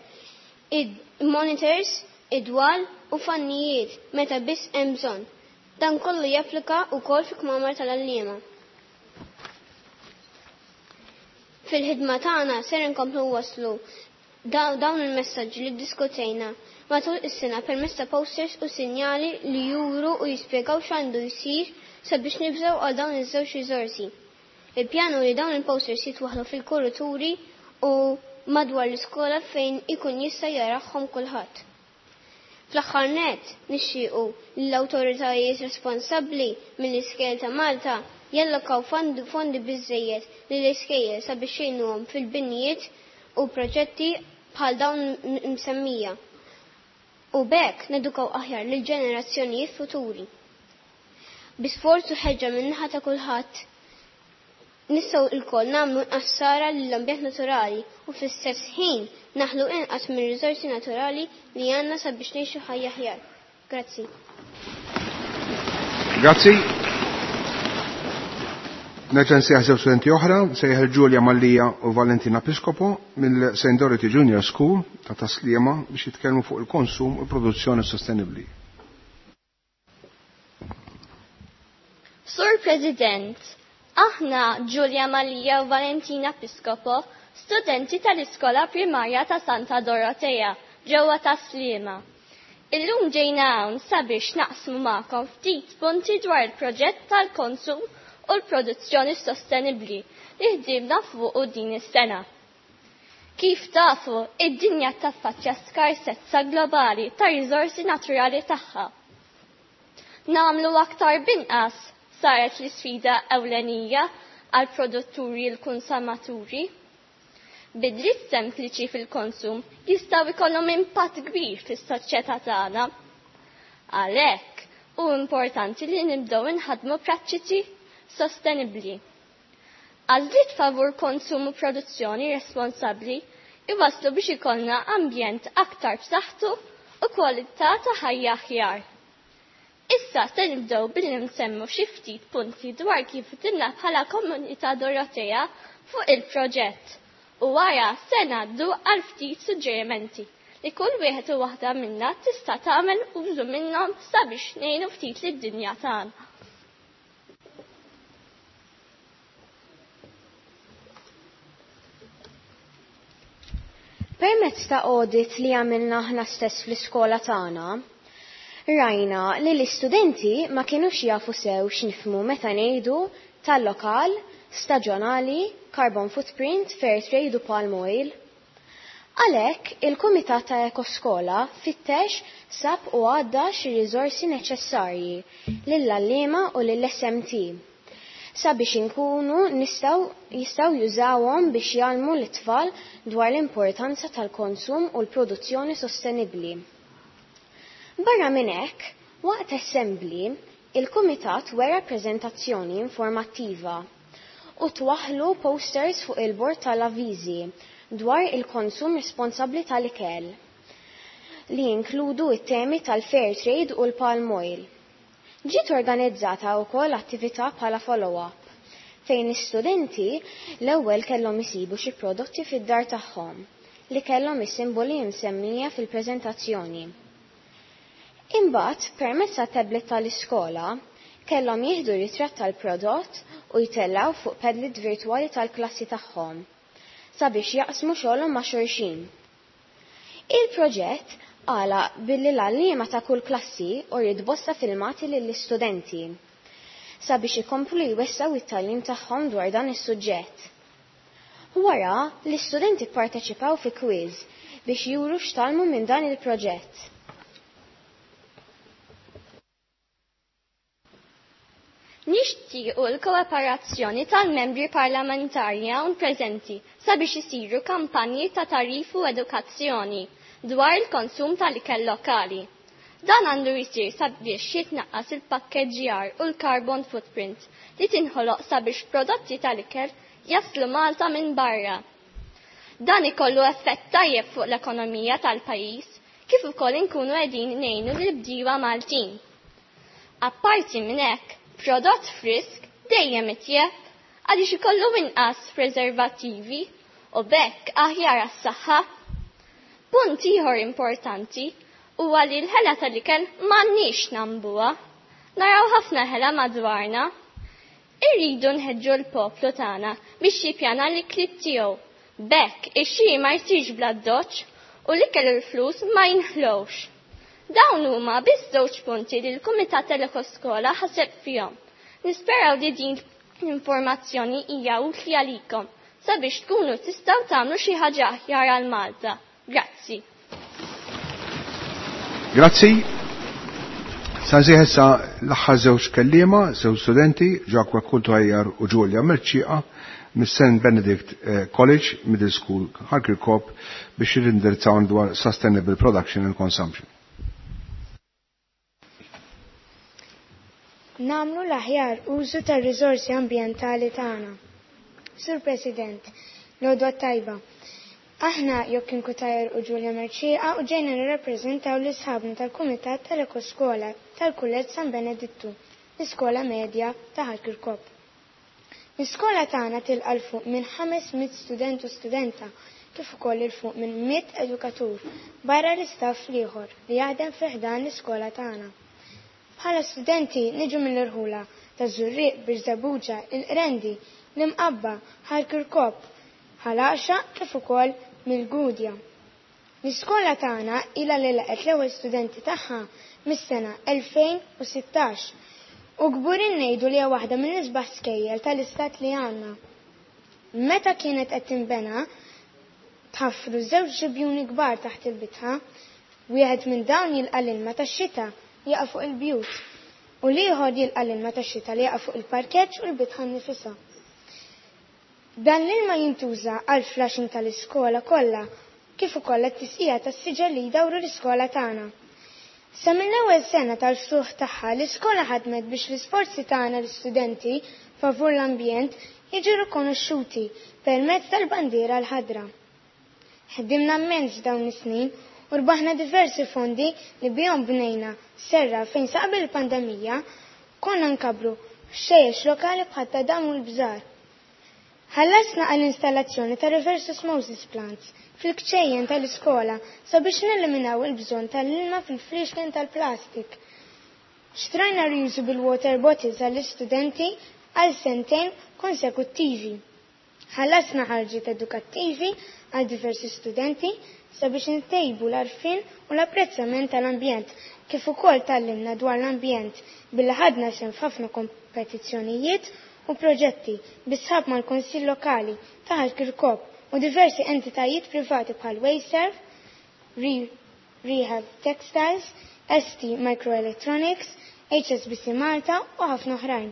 il-monitors, id-dwal u fannijiet meta biss hemm bżonn. Dan kollu japplika wkoll fi kmamar tal-għalliema. Fil-ħidma tagħna ser inkomplu waslu dawn il-messaġġi li ddiskutejna matul is-sena permezz ta' posters u sinjali li juru u jispjegaw x'għandu jsir sabiex nibżgħu għal dawn iż-żewġ riżorsi. Il-pjan hu li dawn il-posters jitwaħħlu fil-kurituri u madwar l-iskola fejn ikun jista' jarahom kulħadd. Fl-aħħar nett, nixtiequ li l-awtoritajiet responsabbli mill-iskejjel ta' Malta jallokaw fondi biżżejjed lill-iskejjel sabiex jgħinuhom fil-binjiet u proġetti bħal dawn imsemmija u b'hekk nedukaw aħjar lill-ġenerazzjonijiet futuri. Bi sforz u ħeġġa min-naħa ta' kulħadd nistgħu lkoll nagħmlu inqas ħsara lill-ambjent naturali u fl-istess ħin naħlu inqas mir-riżorsi naturali li għandna sabiex ngħixu ħajja aħjar. Grazzi. Grazzi. Nerġa' nsejjaħ żewġ studenti oħra, sejjaħ Giulia Mallia u Valentina Piscopo mill St. Dorothy Junior School ta' Tasliema biex jitkellmu fuq il-konsum u l-produzzjoni sostenibbli. Sur President, aħna Giulia Mallia u Valentina Piscopo, studenti tal-Iskola Primarja ta' Santa Dorotea, ġewwa Tas-Sliema. Illum ġejna hawn sabiex naqsmu magħkom ftit punti dwar il-proġett tal-konsum u l-produzzjoni sostenibbli li ħdimna fuqu din is-sena. Kif tafu, id-dinja taffaċċja skarsezza globali ta' riżorsi naturali tagħha. Nagħmlu aktar b'inqas saret l-isfida ewlenija għal produtturi l-konsumaturi. Bidliet sempliċi fil-konsum jistgħu jkollhom impatt kbir fis-soċjetà tagħna. Għalhekk hu importanti li nibdew inħaddmu prattiċi sostenibbli. Għażliet favur konsum u produzzjoni responsabbli iwasslu biex ikollna ambjent aktar b'saħħtu u kwalità ta' ħajja aħjar. Issa se nibdew billi nsemmu xi ftit punti dwar kif ħdimna bħala komunità Dorotea fuq il-proġett u wara se ngħaddu għal ftit suġġerimenti li kull wieħed u waħda minna tista' tagħmel użu minnhom sabiex ngħinu ftit lid-dinja tagħna. Permezz ta' audit li għamilna aħna stess fl-iskola tagħna, rajna li l-istudenti ma kinux jafu sew x'nifhmu meta ngħidu tal-lokal, staġjonali, carbon footprint, fair trade u palm oil. Għalhekk, il-Kumitat ta' Ekoskola fittex, sab u għadda xi riżorsi neċessarji lill-għalliema u lill-SMT. sabiex inkunu nistgħu jistgħu jużawhom biex jgħallmu lit-tfal dwar l-importanza tal-konsum u l-produzzjoni sostenibbli. Barra minn hekk, waqt assembly, il-kumitat wera preżentazzjoni informattiva u twaħħlu posters fuq il-bord tal-avviżi dwar il-konsum responsabbli tal-ikel li jinkludu it-temi tal-fair trade u l-palm oil. Ġiet organizzata wkoll attività bħala follow-up fejn l-istudenti l-ewwel kellhom isibu xi prodotti fid-dar tagħhom li kellhom is-simboli msemmija fil-preżentazzjoni. Imbagħad, permezz tat-tablet tal-iskola, kellhom jieħdu ritratt tal-prodott u jtellgħu fuq Padlet virtwali tal-klassi tagħhom sabiex jaqsmu xogħolhom ma' xulxin. Il-proġett għalaq billi l-għalliema ta' kull klassi uriet bosta filmati lill-istudenti sabiex ikomplu jwessgħu it-tagħlim tagħhom dwar dan is-suġġett. Wara, l-istudenti pparteċipaw fi quiz biex juru x'tgħallmu minn dan il-proġett. Nixtiequ l-kooperazzjoni tal-membri parlamentari hawn preżenti sabiex isiru kampanji ta' tagħrif u edukazzjoni dwar il-konsum tal-ikel lokali. Dan għandu jsir sabiex jitnaqqas il-pakkeġġjar u l-carbon footprint li tinħoloq sabiex prodotti tal-ikel jaslu Malta minn barra. Dan ikollu effett tajjeb fuq l-ekonomija tal-pajjiż kif ukoll inkunu qegħdin ngħinu lill-bdiewa Maltin. Apparti minn hekk, prodott frisk dejjem itjeb għaliex ikollu inqas preservattivi u b'hekk aħjar għas-saħħa. Punt ieħor importanti huwa li l-ħela tal-ikel m'għandniex nambuha. Naraw ħafna ħela madwarna. Irridu nħeġġu l-poplu tagħna biex jippjana l-ikliet tiegħu. B'hekk ix-xiri ma jsirx bl-addoċċ u l-ikel u l-flus ma jinħlewx. Dawn huma biss żewġ punti li l-Kumitat tal-Ekoskola ħaseb fihom. Nisperaw li din l-informazzjoni hija utli għalikom sabiex tkunu tistgħu tagħmlu xi ħaġa aħjar għal Malta. Grazzi. Grazzi. Sa nżieħ issa l-aħħar żewġ kelliema, żewġ studenti, Jacques Kultajjar u Giulia Merċieqa mis-St. Benedict eh, College Middle School Ħal Kirkop biex jirindirizzaw dwar Sustainable Production and Consumption. Nagħmlu l-aħjar użu tar-riżorsi ambjentali tagħna. Sur President, l-għodwa t-tajba. Aħna Joaquin Cutajar u Giulia Mercieca u ġejna nirrappreżentaw lil sħabna tal-Kumitat tal-Ekoskola tal-Kulleġġ San Benedittu, l-iskola medja ta' Ħal Kirkop. L-iskola tagħna tilqa' 'l fuq minn 500 student u studenta kif ukoll 'il fuq minn 100 edukatur barra l-istaff l-ieħor li jaħdem fi ħdan l-iskola tagħna. Bħala studenti niġu mill-irħula taż-Żurrieq, Birżebbuġa, il-Qrendi, l-Imqabba, Ħal Kirkop, Ħal Għaxaq kif ukoll mill-Gudja. L-iskola tagħna ilha li laqgħet l-ewwel studenti tagħha mis-sena 2016 u kburin ngħidu li hija waħda mill-isbaħ skejjel tal-istat li għandna. Meta kienet qed tinbena, tħaffru żewġ ġibjuni kbar taħt il-bitħa, wieħed minn dawn jilqa' l-ilma tax-xita li jaqa' fuq il-bjut u l-ieħor jilqa' l-ilma tax-xita li jaqa' fuq il-parkeġġ u l-bitħa nnifisha. Dan l-ilma jintuża għall-flushing tal-iskola kollha kif ukoll għat-tisqija tas-siġar li jdawru l-iskola tagħna. Sa mill-ewwel sena tal-ftuħ tagħha l-iskola ħadmet biex l-isforzi tagħna l-istudenti favur l-ambjent jiġu rikonoxxuti permezz tal-bandiera l-ħadra. Ħdimna immens f'dawn is-snin u rbaħna diversi fondi li bihom bnejna serra fejn sa qabel il-pandemija konna nkabbru ħxejjex lokali bħat-tadam u l-bżar. Ħallasna għall-installazzjoni ta' reverse osmosis plants fil-kċejjen tal-iskola sabiex neliminaw il-bżonn tal-ilma fil-fliexken tal-plastik. Xtrajna reusable water bottles għall-istudenti għal sentejn konsekuttivi. Ħallasna ħarġiet edukattivi għal diversi studenti sabiex intejbu l-għarfien u l-apprezzament tal-ambjent kif ukoll tgħallimna dwar l-ambjent billi ħadna sehem f'ħafna kompetizzjonijiet u proġetti bi sħab mal-Kunsill Lokali ta' Ħal Kirkop u diversi entitajiet privati bħal Wasteserv, Rehab Textiles, ST Microelectronics, HSBC Malta u ħafna oħrajn.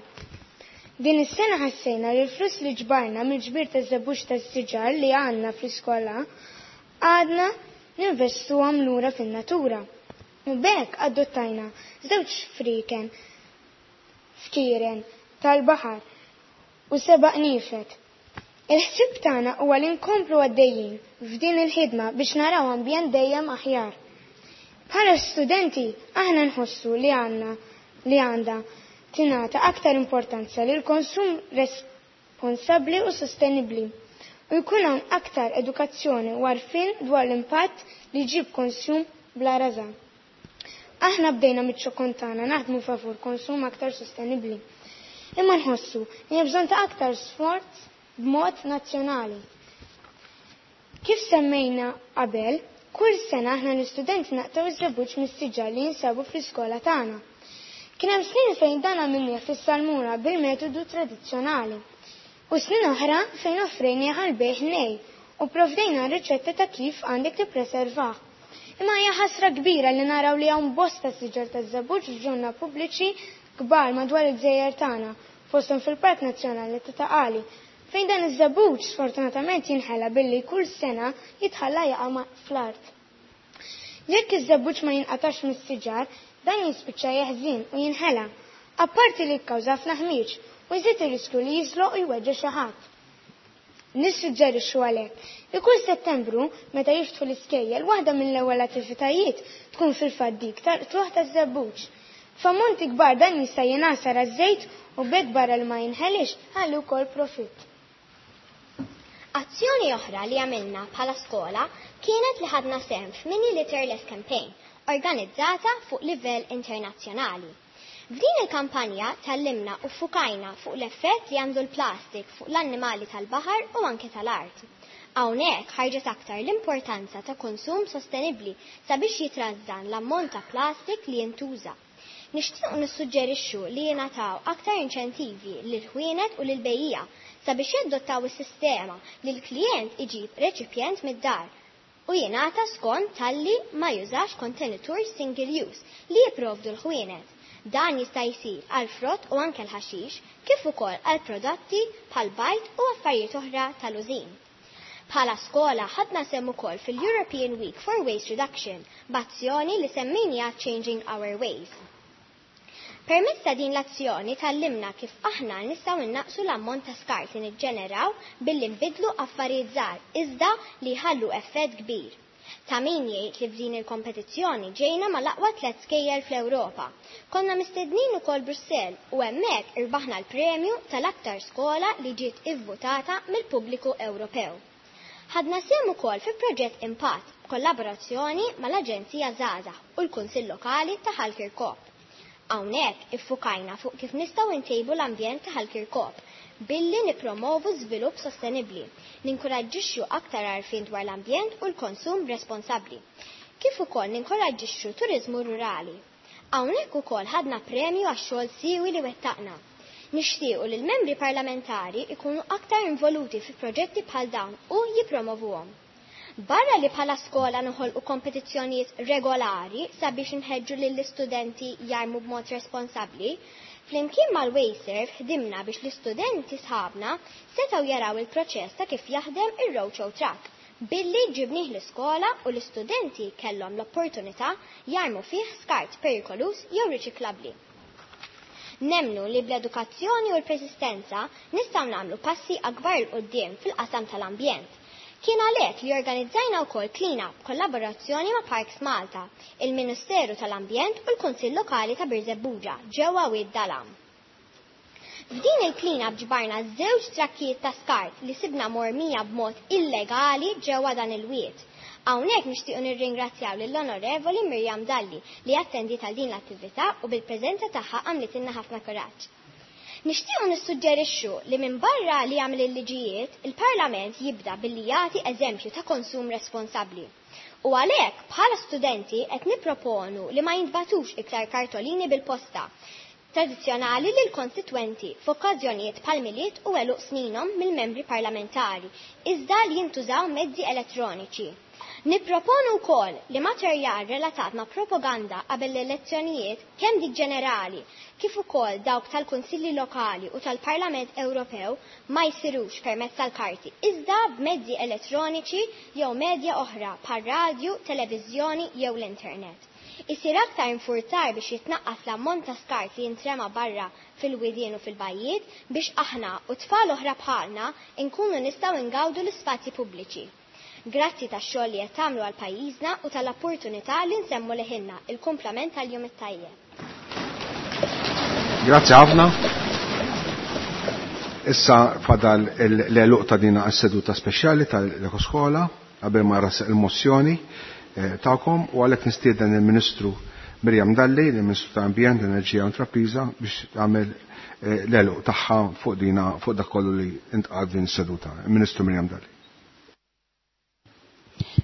Din is-sena ħassejna li l-flus li ġbarna mill-ġbir taż-żebbuġ tas-siġar li għandna fl-iskola għadna ninvestuhom lura fin-natura. U b'hekk adottajna żewġ friken fkieren tal-baħar u seba' qniefed. Il-ħsieb tagħna huwa li nkomplu għaddejjin f'din il-ħidma biex naraw ambjent dejjem aħjar. Bħala studenti aħna nħossu li għandna li għandha tingħata aktar importanza lil konsum responsabbli u sostenibbli u jkun hawn aktar edukazzjoni u għarfien dwar l-impatt li jġib konsum bla rażan. Aħna bdejna miċ-ċokon tagħna naħdmu favur konsum aktar sostenibbli. Imma nħossu li hemm bżonn ta' aktar sforz b'mod nazzjonali. Kif semmejna qabel, kull sena aħna l-istudenti naqtgħu iż-żebbuġ mis-siġar li jinsabu fl-iskola tagħna. Kien hemm snin fejn dan għamilnieh fis-salmura bil-metodu tradizzjonali u snin oħra fejn offrejnieh għall-bejgħ nej u pprovdejna r-riċetta ta' kif għandek tippreservah. Imma hija ħasra kbira li naraw li hawn bosta siġar taż-żebbuġ f'ġonna pubbliċi kbar madwar il-gżejjer tagħna, fosthom fil-Park Nazzjonali ta' Ta' Qali, fejn dan iż-żebbuġ sfortunatament jinħela billi kull sena jitħalla jaqa' fl-art. Jekk iż-żebbuġ ma jinqatax mis-siġar, dan jispiċċa jeħżien u jinħela, apparti li jikkawża ħafna ħmieġ u jżid ir-riskju li jiżloq u jweġġa' xi ħadd. Nissuġġerixxu għalhekk li kull Settembru, meta jiftħu l-iskejjel, waħda mill-ewwel attivitajiet tkun fil-fatt dik tal-qtugħ taż-żebbuġ. F'ammonti kbar dan jista' jingħasar għaż-żejt u b'hekk barra li ma jinħeliex, iħalli wkoll profitt. Azzjoni oħra li għamilna bħala skola kienet li ħadna sehem f'Mini Litterless Campaign organizzata fuq livell internazzjonali. F'din il-kampanja tgħallimna u ffukajna fuq l-effett li għandu l-plastik fuq l-annimali tal-baħar u anke tal-art. Hawnhekk ħarġet aktar l-importanza ta' konsum sostenibbli sabiex jitrażżan l-ammont ta' plastik li jintuża. Nixtiequ nissuġġerixxu li jingħataw aktar inċentivi lill-ħwienet u lill-bejjiegħa sabiex jadottaw is-sistema li l-klijent iġib reċipjent mid-dar u jingħata skont talli ma jużax kontenitur single use li jipprovdu l-ħwienet. Dan jista' jsir għall-frott u anke l-ħaxix kif ukoll għal prodotti bħal bajd u affarijiet oħra tal-użin. Bħala skola ħadna sehem ukoll fil-European Week for Waste Reduction b'azzjoni li semmejniha Changing Our Ways. Permezz ta' din l-azzjoni tgħallimna kif aħna nistgħu nnaqqsu l-ammont ta' skart li niġġeneraw billi nbiddlu affarijiet żgħar iżda li jħallu effett kbir. Ta' min jgħid li f'din il-kompetizzjoni ġejna mal-aqwa tlett skejjel fl-Ewropa. Konna mistednin ukoll Brussell u hemmhekk irbaħna l-premju tal-aktar skola li ġiet ivvutata mill-pubbliku Ewropew. Ħadna sehem ukoll fi proġett Impatt b'kollaborazzjoni mal-Aġenzija Żgħażagħ u l-Kunsill Lokali ta' Ħal Kirkop. Hawnhekk iffukajna fuq kif nistgħu ntejbu l-ambjent ta' Ħal Kirkop billi nippromovu żvilupp sostenibbli, ninkuraġġixxu aktar għarfien dwar l-ambjent u l-konsum responsabbli, kif ukoll ninkoraġġixxu turiżmu rurali. Hawnhekk ukoll ħadna premju għax-xogħol siewi li wettaqna. Nixtiequ li l-membri parlamentari jkunu aktar involuti fi proġetti bħal dawn u jippromovuhom. Barra li bħala skola noħolqu kompetizzjonijiet regolari sabiex inħeġġu lill-istudenti jarmu b'mod responsabbli, flimkien mal-Wasteserv ħdimna biex l-istudenti sħabna setgħu jaraw il-proċess ta' kif jaħdem ir-Roadshow Truck billi ġibnih l-iskola u l-istudenti kellhom l-opportunità jarmu fih skart perikoluż jew riċiklabbli. Nemmnu li bl-edukazzjoni u l-persistenza nistgħu nagħmlu passi akbar 'il quddiem fil-qasam tal-ambjent. Kien għalhekk li organizzajna wkoll clean-up b'kollaborazzjoni ma' Parks Malta, il-Ministeru tal-Ambjent u l-Kunsill Lokali ta' Birżebbuġa ġewwa Wied Dalam. F'din il-clean-up ġbarna żewġ trakkijiet ta' skart li sibna mormija b'mod illegali ġewwa dan il-wied. Hawnhekk nixtiequ nirringrazzjaw lill-Onorevoli Miriam Dalli li attendiet għal din l-attività u bil-preżenza tagħha għamlitilna ħafna kuraġġ. Nixtiequ nissuġġerixxu li minbarra li jagħmel il-liġijiet, il-Parlament jibda billi jagħti eżempju ta' konsum responsabbli. U għalhekk bħala studenti qed nipproponu li ma jintbagħtux iktar kartolini bil-posta tradizzjonali lill-konstitwenti f'okkażjonijiet bħal Milied u għeluq sninhom mill-membri parlamentari, iżda li jintużaw mezzi elettroniċi. Nipproponu wkoll li materjal relatat ma' propaganda qabel l-elezzjonijiet, kemm dik ġenerali kif ukoll dawk tal-Kunsilli Lokali u tal-Parlament Ewropew, ma jsirux permezz tal-karti iżda b'mezzi elettroniċi jew medja oħra bħal radju, televiżjoni jew l-internet. Isir aktar infurzar biex jitnaqqas l-ammont ta' skart li jintrema barra fil-widien u fil-bajjiet biex aħna u tfal oħra bħalna nkunu nistgħu ngawdu l-ispazji pubbliċi. Grazzi tax-xogħol li qed tagħmlu għal pajjiżna u tal-opportunità li nsemmu leħinna. Il-kumplament tal-jum it-tajjeb. Grazzi ħafna. Issa fadal l-għeluq ta' dina s-seduta speċjali tal-Ekoskola qabel ma ras il-mozzjoni tagħkom, u għalhekk nistieden il-Ministru Miriam Dalli, il-Ministru ta' Ambjent, Enerġija u Intrapriża, biex tagħmel l-għeluq tagħha fuq dina, fuq dak kollu li intqal din is-seduta. Il-Ministru Miriam Dalli.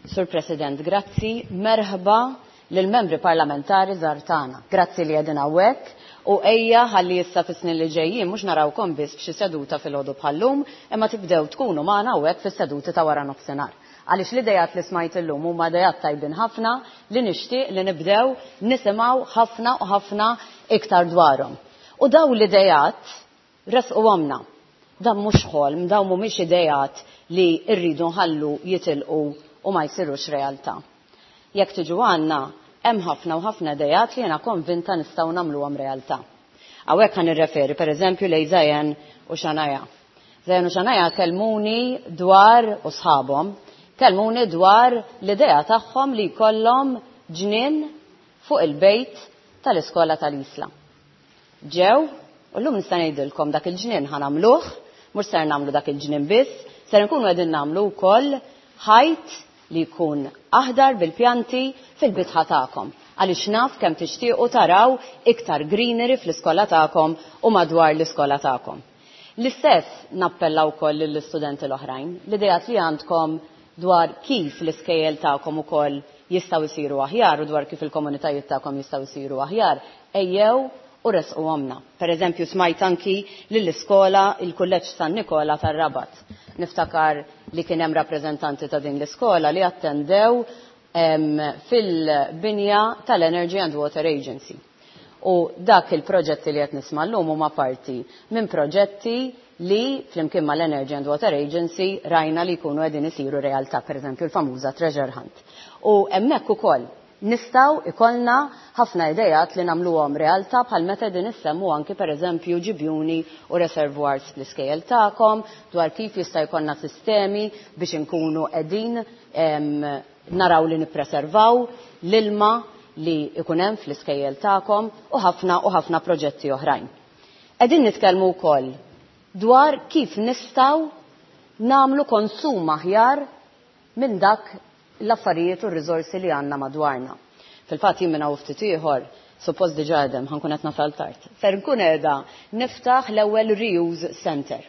Sur President, grazzi, merħba lill-membri parlamentari żgħar tagħna. Grazzi li qegħdin hawnhekk u ejja ħalli issa fis-snin li ġejjin mhux narawkom biss f'xi seduta filgħodu bħal-lum, imma tibdew tkunu magħna hawnhekk fis-seduti ta' wara nofsinhar. Għaliex l-idejat li smajt illum huma idejat tajbin ħafna li nixtieq li nibdew nisimgħu ħafna u ħafna iktar dwarhom. U daw l-idejat resquhomna. Dan mhux ħolm, dawn mhumiex idejat li rridu nħallu jitilqu u ma jsirux realtà. Jekk tiġu għandna, hemm ħafna u ħafna idejat li jiena konvinta nistgħu nagħmluhom realtà. Hawnhekk ħa nirreferi pereżempju lejn Zajen u Xanaja. Zajen u Xanaja kellmuni dwar, u sħabhom, kellmuni dwar l-idea tagħhom li jkollhom ġnien fuq il-bejt tal-iskola tal-Isla. Ġew, u llum nista' ngħidilkom dak il-ġnien ħa nagħmluh, mhux ser nagħmlu dak il-ġnien biss, ser nkunu qegħdin nagħmlu wkoll ħajt li jkun aħdar bil-pjanti fil-bitħa tagħkom. Għaliex naf kemm tixtiequ taraw iktar greenery fl-iskola tagħkom u madwar l-iskola tagħkom. L-istess nappella wkoll lill-istudenti l-oħrajn, l-idejat li għandkom dwar kif l-iskejjel tagħkom ukoll jistgħu jsiru aħjar u dwar kif il-komunitajiet tagħkom jistgħu jsiru aħjar, ejjew u resquhomna. Per eżempju, smajt anki lill-iskola il-Kulleġġ San Nikola tar-Rabat. Niftakar li kien hemm rappreżentanti ta' din l-iskola li attendew fil-binja tal-Energy and Water Agency. U dak il-proġetti li qed nisma' llum huma parti minn proġetti li flimkien mal-Energy and Water Agency rajna li jkunu qegħdin isiru realtà, per eżempju l-famuża Treasure Hunt. U hemmhekk ukoll nistgħu ikollna ħafna idejat li nagħmluhom realtà bħal meta qegħdin issemmu anki per eżempju ġibjuni u reservoirs fl-iskejjel tagħkom, dwar kif jista' jkollna sistemi biex inkunu qegħdin naraw li nippreservaw l-ilma li ikun hemm fl-iskejjel tagħkom u ħafna u ħafna proġetti oħrajn. Qegħdin nitkellmu wkoll dwar kif nistgħu nagħmlu konsum aħjar minn dak l-affarijiet u r-riżorsi li għandna madwarna. Fil-fatt jien minn hawn ftit ieħor, suppost diġà għedem, ħankun qed nasal tard. Ser nkun qiegħda niftaħ l-ewwel reuse center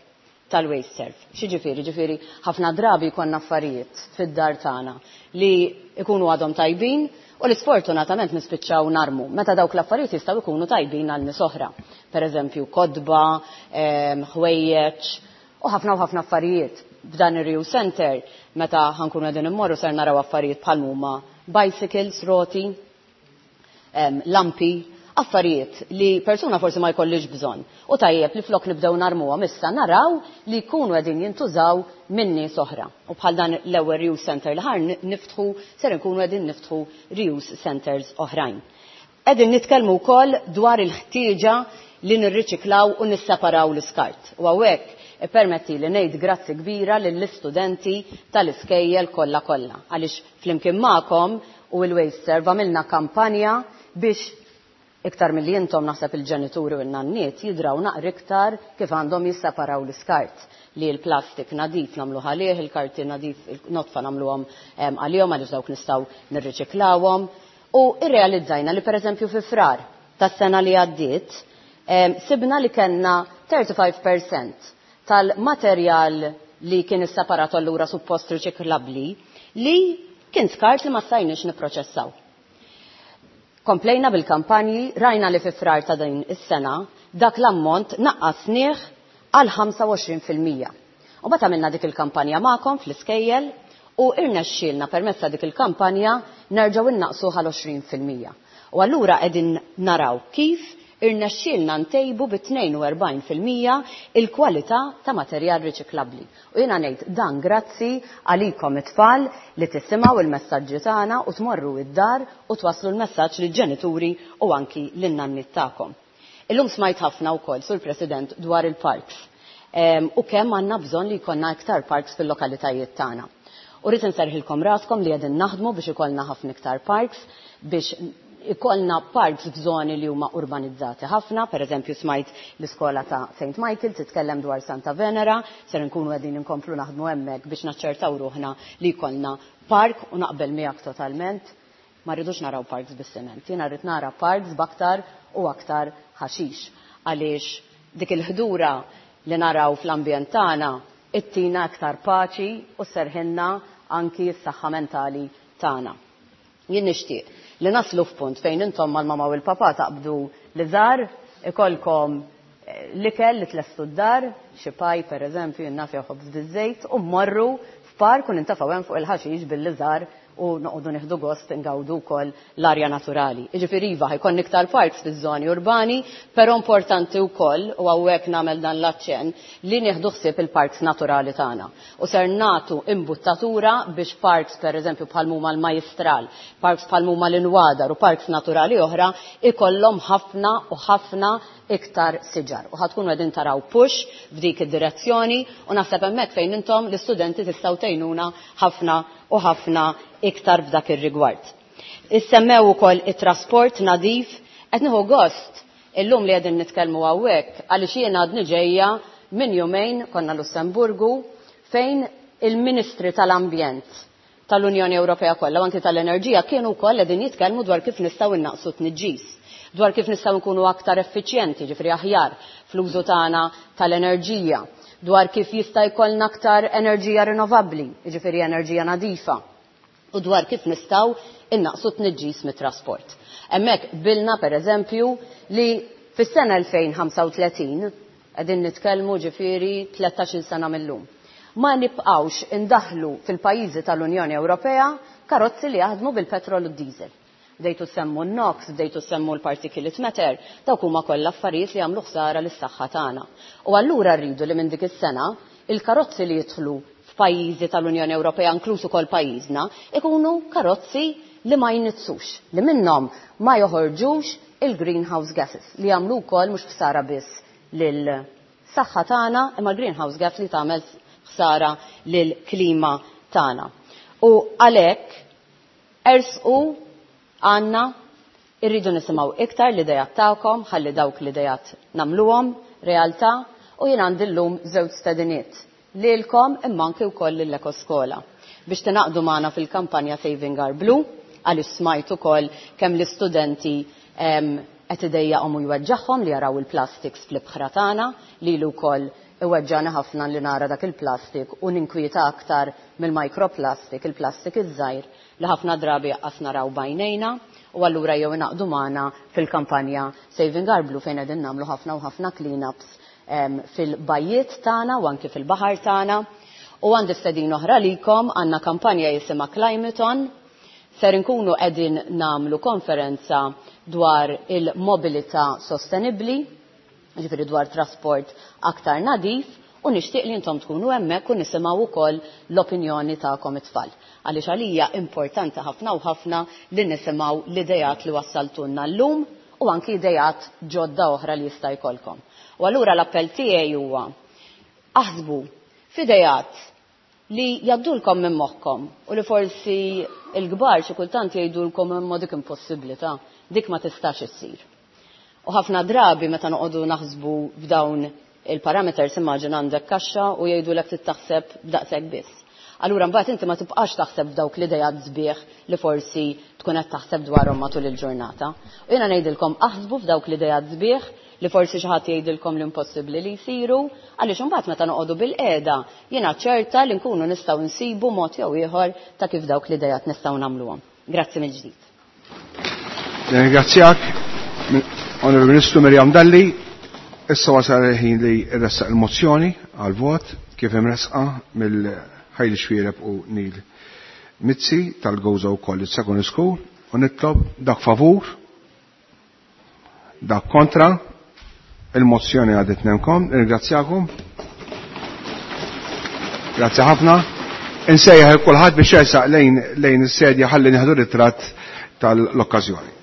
tal-WasteServ. X'jiġifieri? Ġifieri ħafna drabi jkollna affarijiet fid-dar tagħna li jkunu għadhom tajbin u li sfortunatament nispiċċaw narmu meta dawk l-affarijiet jistgħu jkunu tajbin għal nies oħra. Per eżempju, kodba, ħwejjeġ u ħafna u ħafna affarijiet. F'dan ir-reuse center meta ħankunu qegħdin immorru ser naraw affarijiet bħal huma bicycles, roti, lampi, affarijiet li persuna forsi ma jkollix bżonn. U tajjeb li flok nibdew narmuhom issa naraw li jkunu qegħdin jintużaw minn nies oħra. U bħal dan l-ewwel reuse center li ħar niftħu, ser nkunu qegħdin niftħu reuse centers oħrajn. Qegħdin nitkellmu wkoll dwar il-ħtieġa li nirriċiklaw u nisseparaw l-iskart. U hawnhekk ippermetti li ngħid grazzi kbira lill-istudenti tal-iskejjel kollha kollha. Għaliex flimkien magħkom u l-WasteServ għamilna kampanja biex iktar milli intom naħseb il-ġenituri u n-nanniet jidraw naqra iktar kif għandhom jisseparaw l-iskart. Li l-plastik nadif nagħmluh għalih, il-karti nadif notfa nagħmluhom għalihom għaliex dawk nistgħu nirriċiklawhom. U irrealizzajna li pereżempju fi frar tas-sena li għaddiet sibna li kellna 35% tal-materjal li kien isseparat allura suppost riċiklabbli li kien skart li ma stajniex nipproċessaw. Komplejna bil-kampanji, rajna li fi frar ta' din is-sena dak l-ammont naqqasnieh għal ħamsa u għoxrin fil-mija. U mbagħad għamilna dik il-kampanja magħkom fl-iskejjel U irnexxielna permezz ta' dik il-kampanja nerġgħu innaqsuh għal 20%. U allura qegħdin naraw kif irnexxielna ntejbu bi 42% il-kwalità ta' materjal riċiklabbli. U jiena ngħid dan grazzi għalikom it-tfal li tisimgħu il-messaġġi tagħna u tmorru id-dar u twasslu l-messaġġ lill-ġenituri u anki lin-nanniet tagħkom. Illum smajt ħafna wkoll, Sur President, dwar il-parks u kemm għandna bżonn li jkollna iktar parks fil-lokalitajiet tagħna. U rrid inserħilkom raskom li qegħdin naħdmu biex ikollna ħafna iktar parks, biex ikollna parks f'żoni li huma urbanizzati ħafna, per eżempju smajt l-iskola ta' St. Michael titkellem dwar Santa Venera, ser nkunu qegħdin inkomplu naħdmu hemmhekk biex naċċertaw ruħna li jkollna park u naqbel miegħek totalment. Ma rridux naraw parks bis-siment, jiena rrid nara parks b'aktar u aktar ħaxix għaliex dik il-ħdura li naraw fl-ambjent tagħna ittina aktar paċi u serħinna anki s-saħħa mentali tagħna. Jien nixtieq li naslu f'punt fejn intom mal-mama u l-papa taqbdu li żgħar ikollkom l-ikel li tlestu d-dar, xi paj pereżempju jien naf jew ħobż biż-żejt, u mmorru f'park u nintefgħu hemm fuq il-ħaxix bil-liżar u noqogħdu nieħdu gost ingawdu wkoll l-arja naturali. Jiġifieri iva ħa jkollna iktar parks fiż-żoni urbani, però importanti wkoll, u hawnhekk nagħmel dan l-aċċenn, li nieħdu ħsieb il-parks naturali tagħna. U ser nagħtu imbuttatura biex parks pereżempju bħal huma l-Majjistral, parks bħal huma l-Inwadar u parks naturali oħra ikollhom ħafna u ħafna iktar siġar. U ħa tkunu qegħdin taraw push f'dik id-direzzjoni u naħseb hemmhekk fejn intom l-istudenti tistgħu tgħinuna ħafna u ħafna iktar f'dak ir-rigward. Issemmew ukoll it-trasport nadif, qed nieħu gost illum li qegħdin nitkellmu hawnhekk għaliex jiena għadni ġejja minn jumejn konna Lussemburgu fejn il-Ministri tal-Ambjent tal-Unjoni Ewropea kollha u anki tal-Enerġija kienu wkoll qegħdin jitkellmu dwar kif nistgħu innaqsu t-tniġġis, dwar kif nistgħu nkunu aktar effiċjenti, ġifieri aħjar fl-użu tagħna tal-enerġija, dwar kif jista' jkollna aktar enerġija rinnovabbli, jiġifieri enerġija nadifa, u dwar kif nistgħu innaqsu t-tniġġis mit-trasport. Hemmhekk qbilna pereżempju li fis-sena 2035, qegħdin nitkellmu ġifieri 13-il sena mil-lum, ma nibqgħux indaħħlu fil-pajjiżi tal-Unjoni Ewropea karozzi li jaħdmu bil-petrol u d-diesel. Bdejtu ssemmu n-NOx, bdejtu ssemmu l-particulate matter, dawk huma kollha affarijiet li jagħmlu ħsara lis-saħħa tagħna. U allura rridu li minn dik is-sena il-karozzi li jidħlu f'pajjiżi tal-Unjoni Ewropea, inkluż ukoll pajjiżna, ikunu karozzi li ma jniġġsux, li minnhom ma joħorġux il-greenhouse gases li jagħmlu wkoll mhux ħsara biss lil-saħħa tagħna, imma l-greenhouse gas li tagħmel ħsara lill-klima tagħna. U għalhekk ersqu għandna irridu nisimgħu iktar l-idejat tagħkom ħalli dawk l-idejat nagħmluhom realtà u jien għandi llum żewġ stediniet lilkom imma anki wkoll lill-Ekoskola biex tingħaqdu magħna fil-kampanja Saving Our Blue għaliex smajt ukoll kemm l-istudenti qed idejjaqhom u jweġġagħhom li jaraw il-plastics fl-ibħra tagħna, lili wkoll iweġġagħni ħafna li nara dak il-plastik u ninkwieta aktar mill-microplastic, il-plastik iż-żgħir li ħafna drabi aqqas naraw b'għajnejna u allura jew ingħaqdu magħna fil-kampanja Saving Our Blue fejn qegħdin nagħmlu ħafna u ħafna clean-ups fil-bajjiet tagħna u anki fil-baħar tagħna. U għandi stedina oħra għalikom, għandna kampanja jisimha Climathon, ser inkunu qegħdin nagħmlu konferenza dwar il-mobilità sostenibbli, ġifieri dwar trasport aktar nadif, u nixtieq li intom tkunu hemmhekk u nisimgħu wkoll l-opinjoni tagħkom it-tfal. Għaliex għalija importanti ħafna u ħafna li nisimgħu l-idejat li wassaltulna llum u anki idejat ġodda oħra li jista' jkollkom. U allura l-appell tiegħi huwa aħsbu f'idejat li jgħaddulkom minn moħħkom u li forsi l-kbar xi kultant jgħidulkom imma dik impossibbli ta' dik ma tistax issir. U ħafna drabi meta noqogħdu naħsbu f'dawn il-parameters immaġina għandek kaxxa u jgħidulek trid taħseb b'daqshekk biss. Allura mbagħad inti ma tibqax taħseb f'dawk l-idejat sbieħ li forsi tkun qed taħseb dwarhom matul il-ġurnata. U jiena ngħidilkom aħsbu f'dawk l-idejat sbieħ li forsi xi ħadd jgħidilkom li impossibbli li jsiru, għaliex imbagħad meta noqogħdu bilqiegħda jiena ċerta li nkunu nistgħu nsibu mod jew ieħor ta' kif dawk l-idejat nistgħu nagħmluhom. Grazzi mill-ġdid. Nirringrazzjak, Onorevoli Ministru Miriam Dalli. Issa wasal il-ħin li ressaq il-mozzjoni għal-vot kif imresqa mill Ħajli Xwiereb u Neil Mizzi tal-Gozo College Secondary School u nitlob dak favur, dak kontra, il-mozzjoni għadet nemkom, ringrazzjakom. Grazzi ħafna. Insejjaħ kulħadd biex jersaq lejn is-sedja ħalli nieħdu ritratt tal-okkażjoni.